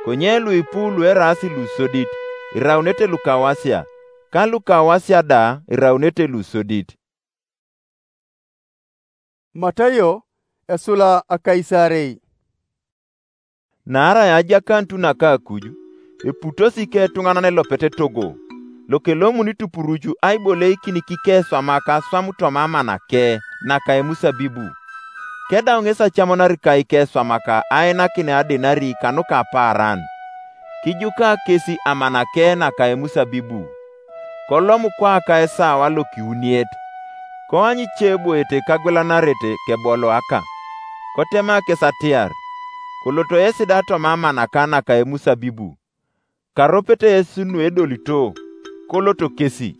Konye luipu lueraas lusodit, iraunete lukawasia, ka lukawasia da iraunete lusodit." Matayo esula akaisarei. Naarai ajakanut naka akuj, eputosi ke etuŋanan elopet etogo, lokelomuni tupuruc aiboleikin kikeswamak aswam toma amanake naka emusabibu. Kedau ŋes acamunar ka ikeswamak ainakin adenari kanuka apaaran, kijuka kesi amanake naka emusabibu. Kolom kwaka esawa lokiuniet, koany ice eboete kagwelanarete keboloaka. Kotema kes atiar, "Koloto yesi da toma amanaka naka emusabibu." Karopet yesi nuedolito, koloto kesi.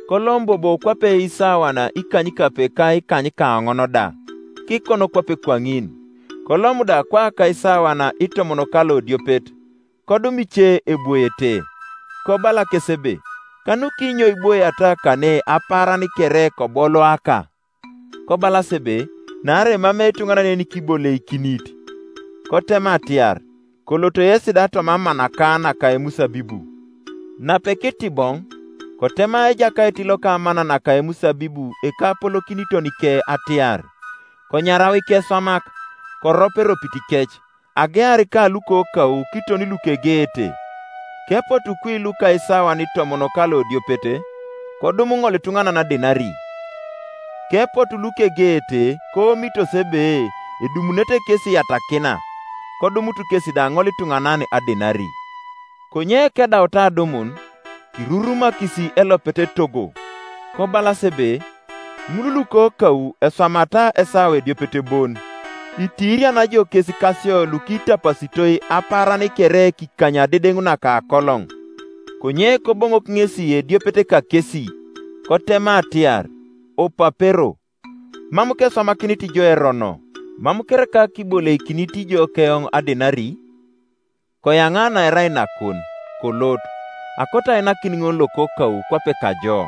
Kolom bobo kwape isawana ikanykape ka ikanykaoŋon da. kikono kwape kwaŋin. Kolom da kwa akaisawan itomon ka lodiopet, kodum ice ebwoete. Kobala kes ebe, "Kanukinyo iboiata kane apaaran kere koboloaka?" Kobalas ebe, "Naarai mam etuŋanan enikiboleikinit." Kotema atiar, "Koloto yesi da toma amanaka naka emusabibu." Nape kitiboŋ, kotema ejakait loka amana naka emusabibu ekapolokiniton ke atiar, "Konyarau ikeswamak, korop eropit kec, agear ka lukokau kiton lukegeete." Kepotu kwi luka isawan itomon ka lodiopete, kodum ŋol ituŋanan adinari. Kepotu lukegeete koomitos ebe edumunete kes iyatakina, kodumut kes da ŋol ituŋanan adinari. Konye kedauta adumun, kirurumakis elopet etogo, kobalas ebe, "Ŋul lukokau eswamata esawa ediopet bon, itiiriana jo kes kasio lukitapasitoi apaaran kere kikany adedeŋ naka akoloŋ." Konye koboŋok ŋesi ediopet kakesi, kotema atiar, "Opapero, mam keswamakinit ijo erono, mam kereka kiboleikinit ijo keoŋ adinari? Koyaŋa naerai nakon, kolot, akoto ainakin ŋol lokokau kwape kajo.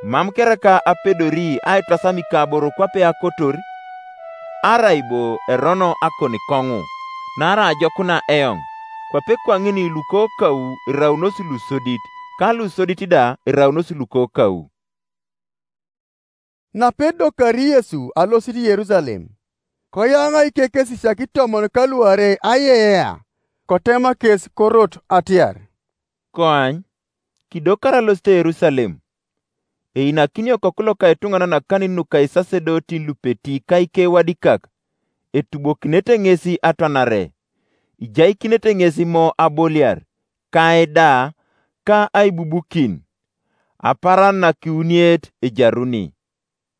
Mam kereka apedori aitasam ikaboro kwape akotor? Arai bo erono akon koŋu, naarai ajokuna eoŋ, kwape kwaŋin lukokau iraunos lusodit, ka lusodit da iraunos lukokau." Nape edokari Yesu alosit Yerusalem, koyaŋa ikekesisiak itomon ka luarei aiyeyea, kotema kes korot atiar, "Koany, kidokar alosit Yerusalem, einakinio Okoku loka etuŋanan akanin nuka isasedotin lupeti ka ikewadikak, etubokinete ŋesi atwanare, ijaikinete ŋesi mo aboliar, ka eda, ka aibubukin. Apaaran nakiuniet ejaruni."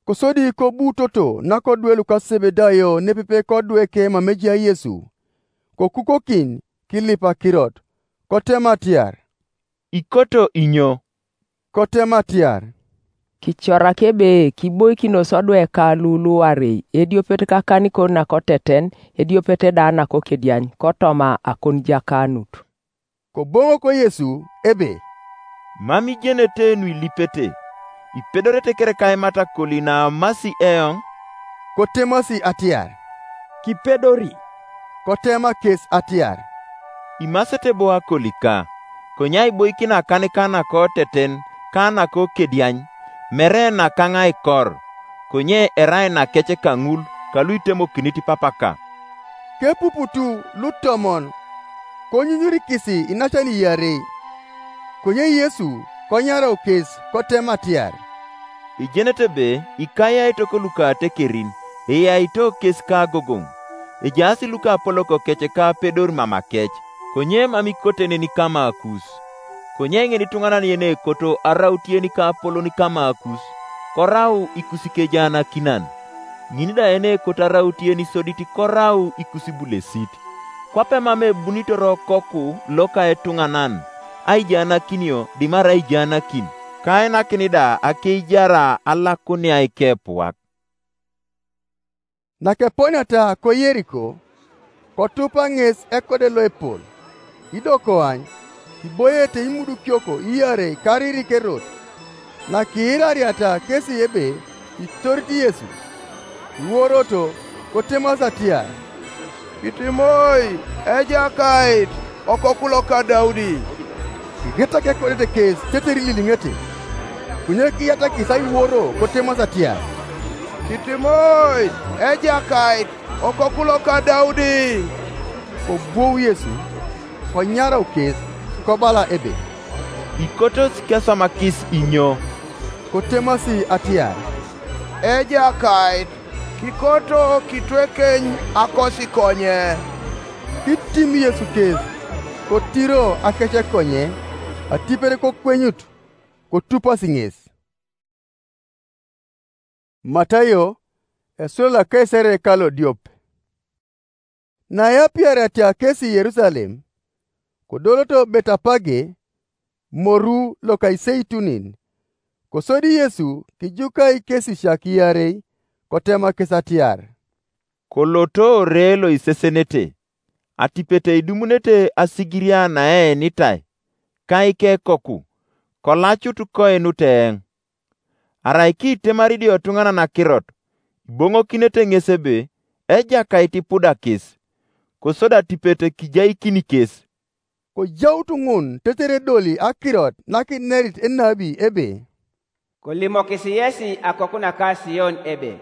Kosodi kobutoto nakodwe luka Sebedayo nepepe kodwe ke mam ejai Yesu, kokukokin kilip akirot, kotema atiar, "Ikoto inyo?" Kotema atiar, "Kicorak ebe kiboikinos odwe ka lu luarei, ediopet kakanikon nakoteten, ediopet da nakokediany, kotoma akonijakanut." Koboŋok Yesu ebe, "Mam ijenete nuilipete, ipedorete kereka aimat akoli naamasi eoŋ?" Kotemasi atiar, "Kipedori." Kotema kes atiar, "Imasete bo akolika, konye aiboikin akanika nakoteten ka nakokediany, mere nakaŋ aikor, konye erai nakec kaŋul kalu itemokinit papaka." Kepuputu lutomon, konyunyurikis inacan iarei. Konye Yesu konyarau kes kotema atiar, "Ijenete ebe ikaiaitok luka atekerin, eyaito kes ka agogoŋ, ejaas luka apolok kec ka apedor mama kec, konye mam ikote nen kama akus. Konye ŋin ituŋanan yen ekoto araut yen ka apolon kama akus, korau ikusikejaanakinan. Ŋin da yen ekoto araut yen isodit korau ikusibulesit. Kwape mam ebunitor Okoku loka etuŋanan aijaanakinio dimarai aijaanakin, kainakin da akeijar alakunia ikepuak." Nakeponiata ko Yeriko, kotupa ŋes ekode loepol, ido koany, kiboiete imudukiok iarei karirik erot. Nakiirariata kesi ebe itorit Yesu, iworoto, kotemas atiar, "Kitimoi, Ejakait, Okoku loka Daudi!" Kigetak ekodete kes tetere ililiŋete. Konye kiyatakis aiworo kotemas atiar, "Kitimoi, Ejakait, Okoku loka Daudi!" Kobwou Yesu, konyarau kes, kobala ebe, "Ikotos keswamakis inyo?" Kotemasi atiar, "Ejakait, kikoto kitwekeny akosi konye." Kitim Yesu kes, kotiro akece konye, atipet kokwenyut, kotupasi ŋes. Matayo, esula lo Kaisere ka lodiop. Naepiariatia kesi Yerusalem, kodoloto Betapage, moru loka Iseitunin, kosodi Yesu kijuka ikesisiak iarei, kotema kes atiar, "Koloto ore lo isesenete, atipet idumunete asigiria naeenitai, ka ikekoku, kolacut koinut eoŋ. Arai kiitemari idio etuŋanan akirot, iboŋokinete ŋes ebe, 'Ejakait ipudakis,' kosodi atipet kijaikini kes." Kojaut ŋun tetere edoli akirot nakinerit enabi ebe, "Kolimokis yesi akoku naka Sion ebe,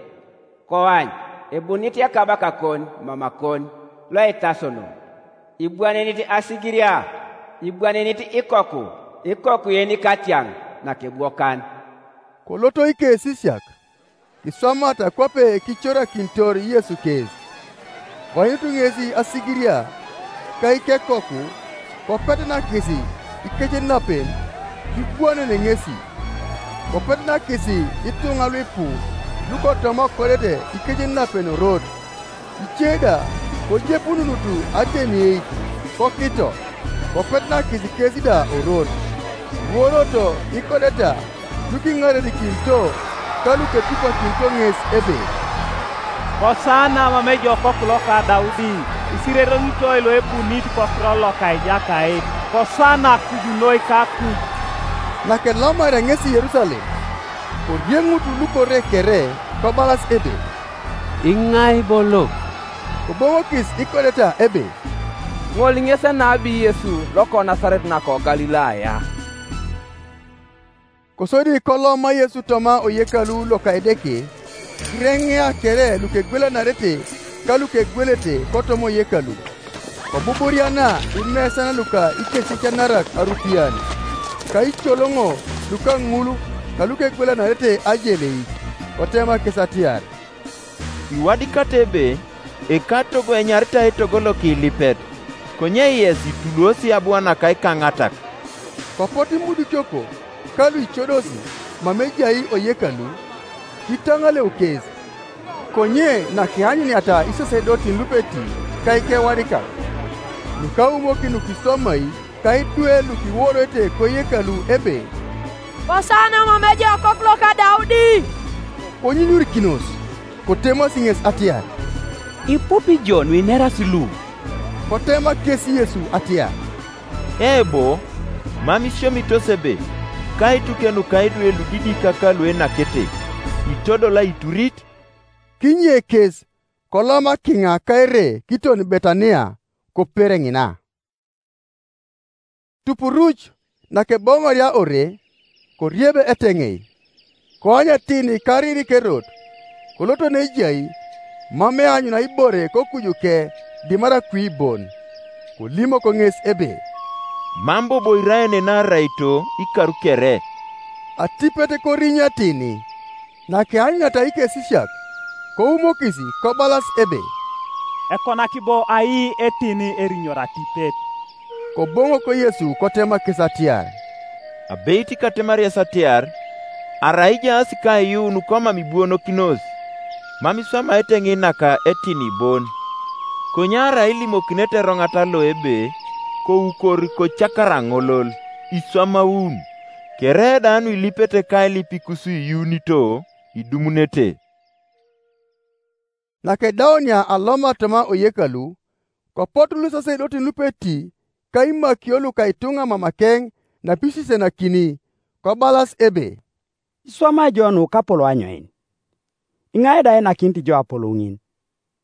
'Koany, ebunit ekabakakon mamakon loitasono, ibwanenit asigiria, ibwanenit ikoku, ikoku yenikatiaŋ nakebwokan." Koloto ikesisiak, kiswamata kwape kicorakinitor Yesu kes. Koanyut ŋesi asigiria ka ikekoku, kopetenakis ikecenapen, kibwanene ŋesi. Kopetenakis ituŋa luipu lukotoma kodete ikecenapen orot. Ice da kojepununut atenieit kokito, kopetenakis kes da orot. Iworoto ikodeta lukiŋarenikinito ka luketupakinito ŋes ebe, "Kosana mam ejokok loka Daudi! Isireronitoi loebunit kokiro loka Ejakait! Kosana akuj noi ka akuj!" Nakelomarea ŋesi Yerusalem, korieŋut lukore kere kobalas ebe, "Iŋai bo lo?" Koboŋokis ikodeta ebe, "Ŋol ŋes enabi Yesu loko Nasaret nako Galilaya." Kosodi koloma Yesu toma oyekalu loka Edeke, kireŋea kere lukegwelanarete ka lukegwelete kotoma oyekalu. Kobuburiana imesan luka ikesisianarak arupian, ka icoloŋo luka ŋul ka lukegwelanarete ajelei, kotema kes atiar, "Iwadikata ebe ekatogo enyaritai etogo lokilipet, konye yes ituluosi abu naka ikaŋatak." Kopot imudukok ka luicodosi mam ejai oyekalu, kitaŋaleu kes. Konye nakianyuniata isasedotin lupeti ka ikewadikak, nukaumokin nukiswamai ka idwe lukiworoete koyekalu ebe, "Kosana mam ejai Okoku loka Daudi!" Konyunyurikinos, kotemasi ŋes atiar, "Ipupi jo nuinerasi lu?" Kotema kes Yesu atiar, "Ebo, mam isiomitos ebe, ka ituke nuka idwe ludidikak luenakete, itodol aiturit?" Kinye kes, koloma kiŋa kaere kiton Betania, kopere ŋina. Tupuruc nakeboŋoria ore, koriebe eteŋei, koany etini karirik erot, koloto nejai, mam eanyuna ibore kokujuke dimar akwi bon. Kolimok ŋes ebe, "Mam bobo iraene naaraito ikaru kere." Atipet korinyetini, nakeanyunata ikesisiak, koumokis kobalas ebe, "Ekonaki bo ai etini erinyor atipet?" Koboŋok Yesu kotema kes atiar, "Abeit katemar yes atiar, arai ijaas kaiyuun komam ibwonokinos, mam iswamaete ŋin naka etini bon. Konye arai ilimokinete eroŋata lo ebe, 'Koukor kocakara ŋolol,' iswamaun, kere da nuilipete kailipikus iyuunito, idumunete." Nakedaunia aloma toma oyekalu, kopotu lusasedotin lupeti ka imakio luka ituŋa mamakeŋ napisisenakini, kobalas ebe, "Iswama jo nu kapolo anyoin? Iŋai da einakinit jo apolo ŋin?"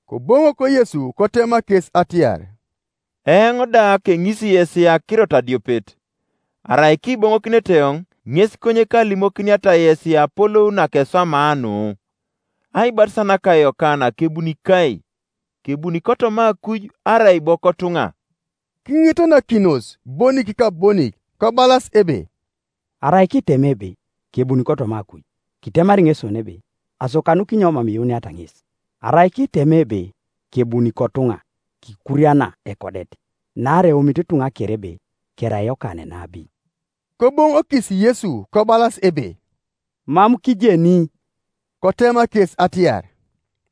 Koboŋok Yesu kotema kes atiar, "Eoŋ da keŋisi yesi akirot adiopet. Arai kiboŋokinete eoŋ, ŋes konye kalimokiniata yesi apolou nakeswamaa nu. Aibatisana ka Yokana kebuni kai, kebuni kotoma akuj arai bo kotuŋa?" Kiŋitanakinos bonik ka bonik, kobalas ebe, "Arai kitem ebe, 'Kebuni kotoma akuj,' kitemari ŋes ebe, 'Aso kanukinyo mam iuniata ŋes?' Arai kitem ebe, 'Kebuni kotuŋa,' kikuriana ekodet, naarai eomit ituŋa kere ebe kerai Yokana enabi." Koboŋokis Yesu kobalas ebe, "Mam kijeni." Kotema kes atiar,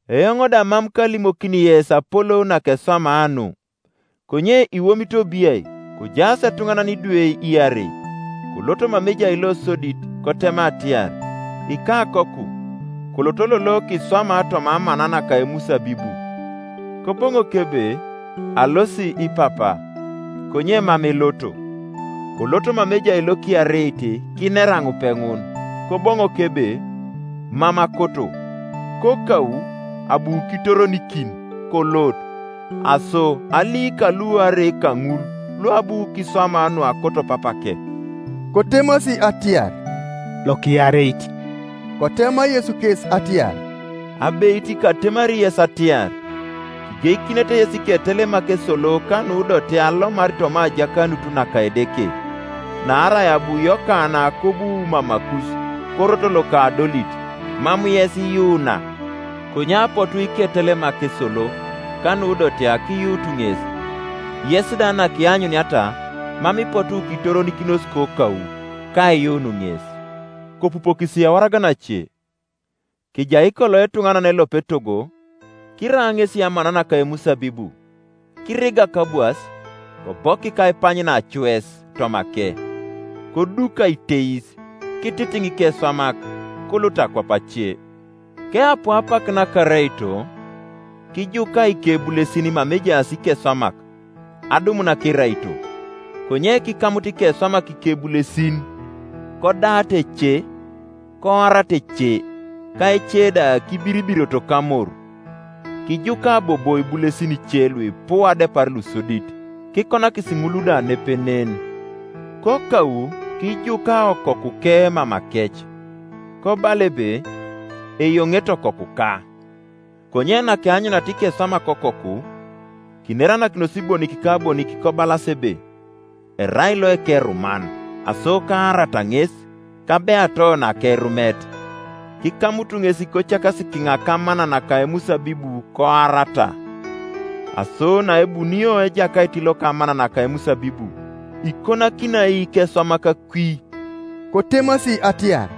"Eoŋ da mam kalimokini yes apolou nakeswamaa nu. Konye iwomit obiai, kojaas etuŋanan idwe iarei, koloto mam ejai lo sodit, kotema atiar, 'Ikakoku, Apoloto lolo kiswama toma amana naka emusabibu. Koboŋok ebe, alosi ipapa, konye mam iloto. Koloto mama ejai lokiareit kinera ŋupe ŋun, koboŋok ebe, mam akoto. Kokau abu kitoronikin, kolot. Aso aliika luarei kaŋul luabu kiswama nuakoto papake. Kotemasi atiar, lokiareit. Kotema Yesu kes atiar, abeit katemari yes atiar, kigeikinete yes iketelemak esolo kanudote alomar toma ajakanut naka Edeke. Naarai abu Yokana kobu mamakus, korot loka adolit, mam yes iyuuna. Konye apotu iketelemak esolo, kanudote akiyuut ŋes. Yes da nakianyuniata, mam ipotu kitoronikinos kokau, kaiyuun ŋes. Kopupokisi awaragan ace. Kijai kolo etuŋanan elope togo, kiraa ŋesi amana naka emusabibu, kiriga kabwas, kobokik aipany nacues tomake, koduk aiteis, kititiŋ ikeswamak, kolot akwap ace. Keapu apak nakaraito, kijuka ikebulesin mam ejaas ikeswamak, adumun akiraito. Konye kikamut ikeswamak ikebulesin, kodaat ece, koarat ece, ka ece da kibiribirioto kamoru. Kijuka bobo ibulesin ice luipu adepar lusodit, kikonakis ŋul da nepenen. Kokau kijuka okokuke mamakec, kobala ebe, eyoŋet okokuka. Konye nakeanyunat ikeswamak okoku, kineranakinos ibonik ka abonik kobalas ebe, erai loekeruman, aso kaarata ŋes, kabeato nakerumet. Kikamutu ŋes kocakasi kiŋak amana naka emusabibu koarata. Aso naebunio ejakait loka amana naka emusabibu, ikonakinai ikeswamak kwi. Kotemasi atiar,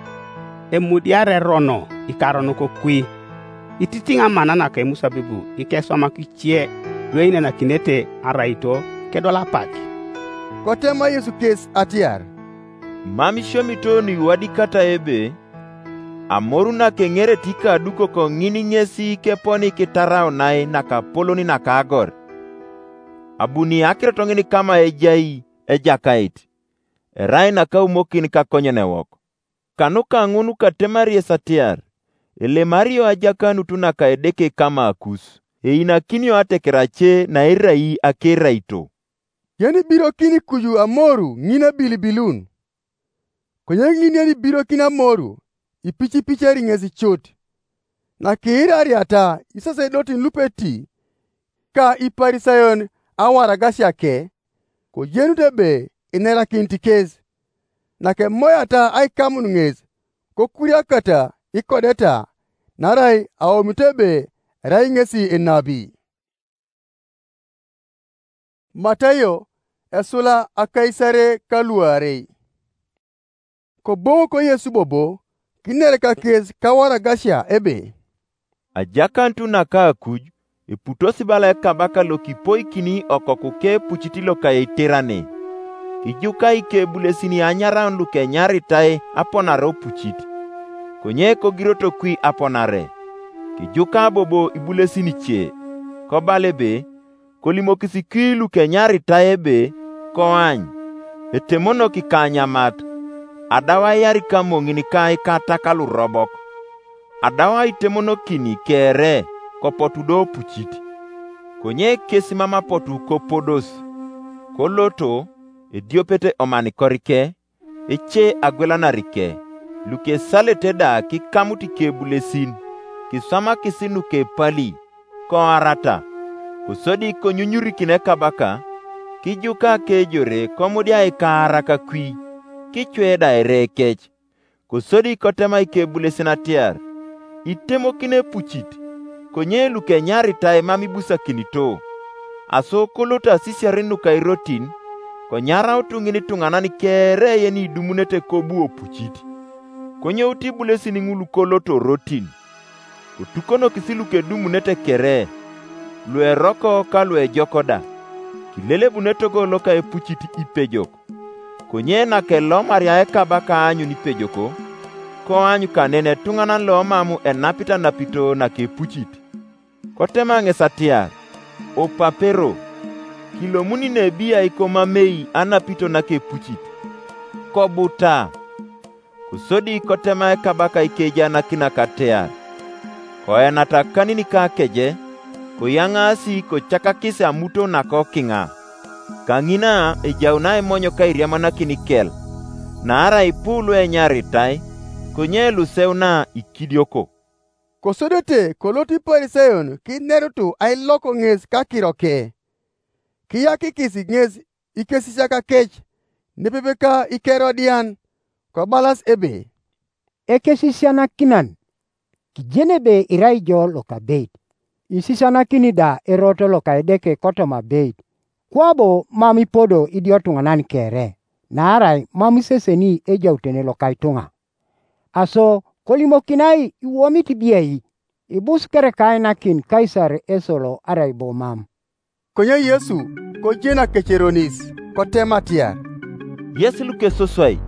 emudiar erono ikaronok kwi, ititiŋ amana naka emusabibu ikeswamak ice lueinanakinete araito kedol apak. Kotema Yesu kes atiar, mam isiomiton iwadikata ebe, amoru nakeŋereti kadukok ŋin ŋesi keponi kitaraunai nakapolon nakagor. Abuni akirot ŋin kama ejai Ejakait, erai nakaumokin kakonyenewok. Kanuka ŋun katemari yes atiar, elemario ajakanut naka Edeke kama akus, einakinio ateker ace nairai akeraito. Yenibirokin kuju amoru ŋin abilibilun. Konye ŋin yenibirokin amoru, ipicipicer ŋes cut. Nakiirariata isasedotin lupeti ka Iparisayon awaragasia ke, kojenut ebe inerakinit kes. Nakemoyata aikamun ŋes, kokuriakata ikodeta, naarai aomit ebe erai ŋesi enabi. Matayo esula akaisare kaluarei. Koboŋok Yesu bobo, kinereka kes kawaragasia ebe, ajakanut naka akuj, eputosi bala ekabaka lokipoikini okokuke epucit loka eiterane. Kijuka ikebulesin anyaraun lukenyaritai aponare opucit, konye kogiroto kwi aponare. Kijuka bobo ibulesin ice, kobala ebe, kolimokis kwi lukenyaritai ebe, koany, etemonok ikanyamat, adau aiar ikamoŋin ka ikatak lurobok, adau aitemonokin kere, kopotu do opucit. Konye kes mam apotu kopodos, koloto, ediopet omanikorike, ece agwelanar ke, lukesalete da kikamut ikebulesin, kiswamakis nukepali, koarata, kosodi konyunyurikin ekabaka, kijuka kejore komudia ikaarak kwi, kicwe da ere kec. Kosodi kotema ikebulesin atiar, itemokin epucit, konye lukenyaritai mam ibusakinito. Aso kolot asisiar nuka irotin, konyarautu ŋin ituŋanan kere yeni idumunete kobu opucit. Konyout ibulesin ŋul koloto rotin, kotukonokis lukedumunete kere, lueroko ka luejok da, kilelebun etogo loka epucit ipejok. Konye nakelomaria ekabaka aanyun ipejoko, koany kanen etuŋanan lomam enapit anapito nakepucit. Kotema ŋes atiar, "Opapero, kilomuni nebi ai komamei anapito nakepucit? Kobuta." Kosodi kotema ekabaka ikejanakinak atiar, "Koenata kanin ka keje, koyaŋaasi kocakakis amuto nakokiŋa. Kaŋina ejaun aimonyo kairiamanakin ikel, naarai ipu luenyaritai, konye luseuna ikidioko." Kosodete kolot Iparisayon kinerutu ailoko ŋes kakiroke. Kiyakikis ŋes ikesisiak kec nepepe ka Ikerodian, kobalas ebe, "Ekesisianakinan, kijeni ebe irai jo lokabeit, isisianakini da erot loka Edeke kotoma abeit, kwabo mam ipodo idiotuŋanan kere, naarai mam iseseni ejautene loka ituŋa. Aso kolimokinai iwomit biai, ibus kere kainakin Kaisar esolo arai bo mam?" Konye Yesu kojena keceronis, kotema atiar, "Yes lukesoswai,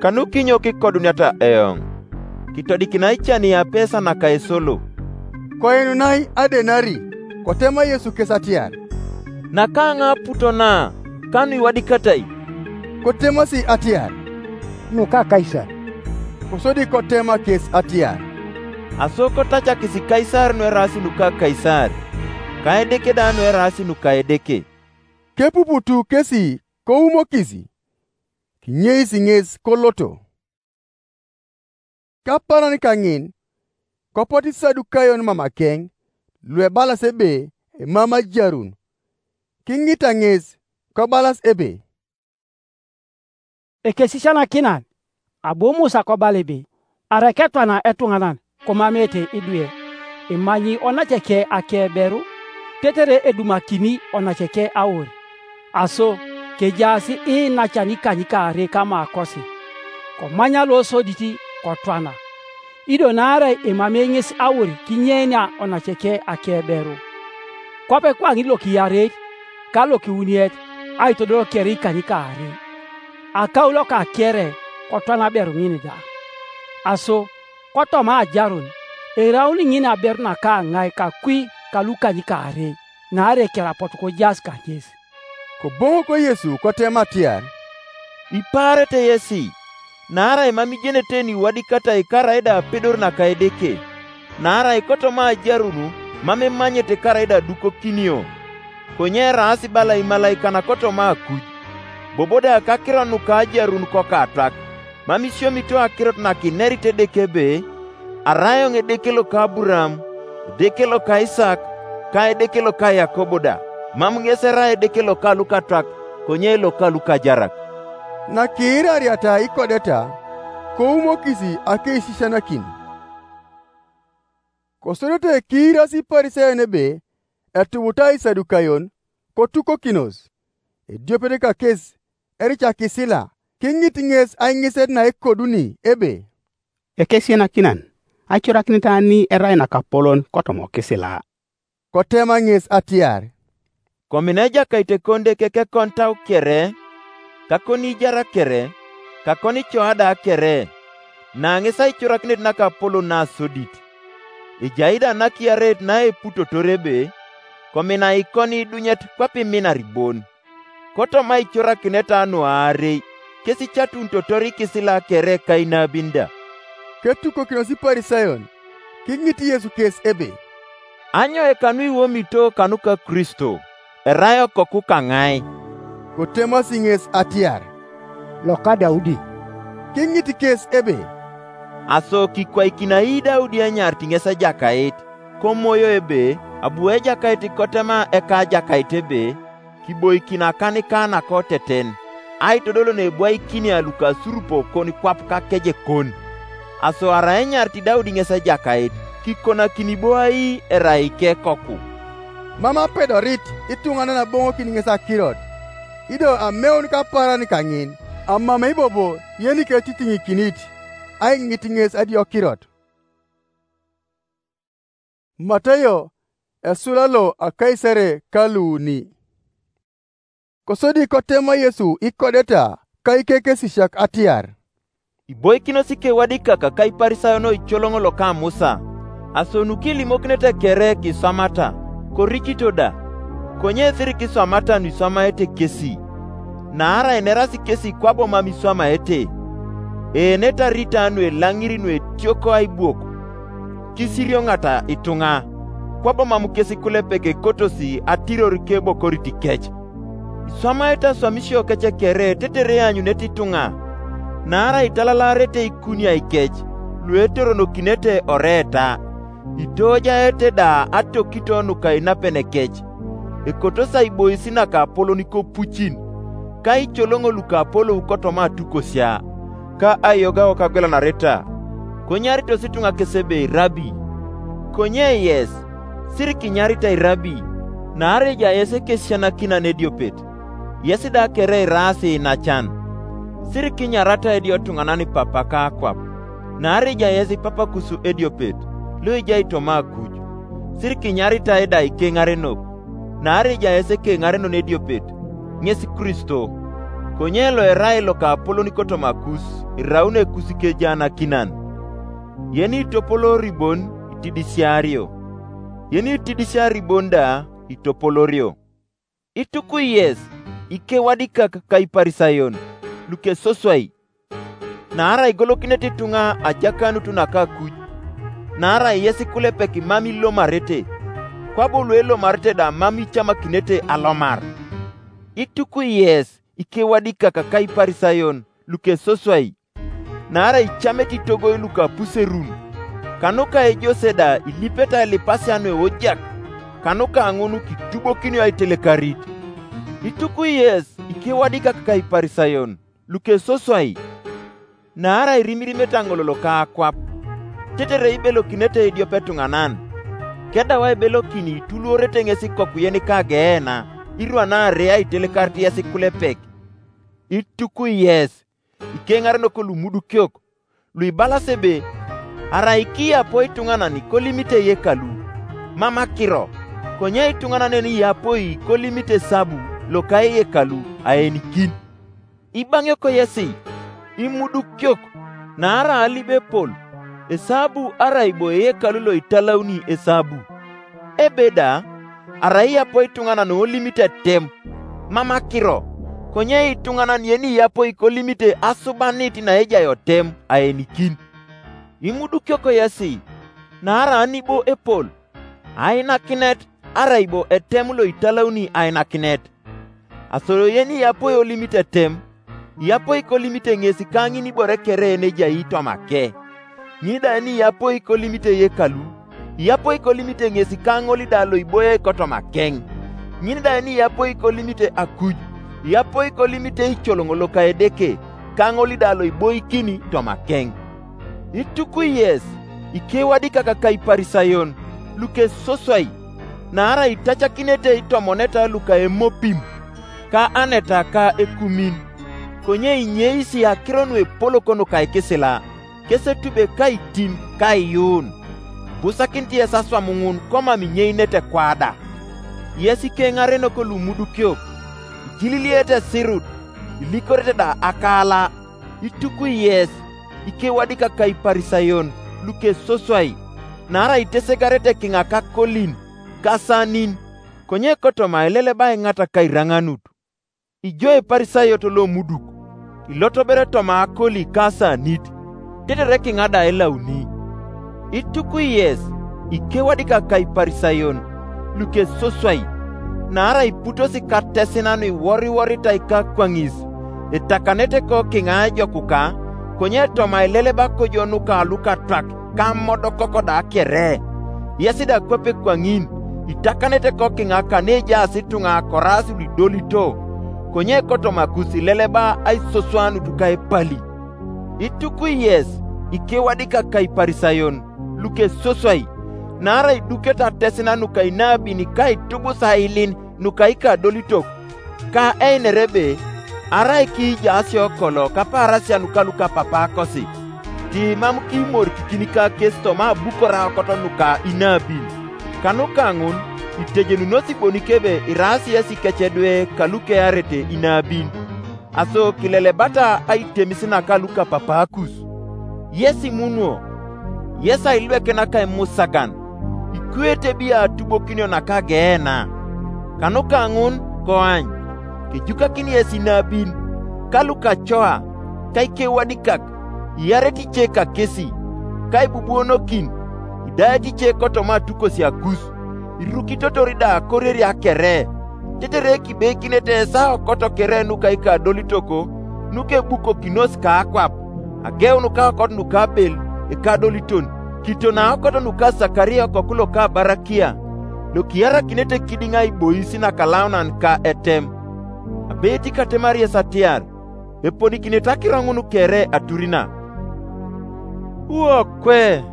kanu kinyo kikoduniata eoŋ? Kitodikinai cani apesa naka esolo?" Koinunai adenari, kotema Yesu kes atiar, "Naka ŋa aputo na, kanu iwadikatai?" Kotemasi atiar, "Nuka Kaisar." Kosodi kotema kes atiar, "Aso kotacakis Kaisar nueraas nuka Kaisar, ka Edeke da nueraas nuka Edeke." Kepuputu kesi koumokis, kinyeis ŋes koloto. Kaparan kaŋin, kopot Isadukayon mamakeŋ, luebalas ebe emam ajarun. Kiŋita ŋes, kobalas ebe, "Ekesisianakinan, abu Musa kobala ebe, arai ketwana etuŋanan komamete idwe, imanyi onaceke akeberu, tetere edumakini onaceke aor. Aso, kejaas iinacan ikanykaarei kamakosi, komanya losodit kotwana. Ido naarai emamei ŋes aor kinyeenia onaceke akeberu, kwape kwaŋin lokiyareit ka lokiuniet aitodol kere ikanykaarei. Akaulo kakere kotwana aberu ŋin da. Aso, kotoma ajarun, eraun ŋin aberu naka aŋai kakwi ka lukanykaarei, naarai kere apotu kojaas kaŋes." Koboŋok Yesu kotema atiar, "Ipaarete yesi, naarai mam ijenete niwadikatai karaida apedor naka Edeke. Naarai kotoma ajarun mam imanyete karaida adukokinio, konye eraas bala imalaikan kotoma akuj, bobo da kakiro nuka ajarun kokatwak. Mam isiomito akirot nakinerit Edeke ebe, 'Arai eoŋ Edeke loka Aburaham, Edeke loka Isak, ka Edeke loka Yakobo da.' Mam ŋes erai Edeke loka lukatwak, konye loka lukajarak." Nakiirariata ikodeta, koumokis akeisisianakin. Kosodete kiiras Iparisayon ebe etubutai Isadukayon, kotukokinos. Ediopet kakes erica kisila, kiŋit ŋes aiŋiset naekoduni ebe, "Ekesianakinan, aicorakinit ani erai nakapolon kotoma kisila?" Kotema ŋes atiar, "Komina Ejakait ekon Edeke kekon tau kere, kakon ijar kere, kakon icoa da kere, na ŋes aicorakinet nakapolon nasodit. Ejai da nakiareit naeputotor ebe, komina ikon idunyet kwape iminar bon. Kotoma icorakineta nuaarei, kes icatunitotor ikisila kere kainabin da." Ketukokinos Iparisayon, kiŋit Yesu kes ebe, "Anyo ekanu iwomito kanuka Kristo? Erai okoku kaŋai?" Kotemasi ŋes atiar, "Loka Daudi." Kiŋit kes ebe, "Aso kikwaikinai Daudi enyarit ŋes Ejakait, komoyo ebe, abu Ejakait kotema eka Ejakait ebe, 'Kiboikin akanika nakoteten, aitodol nebwaikinia lukasurupo kon kwap kakejekon'? Aso arai enyarit Daudi ŋes Ejakait, kikonakini bo ai erai ikekoku?" Mam apedorit ituŋanan aboŋokin ŋes akirot, ido ameun kapaaran kaŋin, amamei bobo yeniketitiŋikinit, aiŋit ŋes adiokirot. Matayo, esula lo akaisere kaluuni. Kosodi kotema Yesu ikodeta ka ikekesisiak atiar, Iboikinos ikewadikak ka Iparisayon oicoloŋ loka Musa, aso nukilimokinete kere kiswamata, koricito da. Konye siri kiswamata nuiswamaete kesi, naarai nerasi kesi kwabo mam iswamaete. Eenetarita nuelaŋiri nuetioko aibuok, kisirioŋata ituŋa, kwabo mam kes kulepek ekotosi atiror kebokorit kec. Iswamaete aswamisio kec kere tetere ianyunet ituŋa, naarai italalaarete ikuniai kec luetoronokinete oreta, itoojaete da atokito nuka inapenekec, ekotos aibois naka apolon kopucin, ka icoloŋo luka apolou kotoma atukosia, ka aiyogao kagwelanareta. Konyaritos ituŋa kes ebe, "Rabi." Konye yes, siri kinyaritai Rabi, naarai ejai yes ekesianakinan ediopet. Yes da kere iraasi inacan. Siri kinyarata edio tuŋanan papa ka akwap, naarai ejai yes papa kus ediopet, lo ejai toma akuj. Siri kinyaritai da ikeŋarenok, naarai ejai yes ekeŋarenon ediopet, ŋes Kristo. Konye lo erai loka apolon kotoma kus, iraun ekus kejaanakinan. Yeni itopolori bon, itidisiario. Yeni itidisiari bon da, itopolorio. Itukui yes, ikewadikak ka Iparisayon, lukesoswai. Naarai igolokinete ituŋa ajakanut naka akuj, naarai yes kulepek mam ilomarete, kwabo luelomarete da mam icamakinete alomar. Itukui yes, ikewadikak ka Iparisayon, lukesoswai. Naarai icamete itogoi luka apuserun, kanuka ejose da ilipete ailipasia nueojak, kanuka ŋun kitubokinio aitelekarit. Itukui yes, ikewadikak ka Iparisayon, lukesoswai. Naarai irimirimete aŋol loka akwap, tetere ibelokinete idiope tuŋanan, kedau aibelokini ituluorete ŋes ikokuyen ka Geena, irwanaare aitelekarit yes kulepek. Itukui yes, ikeŋarenok lumudukiok, luibalas ebe, "Arai kiyapo ituŋanan kolimite eyekalu, mam akiro, konye ituŋanan yen iyapoi kolimite esabu loka eyekalu aenikin." Ibaŋiok yesi, imudukiok, naarai alibo epol, esabu arai bo eyekalu loitalauni esabu. Ebe da, arai iyapo ituŋanan olimite etem, mam akiro, konye ituŋanan yeni iyapoi kolimite asubanit naejai otem aenikin. Imudukiok yesi, naarai anibo epol, ainakinet arai bo etem loitalauni ainakinet. Aso yeni iyapoi olimite etem, iyapoi kolimite ŋes ka ŋin ibore kere nejai toma ke. Ŋin da ni iyapoi kolimite eyekalu, iyapoi kolimite ŋes ka ŋol da loiboiai kotoma keŋ. Ŋin da ni iyapoi kolimite akuj, iyapoi kolimite icoloŋ loka Edeke, ka ŋol da loiboikini toma keŋ. Itukui yes, ikewadikak ka Iparisayon, lukesoswai, naarai itacakinete itomoneta luka emopim, ka aneta ka ekumin, konye inyeisi akiro nuepolok nuka ikisila, kesetube kaitim kaiyuun. Ibusakinit yes aswam ŋun komam inyeinete kwada. Yes ikeŋarenok lumudukiok, ijililiete esirut, ilikorete da akaala. Itukui yes, ikewadikak ka Iparisayon, lukesoswai, naarai itesegarete kiŋa kakolin, kasanin, konye kotoma eleleba iŋata kairaŋanut. Ijo Iparisayot lomuduk, ilotobere toma akoli kasanit, tetere kiŋa da elauni. Itukui yes, ikewadikak ka Iparisayon, lukesoswai, naarai iputosi katesina nuiworiworitai kakwaŋis, itakanete kokiŋa ejokuka, konye toma ileleba kojo nuka lukatwak kamodokok da kere. Yes da kwape kwaŋin, itakanete kokiŋa kanejaas ituŋa koraas luidolito, konye kotoma kus ileleba aisoswanut ka epali. Itukui yes, ikewadikak ka Iparisayon, lukesoswai, naarai idukete atesina nuka inabin ka itubusa ailin nuka ikadolitok, ka einere ebe, arai kiijaasio kolo kapaarasia nuka lukapapaakosi, tiimam kiimorikikin ka kes toma abukor aokot nuka inabin. Kanuka ŋun, itejenunosi bonik ebe iraasi yes ikec edwe kalukearete inabin. aso kilelebata aitemis naka lukapapaakus. Yesi munuo, yesi ailweke naka imusagan, ikwete bi atubokinio naka Geena. Kanuka ŋun koany, kejukakini yesi nabin, ka lukacoa, ka ikewadikak, iarete ice kakesi, ka ibubuonokin, idaete ice kotoma atukosia kus, irukitotor da koriere akere, tetere kibeikinete esao koto kere nuka ikadolitoko, nukebukokinos ka akwap, ageun ka aokot nuka Abel ekadoliton, kiton aokot nuka Sakaria okoku loka Barakia, lokiarakinete kidiŋ aibois nakalaunan ka etem. Abeit katemar yes atiar, eponikinete akiro ŋun kere aturina. Uokwe!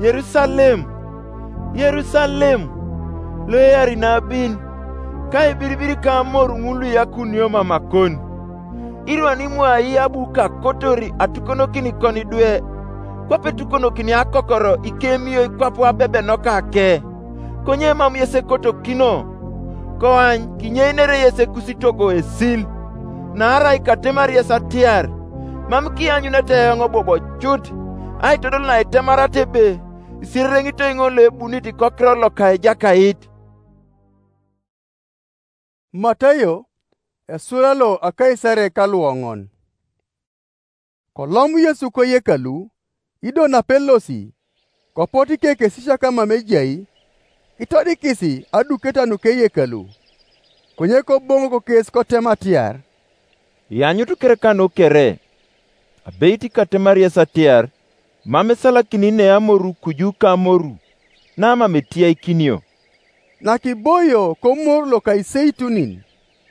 Yerusalem, Yerusalem, lo eari nabin, ka ibiribir ka amoru ŋun luiyakunio mamakon! Irwan imwai abu kakotor atukonokin kon idwe, kwape etukonokini akokoro ikemio ikwap abebenoka ke, konye mam yes ekotokino. Koany kinyeinere yes ekusitogo esil. Naarai katemar yes atiar, mam kianyunete eoŋ bobo cut, aitodol naitemarata ebe, isierereŋito iŋol loebunit kokiror loka Ejakait. Matayo, esura lo akaisare ka luoŋon. Kolom Yesu koyekalu, ido napelosi, kopot ikekesisiak amam ejai, itodikisi aduketa nukeyekalu. Konye koboŋok kes kotem atiar, "Ianyut kere kanu kere, abeit katemar yes atiar, mam isalakini ne amoru kuju ka amoru, na mam etiaikinio." Nakiboio komor loka Iseitunin,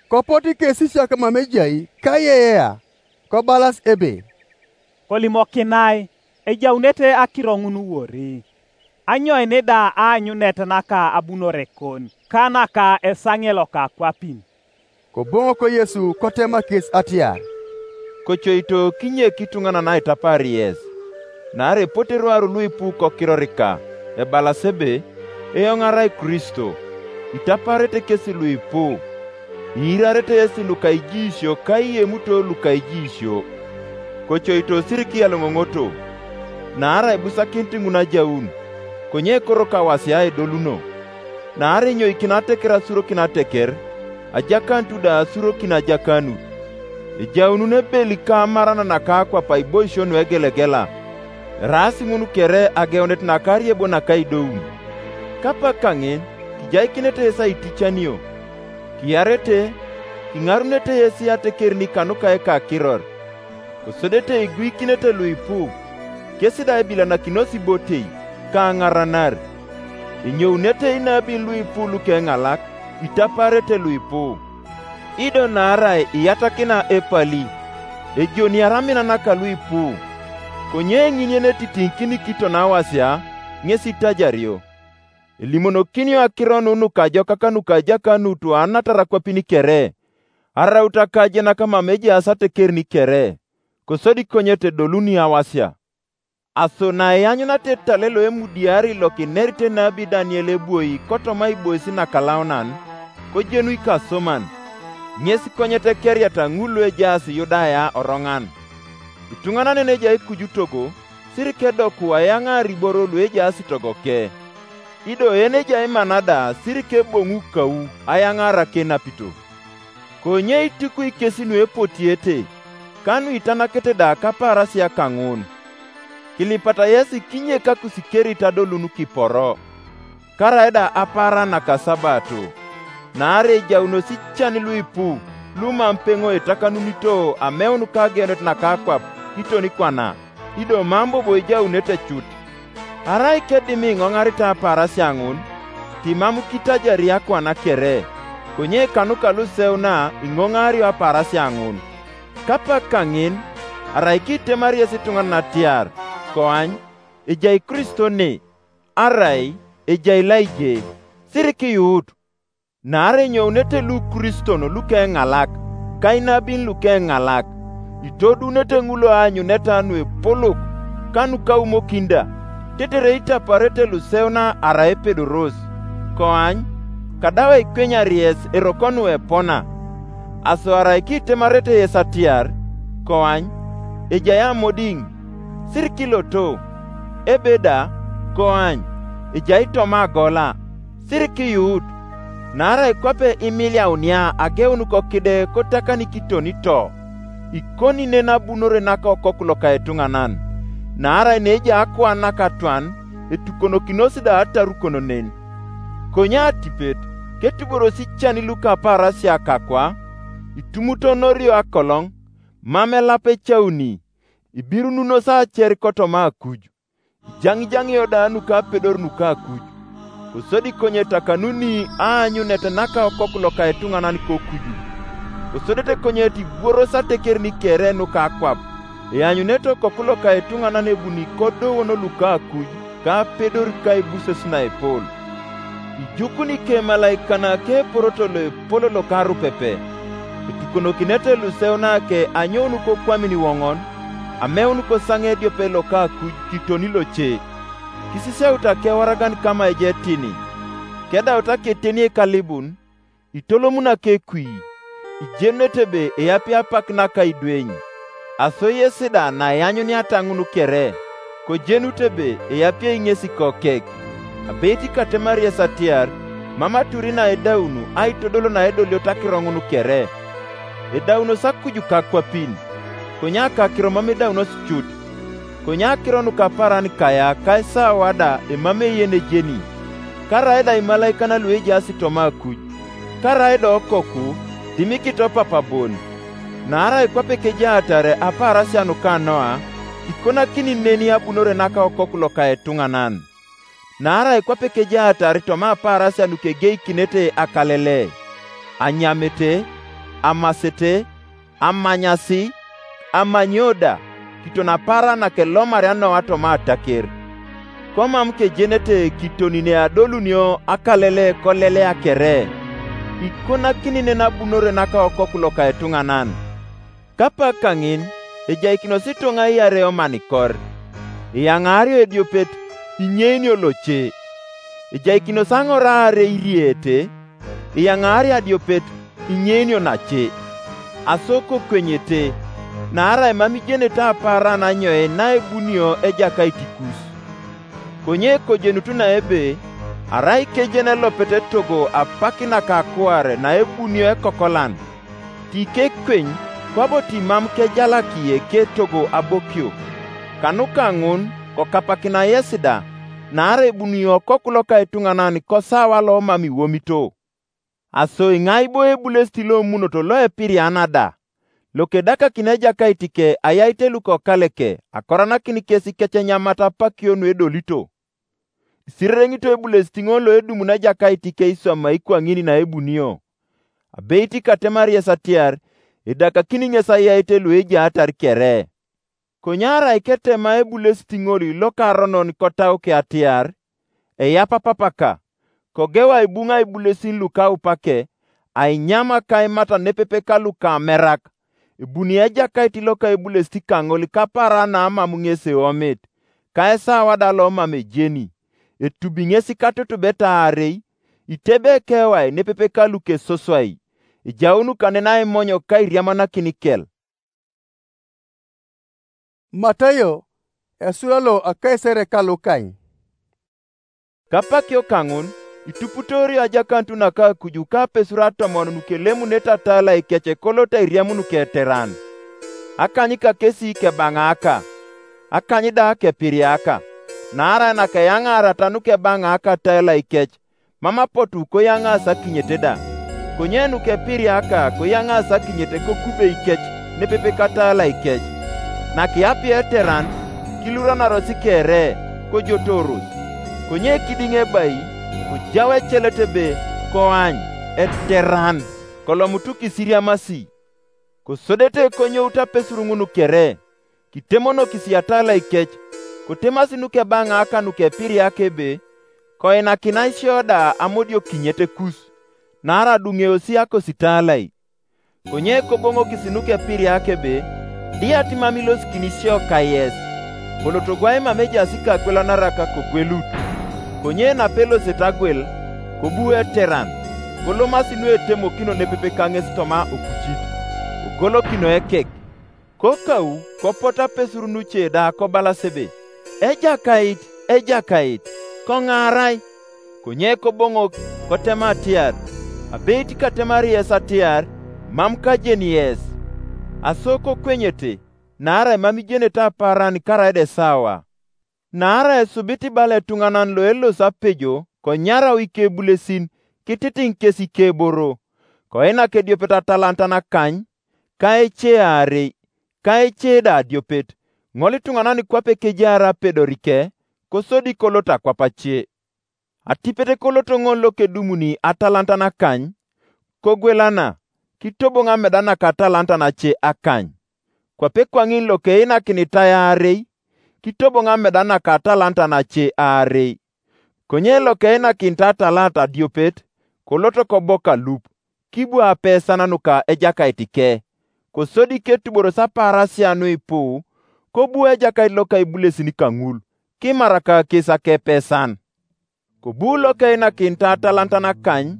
kopot ikesisiak amam ejai ka iyeyea, kobalas ebe, "Kolimokinai, ejaunete akiro ŋun wori? Anyoin da aanyunet naka abunore kon, ka naka esaŋe loka akwapin?" Koboŋok Yesu kotema kes atiar, "Kocoito kinyek ituŋanan aitapar yes, naarai epote eruaru luipu kokirorika, ebalas ebe, 'Eoŋ arai Kristo.' Itaparete kes luipu, iirarete yes luka ijiisio ka iyemuto luka ijiisio. Kocoito siriki ialoŋoŋoto, naarai ibusakinit ŋun ajaun, konye ekoro kawasia edoluno. Naarai inyoikin ateker asurokin ateker, ajakanut da asurokin ajakanut. Ejaunun ebeli ka amaran naka akwap aiboisio nuegelegela, eraas ŋun kere ageunet naka ariebo naka idoun. Kapak kaŋin, kijaikinete yes aitichanio, kiarete, kiŋarunete yes atekerin kanuka ekakiror. Kosodete iguikinete luipu, kes da ebilanakinosi ibotei, ka aŋaranar. Enyounete inabin luipu lukeŋalak, itaparete luipu. Ido naarai iyatakina epali, ejoniar amina naka luipu, konye eŋinien etitiŋ kinikiton awasia, ŋes itajario. Elimonokinio akiro nu nukajokak nuka ajakanut anatar akwapin kere, araut akajenak mam ejaas atekerin kere, kosodi konyet edoluni awasia. Aso naeanyunata etale loemudiari lokinerit enabi Daniel ebwoi kotoma ibois nakalaunan, kojenu ikasoman, ŋes konyet ekeriata ŋul luejaas Yudaya oroŋan. Ituŋanan yen ejai kuju togo, sirik edoku ayaŋaar iboro luejaas togoke. Ido yen ejai mana da sirik eboŋu kau ayaŋaar akenapito. Konye itukui kes nuepotiete, ka nuitanakete da kapaarasia kaŋun. Kilipata yesi kinyekakus kerit adolun kiporo, karaida apaara naka Sabato, naarai ejaunos ican luipu lumam peŋo etakanunito ameun ka ageunet naka akwap kiton kwana, ido mam bobo ejaunete cut. Arai kedim iŋoŋarit apaarasia ŋun, timam kitajari akwana kere, konye kanuka luseuna iŋoŋaario apaarasia ŋun. Kapak kaŋin, arai kitemari yes ituŋanan atiar, koany, ejai Kristo ne, arai ejai Elaije, sirik iyuut. Naarai enyounete lukriston lukeŋalak, ka inabin lukeŋalak, itodunete ŋul aanyuneta nuepolok, ka nukaumokin da, tetere itaparete luseuna arai epedoros. Koany, kadau aikwenyar yes eroko nuepona. Aso arai kitemarete yes atiar, "Koany, ejai amodiŋ," sir kiloto, ebe da, "Koany, ejai toma agola," sir kiyuut. Naarai kwape imiliaunia ageun kokide kotakani kitoni to, ikoni nen abunore naka Okoku loka etuŋanan. Naarai neejai akuan nakatwan etukonokinos da atarukono nen. Konye atipet, ketuborosi ican luka apaarasia kakwa, itumutonorio akoloŋ, mam elap ecauni, ibirununos acer kotoma akuj, ijaŋijaŋio da nuka apedor nuka akuj. Kosodi konye etakanuni aanyunet naka Okoku loka etuŋanan kokuju. Kosodete konye etibuoros ateker nikere nuka akwap, eanyunete Okoku loka etuŋanan ebuni kodowon luka akuj ka apedor ka ebuses naepol. Ijukuni ikemalaikanak eporoto loepol loka arupepe. Etukonokinete luseu nake anyoun kokwamin iwoŋon, ameun kosaŋe ediope loka akuj kitoni loce. Kisisiaut akewaragan kama ejetini. Kedaut aketeni ekalibun, itolomun akekwi, ijenunete ebe eyapi apak naka idweny. Aso yes da naiyanyuniata ŋun kere, kojenut ebe eyapiei ŋesi kokek. Abeit katemar yes atiar, mam aturi naedaun aitodol naedoliot akiro ŋun kere. Edaunos akuju kakwapin, konye akakiro mam edaunos cut. Konye akiro nukapaaran kaya ka esawa da emam eyen ejeni. Karaida imalaikan luejaas toma akuj, karaida Okoku, dimikit Opapa bon. Naarai kwape kejaatar apaarasia nuka Noa, ikonakini neni abunore naka Okoku loka etuŋanan. Naarai kwape kejaatar toma apaarasia nukegeikinete akalele, anyamete, amasete, amanyasi, amanyo da, kiton apaaran nakelomaria Noa toma ataker. Komam kejenete kiton neadolunio akalele kolelea kere, ikonakini nen abunore naka Okoku loka etuŋanan. Kapak kaŋin, ejaikinos ituŋa iarei omanikor, iyaŋaario ediopet, inyeinio loce. Ejaikinos aŋor aarei irieete, iyaŋaario adiopet, inyeinio nace. Aso kokwenyete, naarai mam ijenete apaaran anyoe naebunio Ejakait kus. Konye kojenut naebe, arai kejen elopet etogo apak naka akuar naebunio ekokolan, tikekweny, kwabo timam kejalaki eketogo abokio. Kanuka ŋun, kokapakina yes da, naarai ebuni Okoku loka etuŋanan kosawa lomam iwomito. Aso iŋai bo ebulesit lomunoto loepiriana da, lokedakakin Ejakait ke ayaite lukokaleke akoranakin kes kec enyamat apakio nuedolito? Isirereŋito ebulesit ŋol loedumun Ejakait ke iswama ikwaŋin naebunio. Abeit katemar yes atiar, edakakini ŋes ayaite luejaatar kere. Konye arai ketema ebulesit ŋol lokaronon kotauke atiar, eyap apapaka, kogeu aibuŋ aibulesin lukaupake, ainyam akaimata nepepe ka lukamerak, ebuni Ejakait loka ebulesit kaŋol kapaaran naamam ŋes eomit, ka esawa da lomam ejeni, etubi ŋes katutubet aarei, itebe ekewai nepepe ka lukesoswai, ejaun kanen aimonyo ka iriamanakin ikel. Matayo, esura lo akaisere ka Lukany. Kapakio kaŋun, ituputorio ajakanut naka akuju ka apesur atomon nukelemunete atalai kec koloto airiamun nuketeran. Akany kakesi kebaŋaaka, akany da kepiriaka, naarai nakeyaŋaarata nukebaŋaaka atalai kec, mam apotu koyaŋaas akinyet da. Konye nukepiriaka koyaŋaas akinyet kokubei kec nepepe katalai kec. Nakiapia eteran, kiluranaros kere, kojotoros. Konye kidiŋ ebai, kojau ecelet ebe, "Koany, eteran, kolomutu kisiriamasi." Kosodete konyout apesur ŋun kere, kitemonokis atalai kec, kotemasi nukebaŋaaka nukepiriak ebe, "Koinakina isio da amodiokinyet kus, naarai aduŋeosi akositalai." Konye koboŋokis nukepiriak ebe, "Diat mam ilosikini isio kayes? Kolotogwa imam ejaas kagwelanarak kogwelut." Konye napelosete agwel, kobu eteran, kolomasi nuetemokino nepepe kaŋes toma okucit, kogolokino ekek. Kokau kopot apesur nuce da kobalas ebe, "Ejakait, Ejakait, koŋaarai!" Konye koboŋok, kotema atiar, "Abeit katemari yes atiar, mam kajeni yes." Aso kokwenyete, naarai mam ijenete apaaran karaida esawa. Naarai esubit ibala etuŋanan loelosi apejo konyarau ikebulesin kititiŋ kes ikeboro, koinak ediopet atalantan akany, ka ece aarei, ka ece da adiopet, ŋol ituŋanan kwape kejaar apedorike, kosodi kolot akwap ace. Atipet kolot ŋol lokedumuni atalantan akany, kogwelana, kitoboŋ ameda naka atalantan ace akany. Kwape kwaŋin lokeinakinitae aarei, kitoboŋ ameda naka atalantan ace aarei. Konye lokeinakinit atalantan adiopet, kolot kobo kalup, kibu apesan nuka ejakait ke, kosodi ketuboros apaarasia nuipu, kobu ejakait loka ibulesin kaŋul, kimarak kes akepesan. Kobu lokeinakinit atalantan akany,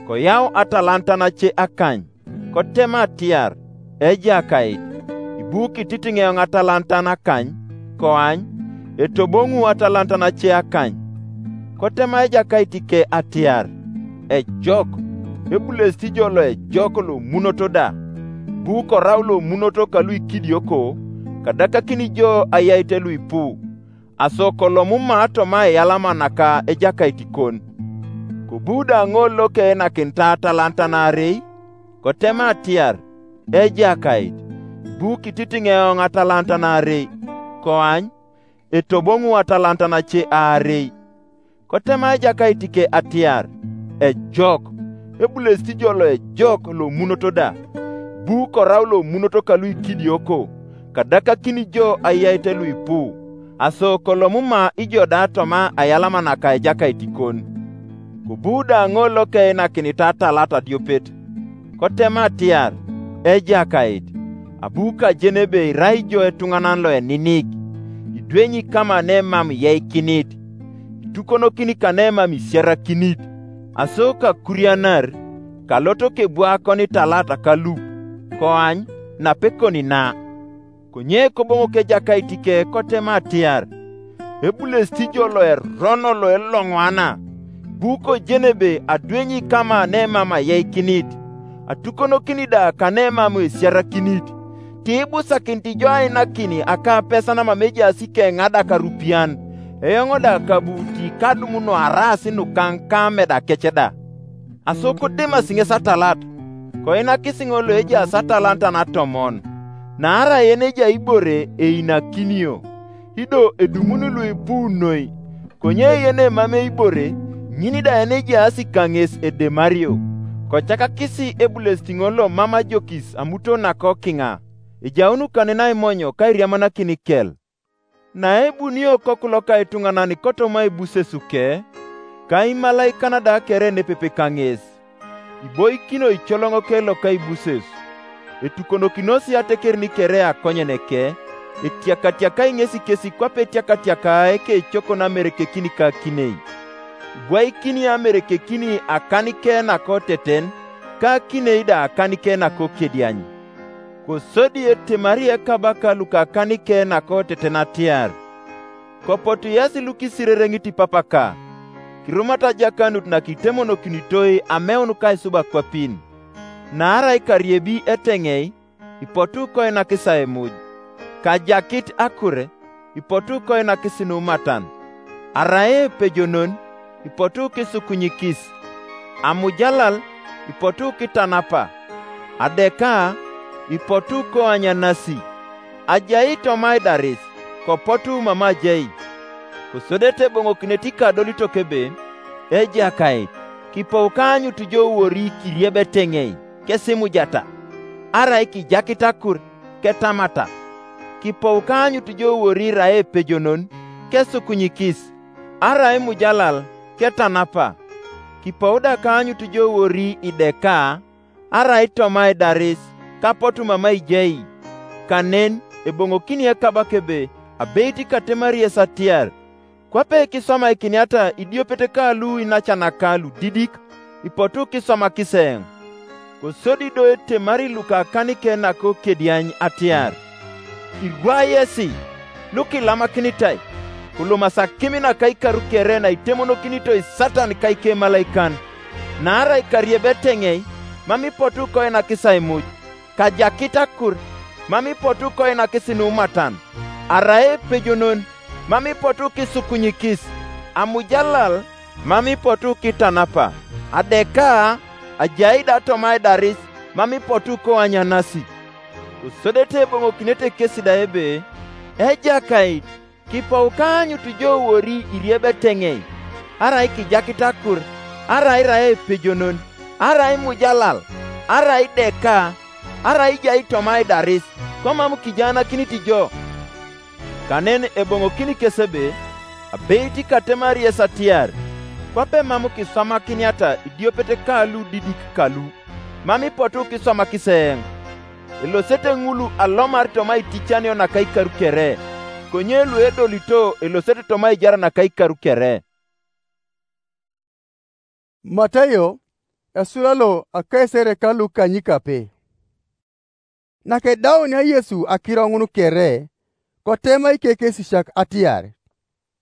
koyau atalantan ace akany, kotema atiar, "Ejakait, ibu kititiŋ eoŋ atalantan akany, koany, etoboŋu atalantan ace akany." Kotema ejakait ke atiar, "Ejok, ebulesit ijo loejok lomunoto da, bu korau lomunoto kalu ikidioko, kadakakin ijo ayaite luipu, aso kolomuma toma eyalama naka ejakait kon." Kobu da ŋol lokeinakinit atalantan aarei, kotema atiar, "Ejakait, ibu kititiŋ eoŋ atalantan aarei, koany, etoboŋu atalantan ace aarei." Kotema ejakait ke atiar, "Ejok, ebulesit ijo loejok lomunoto da, bu korau lomunoto kalu ikidioko, kadakakin ijo ayaite luipu, aso kolomuma ijo da toma ayalama naka ejakait kon." Kobu da ŋol lokeinakinit atalantan adiopet, kotema atiar, "Ejakait, abu kajen ebe irai ijo etuŋanan loeninik, idwenyi kama nemam iyaikinit, itukonokini kanemam isiarakinit, aso kakurianar, kalot kebwakon italat kalup, koany, napekoni na." Konye koboŋok ejakait ke kotema atiar, "Ebulesit ijo loerono loeloŋwana, bu kojen ebe adwenyi kama nemam ayaikinit, atukonokini da kanemam esiarakinit, tiibusakinit ijo ainakin akapesan mam ejaas ikeŋadak arupian, eoŋ da kabu tikadum nuaraas nukaŋ ka ameda kec da." Aso kodemasi ŋes atalat, koinakis ŋol loejaas atalantan atomon, naarai yen ejai ibore einakinio, ido edumun luipu noi, konye yen emam eibore, ŋin da yen ejaas kaŋes edemario. Kocakakis ebulesit ŋol lomam ajokis amuto nakokiŋa, ejaun kanen aimonyo kairiamanakin kel. Naebunio Okoku loka ituŋanan kotoma ibusesuke, ka imalaikan da kere nepepe kaŋes, iboikino icoloŋoke loka ibuses, etukonokinosi atekerin kere akonyeneke, etiakatiakai ŋesi kesi kwape etiakatiaka ekecokon amerekekini ka akinei. Ibwaikini amerekekini akanike nakoteten, ka akinei da akanike nakokediany. Kosodi etemari ekabaka lukakanike nakoteten atiar, "Kopotu yasi lukisirereŋit ipapaka, kirumat ajakanut nakitemonokinitoi ameun kaisub akwapin. Naarai kariebi eteŋei, ipotu koinakis aimuj, kajakit akure, ipotu koinakis numatan, arai epejonon, ipotu kisukunyikis, amujalal, ipotu kitanapa, adeka, ipotu koanyanasi, ajai toma aidaris, kopotu mam ajai." Kosodete eboŋokinet ikadolitok ebe, "Ejakait, kipou kaanyut jo wori kirieb eteŋei, kesimujata, arai kijakit akur, ketamata. Kipou kaanyut jo wori irai epejonon, kesukunyikis, arai imujalal, ketanapa. Kipou da kaanyut jo wori ideka, arai toma aidaris, kapotu mam aijai." Kanen eboŋokini ekabaka ebe, "Abeit katemari yes atiar, kwape kiswamaikiniata idiopet ka lu inacanaka ludidik, ipotu kiswamakis eoŋ. Kosodi do etemari luka kanike nako kediany atiar, irwa yesi lukilamakinitae, kolomas akim naka ikaru kere naitemonokinitoi Satan ka ikemalaikan. Naarai kariebeteŋei, mam ipotu koinakis aimuj, kajakit akur, mam ipotu koinakis numatan, arai epejonon, mam ipotu kisukunyikis, amujalal, mam ipotu kitanapa, adeka, ajai da toma aidaris, mam ipotu koanyanasi. Kosodete eboŋokinete kesi da ebe, Ejakait, kipou kaanyut jo wori iriebeteŋei, arai kijakit akur, arai irai epejonon, arai imujalal, arai ideka, arai ijai toma aidaris, komam kijaanakinit jo. Kanen eboŋokini kes ebe, abeit katemari yes atiar, kwape mam kiswamakiniata idiopet ka ludidik kalu, mam ipotu kiswamakis eoŋ. Elosete ŋul alomar toma iticanio naka ikaru kere, konye luedolito elosete toma aijar naka ikaru kere. Matayo, esula lo akaisere ka lukanyikape. Nakedaunia Yesu akiro ŋun kere, kotema ikekesisiak atiar,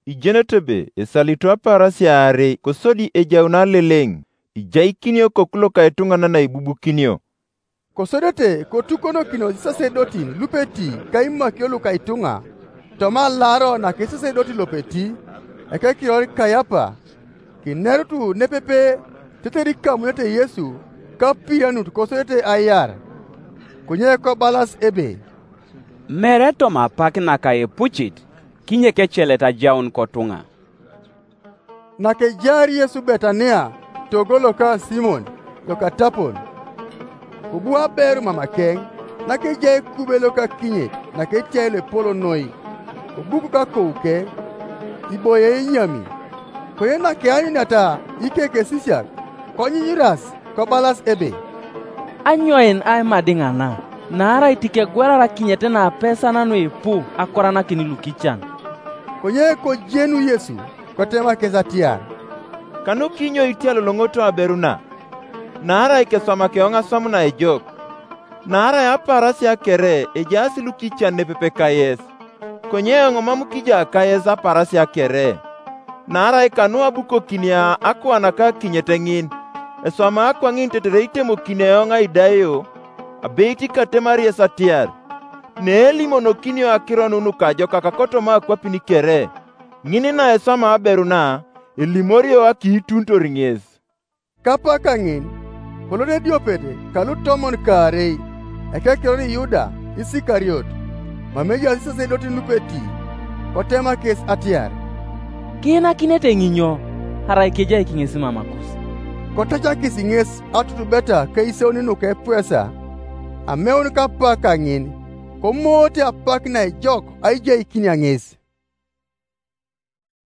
Ijenete ebe esalito apaarasia aarei kosodi ejaun aleleŋ, ijaikinio koku loka etuŋanan aibubukinio. Kosodete kotukonokinos isasedotin lupeti ka imakio luka ituŋa toma alaaro naka esasedoti lopeti, ekekiror Kayapa, kinerut nepepe tetere ikamunete Yesu ka apianut kosodete aiar. Konye kobalas ebe, Mere toma apak naka epucit kinyek ecelet ajaun kotuŋa. Nakejaar Yesu Betania togo loka Simon lokatapon, kobu aberu mamakeŋ, nakejai ekube lokakinyet naketiai loepol noi, kobukok akouke, iboie inyami. Konye nakeanyuniata ikekesisiak, konyunyuras, kobalas ebe, Anyoin aimadiŋ ana? Naarai tikegwerar akinyet naapesa nanuipu akoranakin lukican. Konye kojenu Yesu, kotema kes atiar, Kanu kinyo itialoloŋoto aberu na? Naarai keswamak eoŋ aswam naejok. Naarai apaarasia kere ejaas lukican nepepe kayes, konye eoŋ mam kija kayes apaarasia kere. Naarai kanu abukokinia akuan ka akinyet ŋin, eswama akwaŋin tetere itemokin eoŋ aidaio, abeit katemari yes atiar, neelimonokinio akiro nu nukajokak kotoma akwapin kere, ŋin naeswama aberu na, elimorio akiituntor ŋes. Kapaka ŋin, kolot ediopet kalutomon kaarei, ekekiror Yuda Isikariot, mam ejaas isasedotin lupeti, kotema kes atiar, Kiinakinete ŋinyo, arai kejai kiŋes mamakus? Kotacakis ŋes atutubeta keiseuni nuka epwesa, ameun kapaka ŋin, komoote apak naejok aijaikinia ŋes.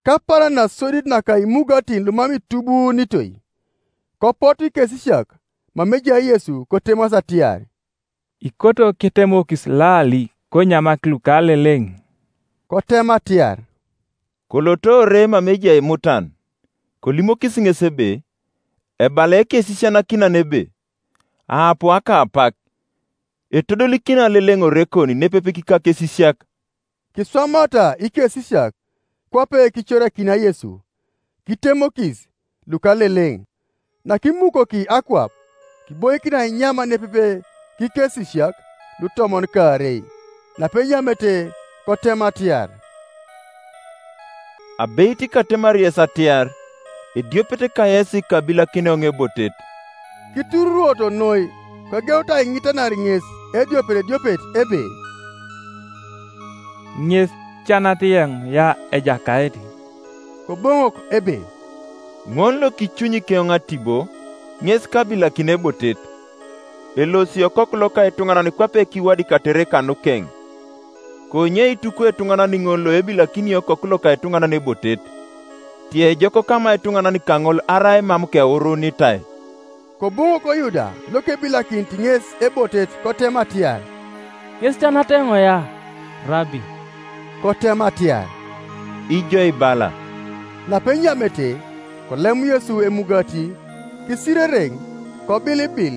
Kapaaran nasodit naka imugatin lumam itubuunitoi, kopotu ikesisiak mam ejai Yesu kotemas atiar, Ikoto ketemokis laali konyamak lukaleleŋ? Kotema atiar, Koloto ore mam ejai imutan, kolimokis ŋes ebe, Ebala ekesisianakinan ebe, Aapu aka apak, etodolikina leleŋ ore kon nepepik kakesisiak. Kiswamata ikesisiak kwape kicorakinia Yesu, kitemokis lukaleleŋ. Nakimukoki akwap, kiboikin ainyama nepepe kikesisiak lutomon kaarei, napenyamete kotem atiar, Abeit katemar yes atiar, ediopet kayesi kabilakin eoŋ ebotet. Kitururuoto noi, kogeut aiŋitanar ŋes ediopet ediopet ebe, Ŋes canat yeŋ ya Ejakait. Koboŋok ebe, Ŋon lokicunyik eoŋ atibo, ŋes kabilakin ebotet. Elosi Okoku loka etuŋanan kwape kiwadik atere kanukeŋ. Konye ituku etuŋanan ŋol loebilakinio Okoku loka etuŋanan ebotet, tiejok kama etuŋanan kaŋol arai mam keurunitai. Koboŋok Yuda lokebilakinit ŋes ebotet kotem atiar, Ŋes canat eoŋ ya, Rabi? Kotem atiar, Ijo ibala. Napenyamete, kolem Yesu emugati, Kisirereŋ, kobilibil,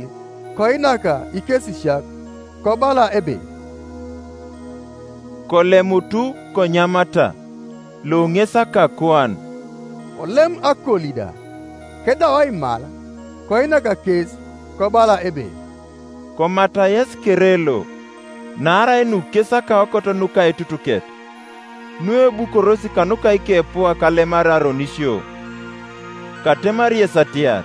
koinaka ikesisiak, kobala ebe, kolemutu konyamata, lo ŋes akakuan. Kolem akoli da, kedau aimal, koinaka kes, kobala ebe, komata yes kere lo, naarai nu kes akaokot nuka etutuket, nu ebukorosi kanuka ikepua kalemar aronisio. Katemar yes atiar,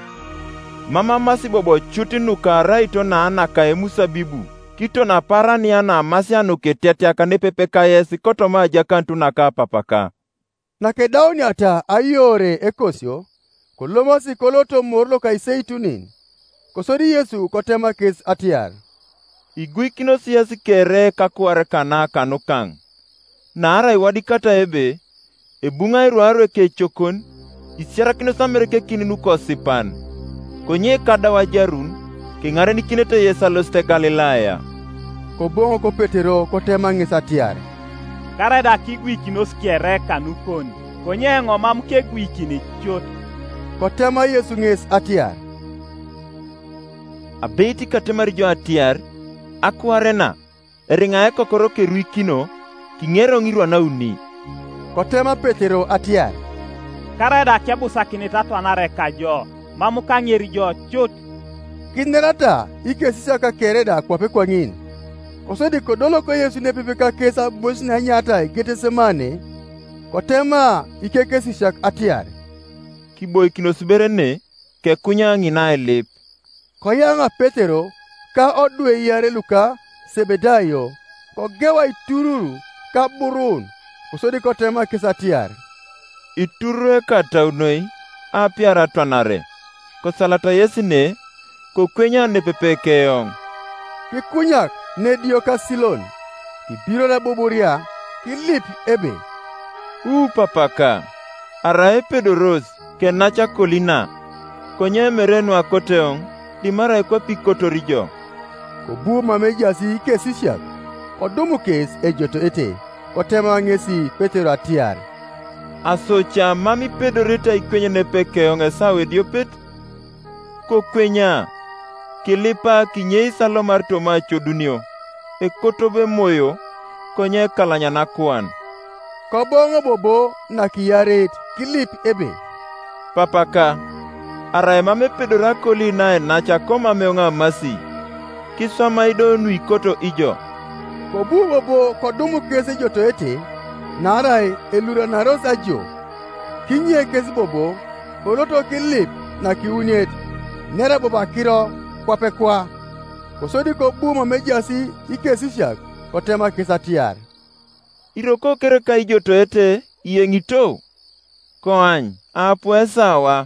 mam amasi bobo cut nuka araito naanaka emusabibu, kiton aparania naamasia nukitetiak nepepeka yes kotoma ajakanut naka apapaka. Nakedauniata aiore ekosio, kolomasi koloto mor loka iseitunin. Kosodi Yesu kotema kes atiar, iguikinos yes kere kakuar kana kanukaŋ, naarai iwadikata ebe, ebuŋai ruarwe kecokon, isiarakinos amerekekin nukosipan. Konye kadau ajarun, kiŋarenikinete yes alosit Galilaya. Koboŋok Petero kotema ŋes atiar, karaida kiguikinos kere kanukon, konye eoŋ mam keguikini cut. Kotema Yesu ŋes atiar, abeit katemar jo atiar, akuarena, eriŋa ekokoro keruikino, kiŋero ŋirwa nauni. Kotema Petero atiar, karaida kebusakinit atwanare kajo, mam kaŋer jo cut. Kinerata ikesisiak kere da kwape kwaŋin. Kosodi kodolok Yesu nepepe kakes abois naenyaatai Getesemane, kotema ikekesisiak atiar, kiboikinos bere ne, kekunya ŋina ailip. Koyaŋa Petero ka odwe iare luka Sebedayo, kogewa itururu kaburun, kosodi kotema kes atiar, itururu ekatau noi, apiar atwanare. Kosalata yes ne, kokwenya nepepe keoŋ. Kikunyak nedio ka Silon, kibiror abuburia, kilip ebe, u papaka, arai epedoros, kenac akolina, konye mere nuakoteoŋ, dimarai kwape ikotor ijo. Kobu mam ejaas ikesisiak, kodum kes ejotoete, kotema ŋesi Petero atiar, asoca mam ipedorete aikwenyen epekeoŋ esawa ediopet? Kokwenya, kilipa kinyei salomar toma acodunio, ekotob emoyo, konye ekalanya nakuan. Koboŋo bobo nakiyareit kilip ebe, papaka, arai mam epedori akoli naenac akomam eoŋ amasi, kiswamai do nuikoto ijo. Kobu bobo kodum kes ejotoete, naarai eluranaros ajo. Kinye kes bobo, koloto kilip nakiuniet, nera bobo akiro kwape kwa. Kosodi kobu mam ejaas ikesisiak, kotema kes atiar, iroko kereka ijotoete iyeŋito? Koany, apu esawa,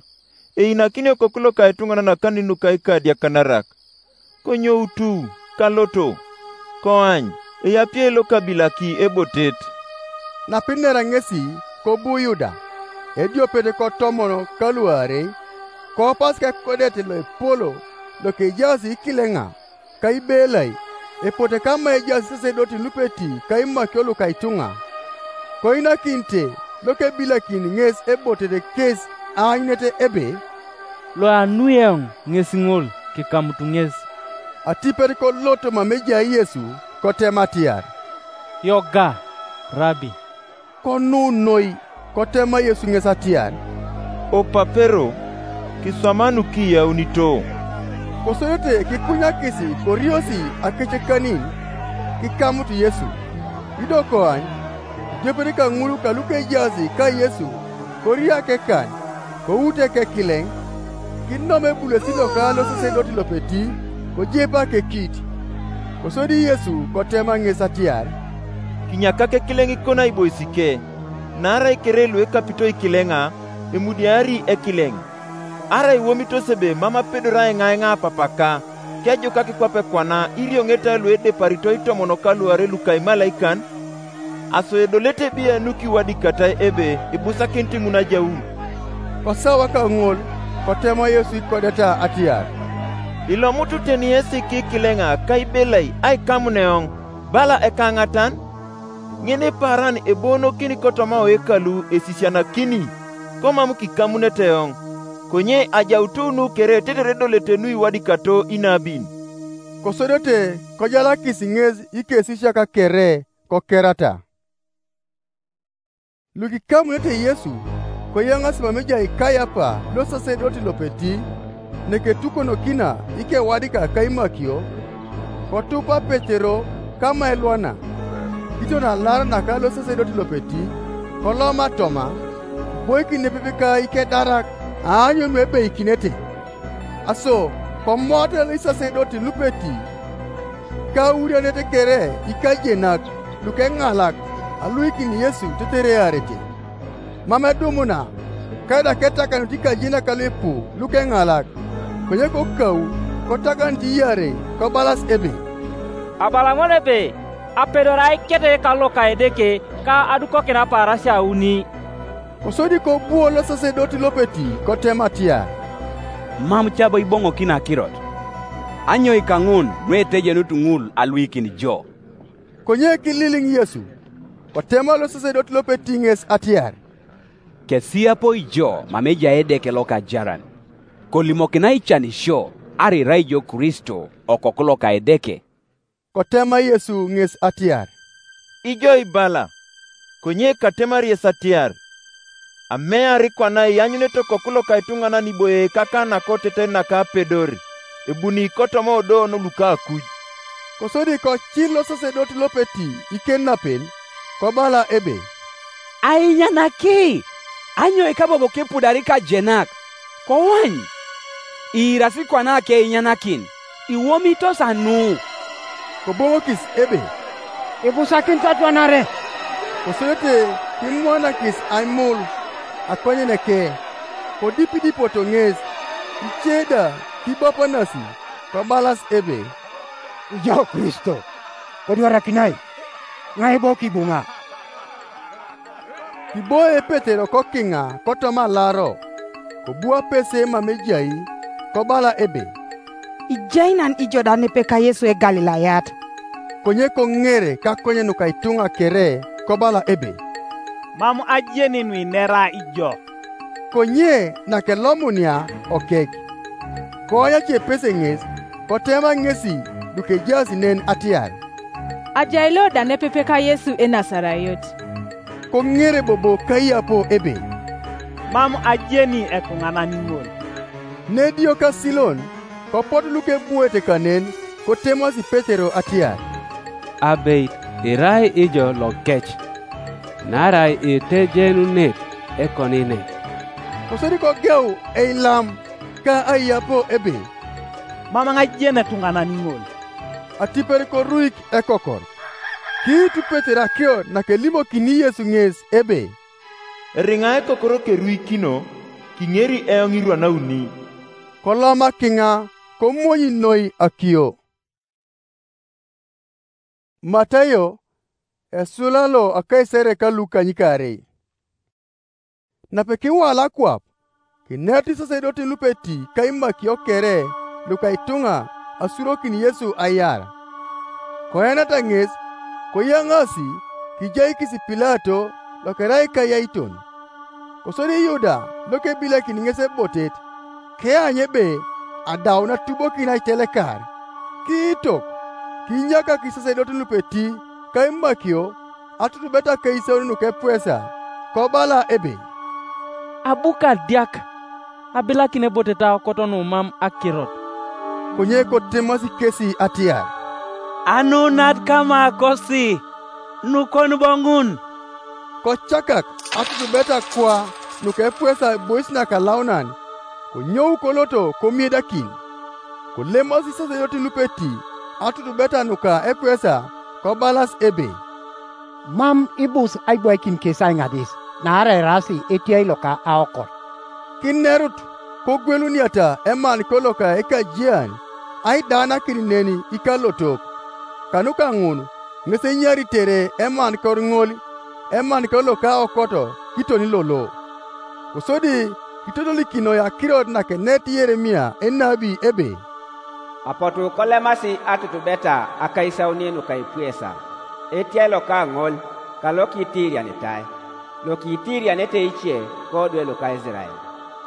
einakini Okoku loka etuŋanan akanin nuka ikadiakanarak. Konyoutu, kaloto, koany, eyapiei lokabilaki ebotet. Napinera ŋesi, kobu Yuda, ediopet kotomon kaluarei, koopas kekodet loepolo lokejaas ikileŋa, ka Ibelai, epote kama ejaas isasedotin lupeti ka imakio luka ituŋa. Koinakinite lokebilakin ŋes ebotet kes aanyunete ebe, loanu eoŋ ŋes ŋol, kikamut ŋes. Atipet kolot mam ejai Yesu, kotema atiar, yoga, Rabi. Konu noi, kotema Yesu ŋes atiar, opapero, kiswama nukiyaunito. Kosodete kikunyakis koriosi akecekanin, kikamut Yesu. Ido koany, idiopet kaŋul kalukejaas ka Yesu, kori akekan, kout ekekileŋ, kinom ebulosi loka losesedot lopeti, kojep akekit. Kosodi Yesu kotema ŋes atiar, kinyakak ekileŋ ikona aiboisike, naarai kere luekapito ikileŋa, emudiari ekileŋ. Arai iwomitos ebe mam apedor aiŋaiŋa apapaka, kejukak kwape kwana irioŋeta luedeparito itomon kaluarei luka imalaikan? Aso edolete ebe nukiwadikatai ebe ibusakinit ŋun ajaun. Kosawa kaŋol, kotema Yesu ikodeta atiar, ilomut teni yesi kikileŋa ka Ibelai aikamuneoŋ, bala ekaŋatan? Ŋin ipaaran eboonokini kotoma oekalu esisianakini, komam kikamunete eoŋ. Konye ajautunu kere tetere edolete nuiwadikato inabin. Kosodete kojalakis ŋes ikesisiak kere kokerata. Lukikamunete Yesu, koyaŋasi mama ejai Kayapa losasedoti lopeti, neketukonokina ikewadika kaimakio, kotupa Petero kama elwana, kiton alar naka losasedoti lopeti, koloma toma, boikin nepepe ka ikedarak aanyun ebeikinete. Aso, komoata isasedoti lupeti, kaurianet kere ikajenak lukeŋalak aluikin Yesu teterearete. Mam edumuna, kada ketakanut ikajenak luipu lukeŋalak, konye kokau kotakanut iarei kobalas ebe, "Abala ŋol ebe, apedor aikete kaloka Edeke ka adukokin apaarasia auni." Kosodi kobuo losasedoti lopeti kotem atiar, "Mam cabo iboŋokin akirot. Anyoi kaŋun nuetejenut ŋul aluikin jo?" Konye kililiŋ Yesu, kotema losasedoti lopeti ŋes atiar, "Kesiapo ijo mam ejai Edeke loka ajaran, kolimokina ican isio arai irai jo Kristo, Okoku loka Edeke?" Kotema Yesu ŋes atiar, "Ijo ibala, konye katemari yes atiar, amear kwana ianyunete Okoku loka ituŋanan iboie ikaka nakoteter naka apedor, ebuni kotoma odoon luka akuj." Kosodi kocil losasedot lopeti iken napel, kobala ebe, "Ainyanaki, anyoi kabobo kepudari kajenak, kowany? Iirasi kwana akeinyanakin, iwomitos anu?" Koboŋokis ebe, "Ibusakinit atwanare." Kosodete kimwanakis aimul akonyeneke, kodipidipoto ŋes, ice da kibapanasi, kobalas ebe, "Ijo Kristo, kodwarakinai, ŋai bo kibuŋa?" Kiboe Petero kokiŋa kotoma alaro, kobu apese mam ejai, kobala ebe, "Ijai nan ijo da nepe ka Yesu Egalilayat." Konye koŋere kakonyen nuka ituŋa kere, kobala ebe, "Mam ajeni nuinera ijo." Konye nakelomunia okek, koanyace epese ŋes, kotema ŋesi lukejaas nen atiar, "Ajai lo da nepepe ka Yesu Enasarayot." Koŋere bobo kaiyapo ebe, "Mam ajeni etuŋanan ŋol." Nedio kasilon, kopot lukebuete kanen, kotemasi Petero atiar, "Abeit, irai ijo lokec, naarai itejenunet ekoninet." Kosodi kogeu eilam ka aiyapo ebe, "Mam ŋajen etuŋanan ŋol." Atipet koruik ekokor. Kiitu Petero akiro nakelimokini Yesu ŋes ebe, "Eriŋa ekokor keruikino, kiŋeri eoŋ irwan auni." Koloma kiŋa, komonyi noi akio. Matayo, esula lo akaisere ka lukanyikaarei. Napekiwala kwap, kinet isasedotin lupeti ka imakio kere luka ituŋa asurokin Yesu aiar. Koenata ŋes, koyaŋasi kijaikis Pilato lokerai kayaiton. Kosodi Yuda lokebilakin ŋes ebotet, keany ebe adau natubokin aitelekar. Kiitok, kinyakak isasedotin lupeti ka imakio atutubet akaisauni nuka epwesa, kobala ebe, "Abu kadiak, abilakin ebotet aokot numam akirot." Konye kotemasi kesi atiar, "Anunat kama kosi, nukon bo ŋun?" Kocakak atutubet akwa nuka epwesa ebois nakalaunan, konyou koloto komiedakin. Kolemasi isasedotin lupeti atutubeta nuka epwesa, kobalas ebe, "Mam ibus aibwaikin kes aiŋadis, naarai eraasi etiai loka aokot." Kinerut kogweluniata emanikor loka ekajian aidaanakin nen ikalotok. Kanuka ŋun, ŋes enyaritere emanikor ŋol emanikor loka aokot kiton lolo. Kosodi kitodolikino akirot nakenet Yeremia enabi ebe, "Apotu kolemasi atutubeta akaisauni nuka epwesa, etiai loka ŋol, ka lokitiirianitai, lokitiirianete ice kodwe luka Isirael."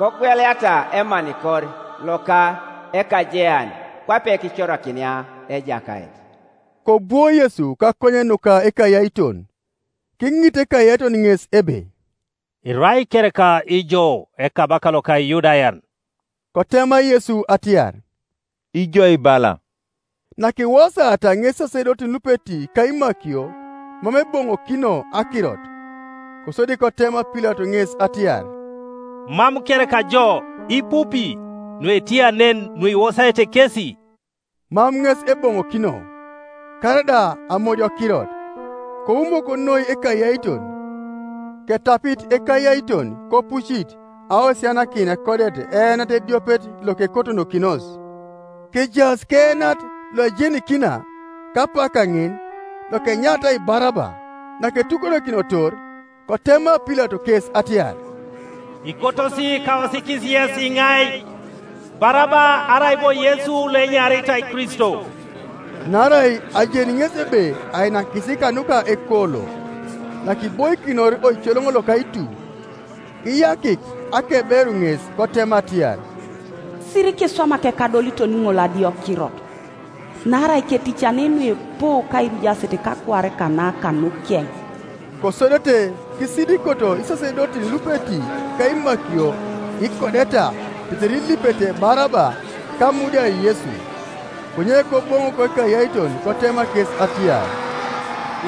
Kogweliata emanikor loka ekajean, kwape kicorakinia Ejakait. Kobwo Yesu kakonye nuka ekayaiton, kiŋit ekayaiton ŋes ebe, "Irai kereka ijo ekabaka loka Iyudayan?" Kotema Yesu atiar, "Ijo ibala." Nakiwosata ŋes sasedotin lupeti ka imakio mam eboŋokino akirot. Kosodi kotema Pilato ŋes atiar, "Mam kereka jo, ipupi, nuetianen nuiwosaete kesi?" Mam ŋes eboŋokino, karaida amoj okirot. Koumok noi ekayaiton, ketapit ekayaiton kopucit aosianakin ekodet eenat ediopet lokekotonokinos. Kejaas keenat loejenikina, kapaka ŋin, lokenyaatai Baraba, naketukonokinotor, kotema Pilato kes atiar, "Ikotosi kaosikis yes iŋai, Baraba arai bo Yesu loenyaritai Kristo?" Naarai ajeni ŋes ebe ainakisi kanuka ekolo, nakiboikinor oicoloŋ loka itu. Kiyakik akeberu ŋes kotema atiar, "Siri kiswamak ekadoliton ŋol adiokirot, naarai keticani nuipu kairujasit kakwaare kana kanukeŋ." Kosodete kisidikoto isasedotin lupeti ka imakio ikodeta tetere ilipete Baraba kamudiai Yesu. Konye koboŋok ekayaiton kotema kes atiar,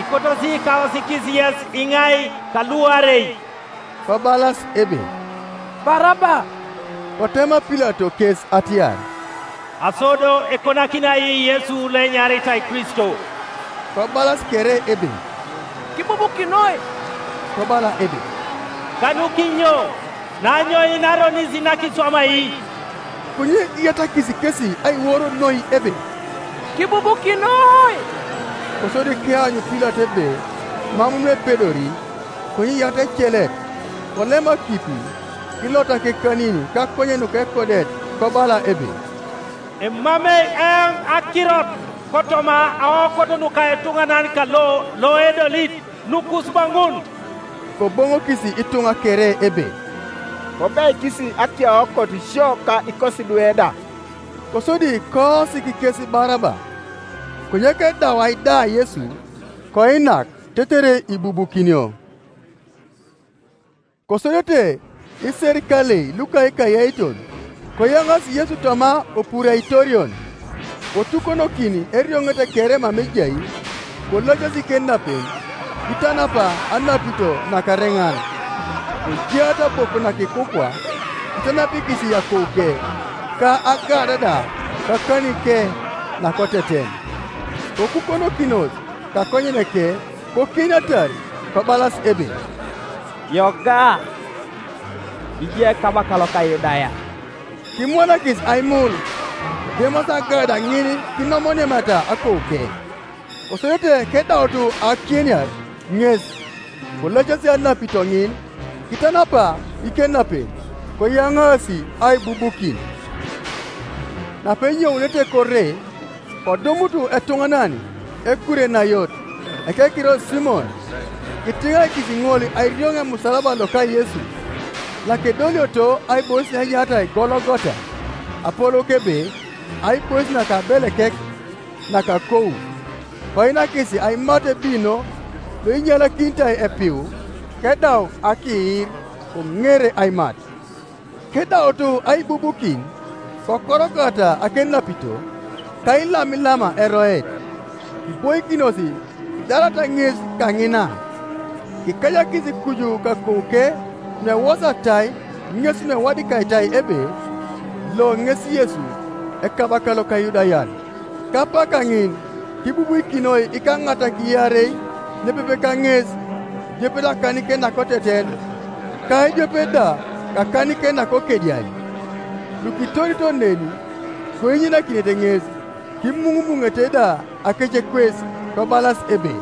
"Ikotosi kaosikis yes iŋai kaluarei?" Kobalas ebe, "Baraba." Kotema Pilato kes atiar, "Aso do ekonakinai Yesu loenyaritai Kristo?" Kobalas kere ebe, "Kibubukinoi." Kobala ebe, "Kanukinyo? Nanyo inaronis nakiswamai?" Konye iyatakis kesi aiworo noi ebe, "Kibubukinoi." Kosodi keanyu Pilato ebe mam nuepedori, konye iyat ecelet, kolema kipi, kilota kekanin kakonyen nuka ekodet, kobala ebe, "Emamei eoŋ akirot kotoma aokot nuka etuŋanan kalo loedolit nukus baŋun." Koboŋokis ituŋa kere ebe, "Kobeikis akiaokot sio ka ikosi lueda." Kosodi koosik kes Baraba. Konye kedau aida Yesu, koinak tetere ibubukinio. Kosodete iserikalei luka ikayaiton, koyaŋas Yesu toma opuraitorion, kotukonokin erioŋet kere mam ejai, kolacasi kenapen, kitanapa anapito nakareŋan, kojiata boku nakikukwa, kitanapikis akouke, ka agada da kakanike nakoteten. Kokukonokinos kakonyeneke kokiinatar, kobalas ebe, "Yoga, ijai ekabaka loka Yudaya." Kimwanakis aimul, kidemas agada ŋin kinomonemata akouke. Kosodete kedautu akieniar ŋes, kolacasi anapito ŋin, kitanapa ikenapen, koyaŋaasi aibubukin. Napenyounete kore, kodumutu etuŋanan Ekurenayot, ekekiror Simon, kitiŋaikis ŋol airioŋ emusalaba loka Yesu, nakedolioto aibois naenyaritai Gologota, apolou kebe aibois nakabelekek nakakou. Koinakis aimat ebino loinyalakintai epiu, kedau akiir, koŋere aimat. Kedautu aibubukin, kokorokata akenapito, ka ilamilama eroet, kiboikinos idarata ŋes kaŋina. Kikajakis kuju kakouke nuewosatai ŋes nuewadikaitai ebe, "Lo ŋes Yesu, ekabaka loka Yudayar." Kapaka ŋin kibubuikinoi ikaŋatak iarei nepepe kaŋes, idiopet akanike nakoteten, ka idiopet da kakanike nakokediai. Lukitorito neni koinyinakinete ŋes, kimuŋumuŋete da akece kwes, kobalas ebe,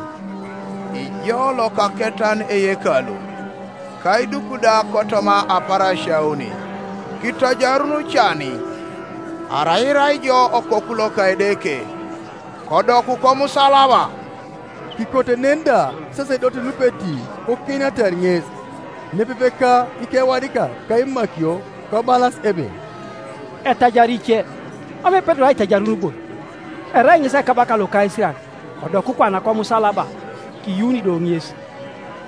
"Ijo lokaketan eyekalu, ka iduku da kotoma aparasia oni, kitojarun cani, arai irai jo okoku loka Edeke, kodoku komusalaba." Kikote nen da sasedote lupeti kokiinatar ŋes, nepepe ka ikewadikak ka imakio, kobalas ebe, "Etajari ice, mam epedori aitajarun bon? Erai ŋes ekabaka loka Isirael, kodok kwana komusalaba, kiyuuni do ŋes.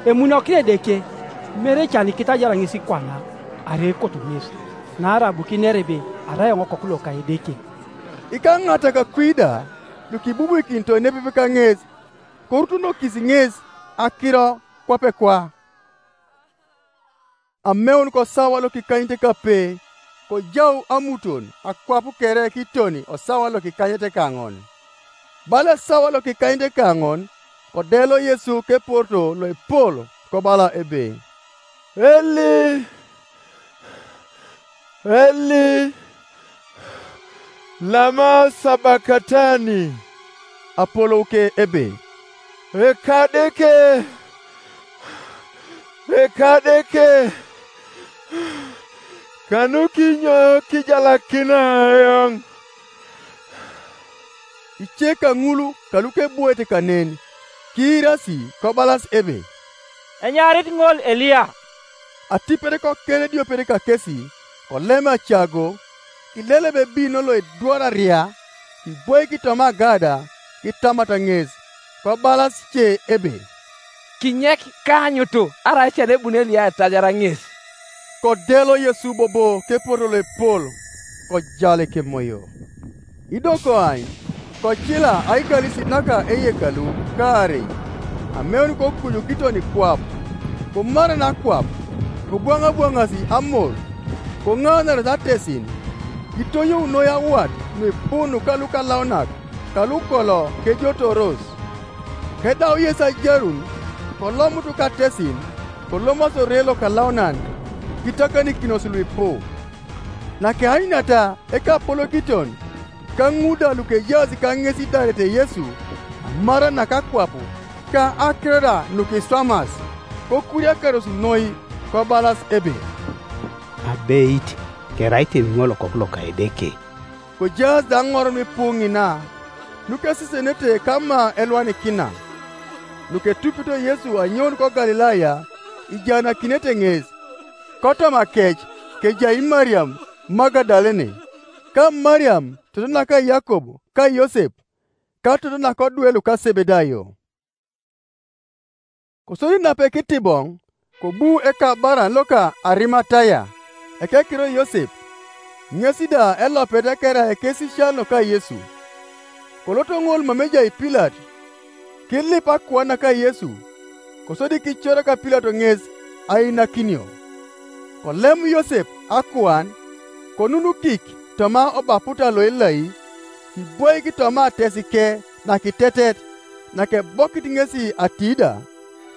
Emunokini Edeke, mere ecan kitajara ŋes kwana, arai ekoto ŋes, naarai abu kinere ebe arai eoŋ Okoku loka Edeke." Ikaŋatak kwi da lukibubuikinito nepepe kaŋes, korutonokis ŋes akiro kwape kwa. Ameun kosawa lokikanyete kape, kojau amuton akwap kere kitoni osawa lokikanyete kaŋon. Bala esawa lokikanyete kaŋon, kodelo Yesu keporto loepol, kobala ebe, "Eli, Eli, lama sabakatani?" Apolou ke ebe, "Ekadeke, Ekadeke, kanukinyo kijalakina eoŋ?" Ice kaŋul kalukebwoete kanen kiirasi kobalas ebe, "Enyaarit ŋol Eliya." Atipet kokere ediopet kakesi, kolem acago, kilelebe ebino loedwararia, kibwoik toma agada, kitamata ŋes, kobalas ce ebe, "Kinyek kaanyutu, arai ecen ebuni Eliya aitajara ŋes." Kodelo Yesu bobo kepuorto loepol, kojal ekemoyo. Ido koany, kocila aikalisi naka eyekalu kaarei, ameun kokuju kiton kwap, komara nakwap, kobwaŋabwaŋasi amor, koŋaanaros atesin, kitonyou noi awat nuipu nuka lukalaunak kalukolo kejotoros. Kedau Yesu ajarun, kolomut katesin, kolomasi ore lokalaunan, kitakanikinos luipu. Nakeanyunata ekapolokiton, ka ŋun da lukejaas kaŋes idarete Yesu, amara nakakwap, ka akiror nukiswamas, kokuriakaros noi, kobalas ebe, "Abeit, kerai teni ŋol Okoku loka Edeke." Kojaas da aŋor nuipu ŋina, nukesesenete kama elwanikina. Nuketupito Yesu anyoun ko Galilaya, ijaanakinete ŋes. Kotoma kec kejai Mariam Magadalene, ka Mariam toto naka Yakob ka Yosep, ka toto nakodwe luka Sebedayo. Kosodi nape kitiboŋ, kobu ekabaran loka Arimataya, ekekiro Yosep, ŋes da elopet kere ekesisian loka Yesu. Kolot ŋol mam ejai Pilato, kilip akuan naka Yesu, kosodi kicorak Pilato ŋes ainakinio. Kolem Yosep akuan, konunukik toma obaputa loelai, kibwoik toma atesike nakitetet, nakebokit ŋesi ati da,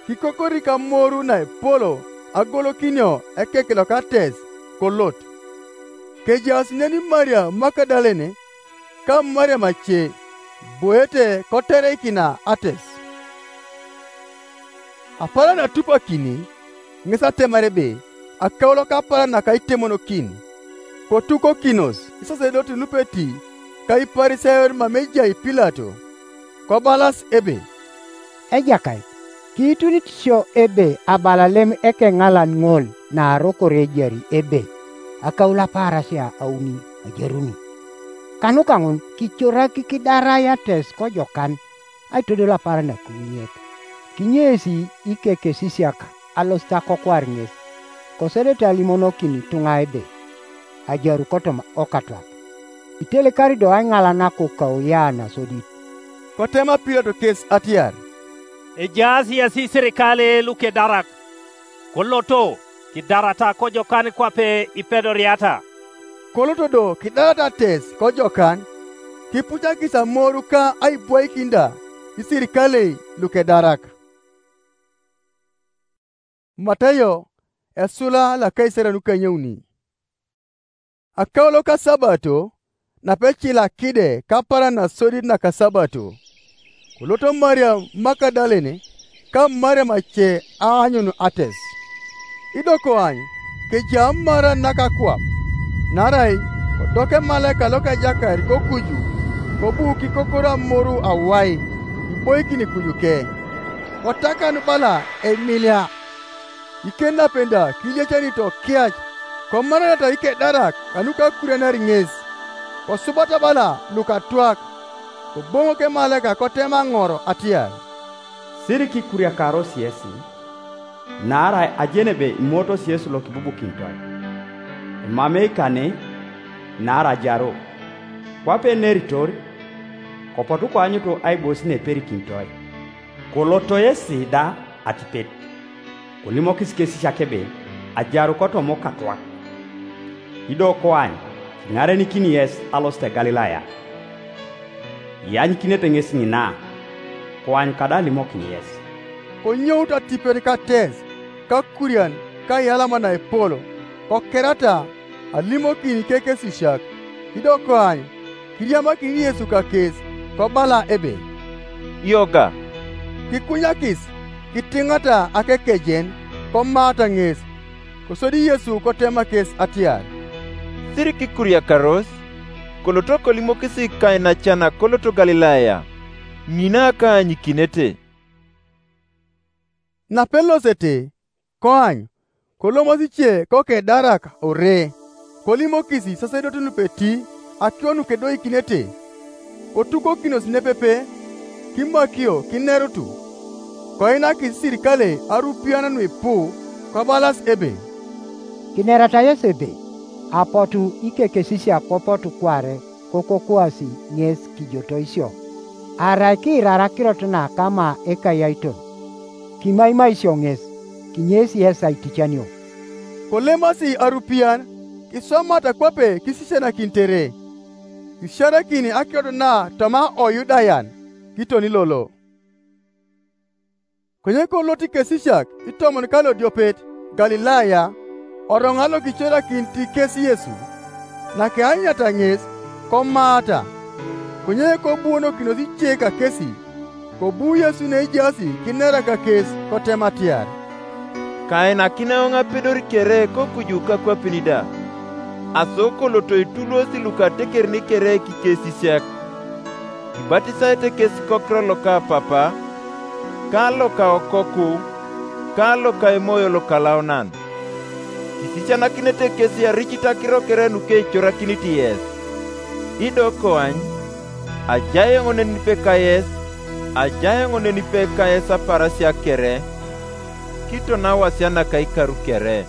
kikokorik amoru naepolo agolokinio ekek loka ates, kolot. Kejaas nen Maria Magadalene, ka Mariam ace, boete kotereikina ates. Apaaran atupakini, ŋes atemar ebe akaulo kapaaran naka itemonokin. Kotukokinos isasedotin lupeti ka Iparisayon mam ejai Pilato, kobalas ebe, "Ejakait, kiitunit sio ebe abalalem ekeŋalan ŋol naarokor ejari ebe akaulo apaarasia auni ajaruni. Kanuka ŋun kicorak kidarai ates kojokan aitodol apaaran nakiwuniet. Kinyesi ikekesisiak alosit akokwar ŋes, kosodete alimonokin ituŋa ebe ajaru kotoma okatwak. Itelikari do aiŋalanak kokauya nasodit." Kotema Pilato kes atiar, "Ejaas yesi isirikale lukedarak, koloto kidarata kojokan kwape ipedoriata." Koloto do kidarata ates kojokan, kipucakis amoru ka aibwaikin da isirikalei lukedarak. Matayo, esula lakaisare nukanyauni. Akaulo ka Sabato, napecila kide kapaaran nasodit naka Sabato, koloto Mariam Magadalene ka Mariam ace aanyun ates. Ido koany, kejai amaaran nakakwap, naarai kodok emalaika loka Ejakait kokuju, kobu kikokor amoru awai, iboikin kujuke. Kotakan bala emilia. Iken napen da kiiliecani tokiac, Komarata ikedarak kanuka akurianar ŋes, kosubata bala lukatwak, koboŋok emalaika kotema ŋor atiar, "Siri kikuriakaros yesi, naarai ajenebe imootos Yesu lokibubukinitoi. Emamei kane, naarai ajaru. Kwape eneritor, kopotu koanyutu aibosi neperikinitoi. Koloto yesi da atipet, kolimokis kesisiak ebe, ajaru kotoma okatwak. Ido koany, kiŋarenikini yes alosit Galilaya." Ianyukinete ŋes ŋina, koany kada alimokin yes. Konyout atipet kates, kakurian, kayalama naepol, kokerata, alimokin ikekesisiak. Ido koany, kiriamakin Yesu kakes, kobala ebe, "Yoga." Kikunyakis, kitiŋata akekejen, komaata ŋes. Kosodi Yesu kotema kes atiar, "Siri kikuriakaros, koloto kolimokis kainacan akoloto Galilaya, ŋina kaanyikinete." Napelosete, koany, kolomos ice kokedarak ore, kolimokis isasedot lupeti akiro nukedoikinete, kotukokinos nepepe, kimakio kinerutu. Koinakis isirikale arupian nuipu, kobalas ebe, "Kinerata yes ebe, apotu ikekesisiak kopotu kware kokokuasi ŋes kijotoisio, arai kiirar akirot na kama ekayaiton, kimaimaisio ŋes, kinyesi yes aiticanio." Kolemasi arupian, kiswamata kwape kisisianakin tere, kisiarakin akirot na toma Oyudayan, kitoni lolo. Konye kolot ikesisiak itomon kalodiopet Galilaya, oroŋa lokicorakinit kes Yesu, nakeanyata ŋes, komaata. Konye kobuonokinos ice kakesi, kobu Yesu neejaasi kinera kakes, kotema atiar, "Kainakin eoŋ apedor kere kokuju kakwapin da, aso koloto itulosi lukatekerin kere kikesisiak, kibatisaete kes kokiro loka Papa, ka loka Okoku, ka loka Emoyo Lokalaunan. Kisisianakite kes iaricit akiro kere nukeicorakinit yes. Ido koany, ajai eoŋ nenipe kayes, ajai eoŋ nenipe kayes aparasia kere, kiton awasia naka ikaru kere."